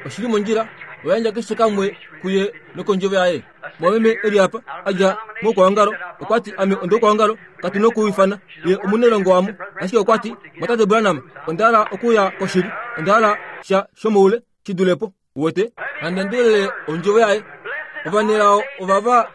oshili mondjila, oyandja keshe kamwe kuye nokondjovo yaye. Mwameme e li apa, a dja moukwaongalo, okwa ti, Ame ondoukwaongalo, katu nokuifana ye omunailongo wamo. Ashike okwa ti, Mwatate Branham, onda hala okuya koshili. Onda hala sha shomoule shi dule po. Uwete? Nande endelele ondjovo yaye. Ovanelao ovava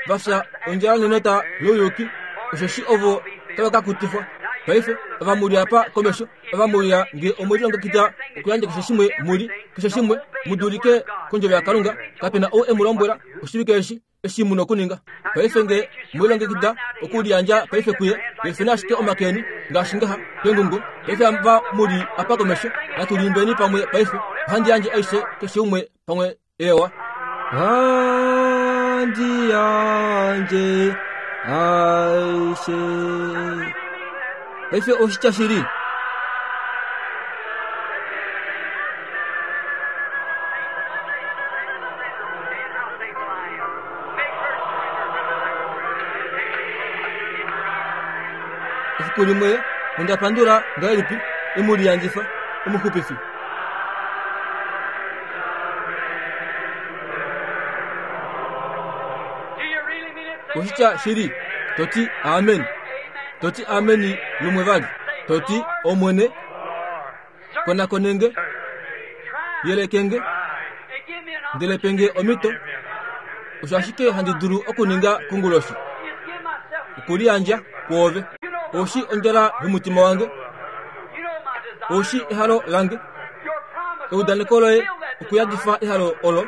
va fya ondjala nenota louyuki, osheshi ovo tava ka kutifwa. Paife, ava mu li apa komesho, ava mu uya nge omwe lilongekida okuyandja keshe shimwe mu li, keshe shimwe, mu dulike kondjovo yaKalunga, kape na ou e mu lombwela oshivike eshi, eshi mu nokuninga. Paife nge mwe lilongekida okuliyandja paife kuye, yelufeni ashike omake eni, ngaashi ngaha, kengungo. Paife ava mu li apa komesho, natu liimbeni pamwe paife. Ohandi yandje aishe keshe umwe pamwe. Ewa. Ohandi yandje aishe. Paife oshitya shili. Efiku limwe onda pandula ngahelipi emuliyandifa omuxupifi. Oshitya shili to ti amen. To ti ameni lumwe vali. To ti Omwene, konakone nge, yeleke nge, ndele pe nge omhito. Osho ashike handi dulu okuninga konguloshi, okuliyandja kwoove. Oshi ondjala yomutima wange, oshi ehalo lange, eudaneko loye okuyadifa ehalo olo.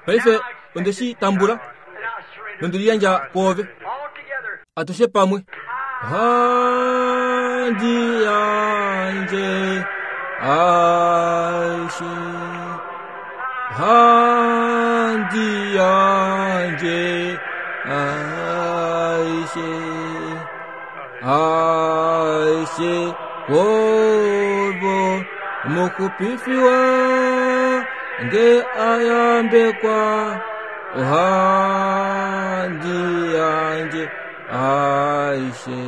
Paife onde shi tambula nonde liyandja kwoove. Atushe pamwe. Ohandi yandje aishe. Ohandi yandje aishe. Aishe kwovo omuxupifi wange a yambekwa. Ohandi yandje aishe.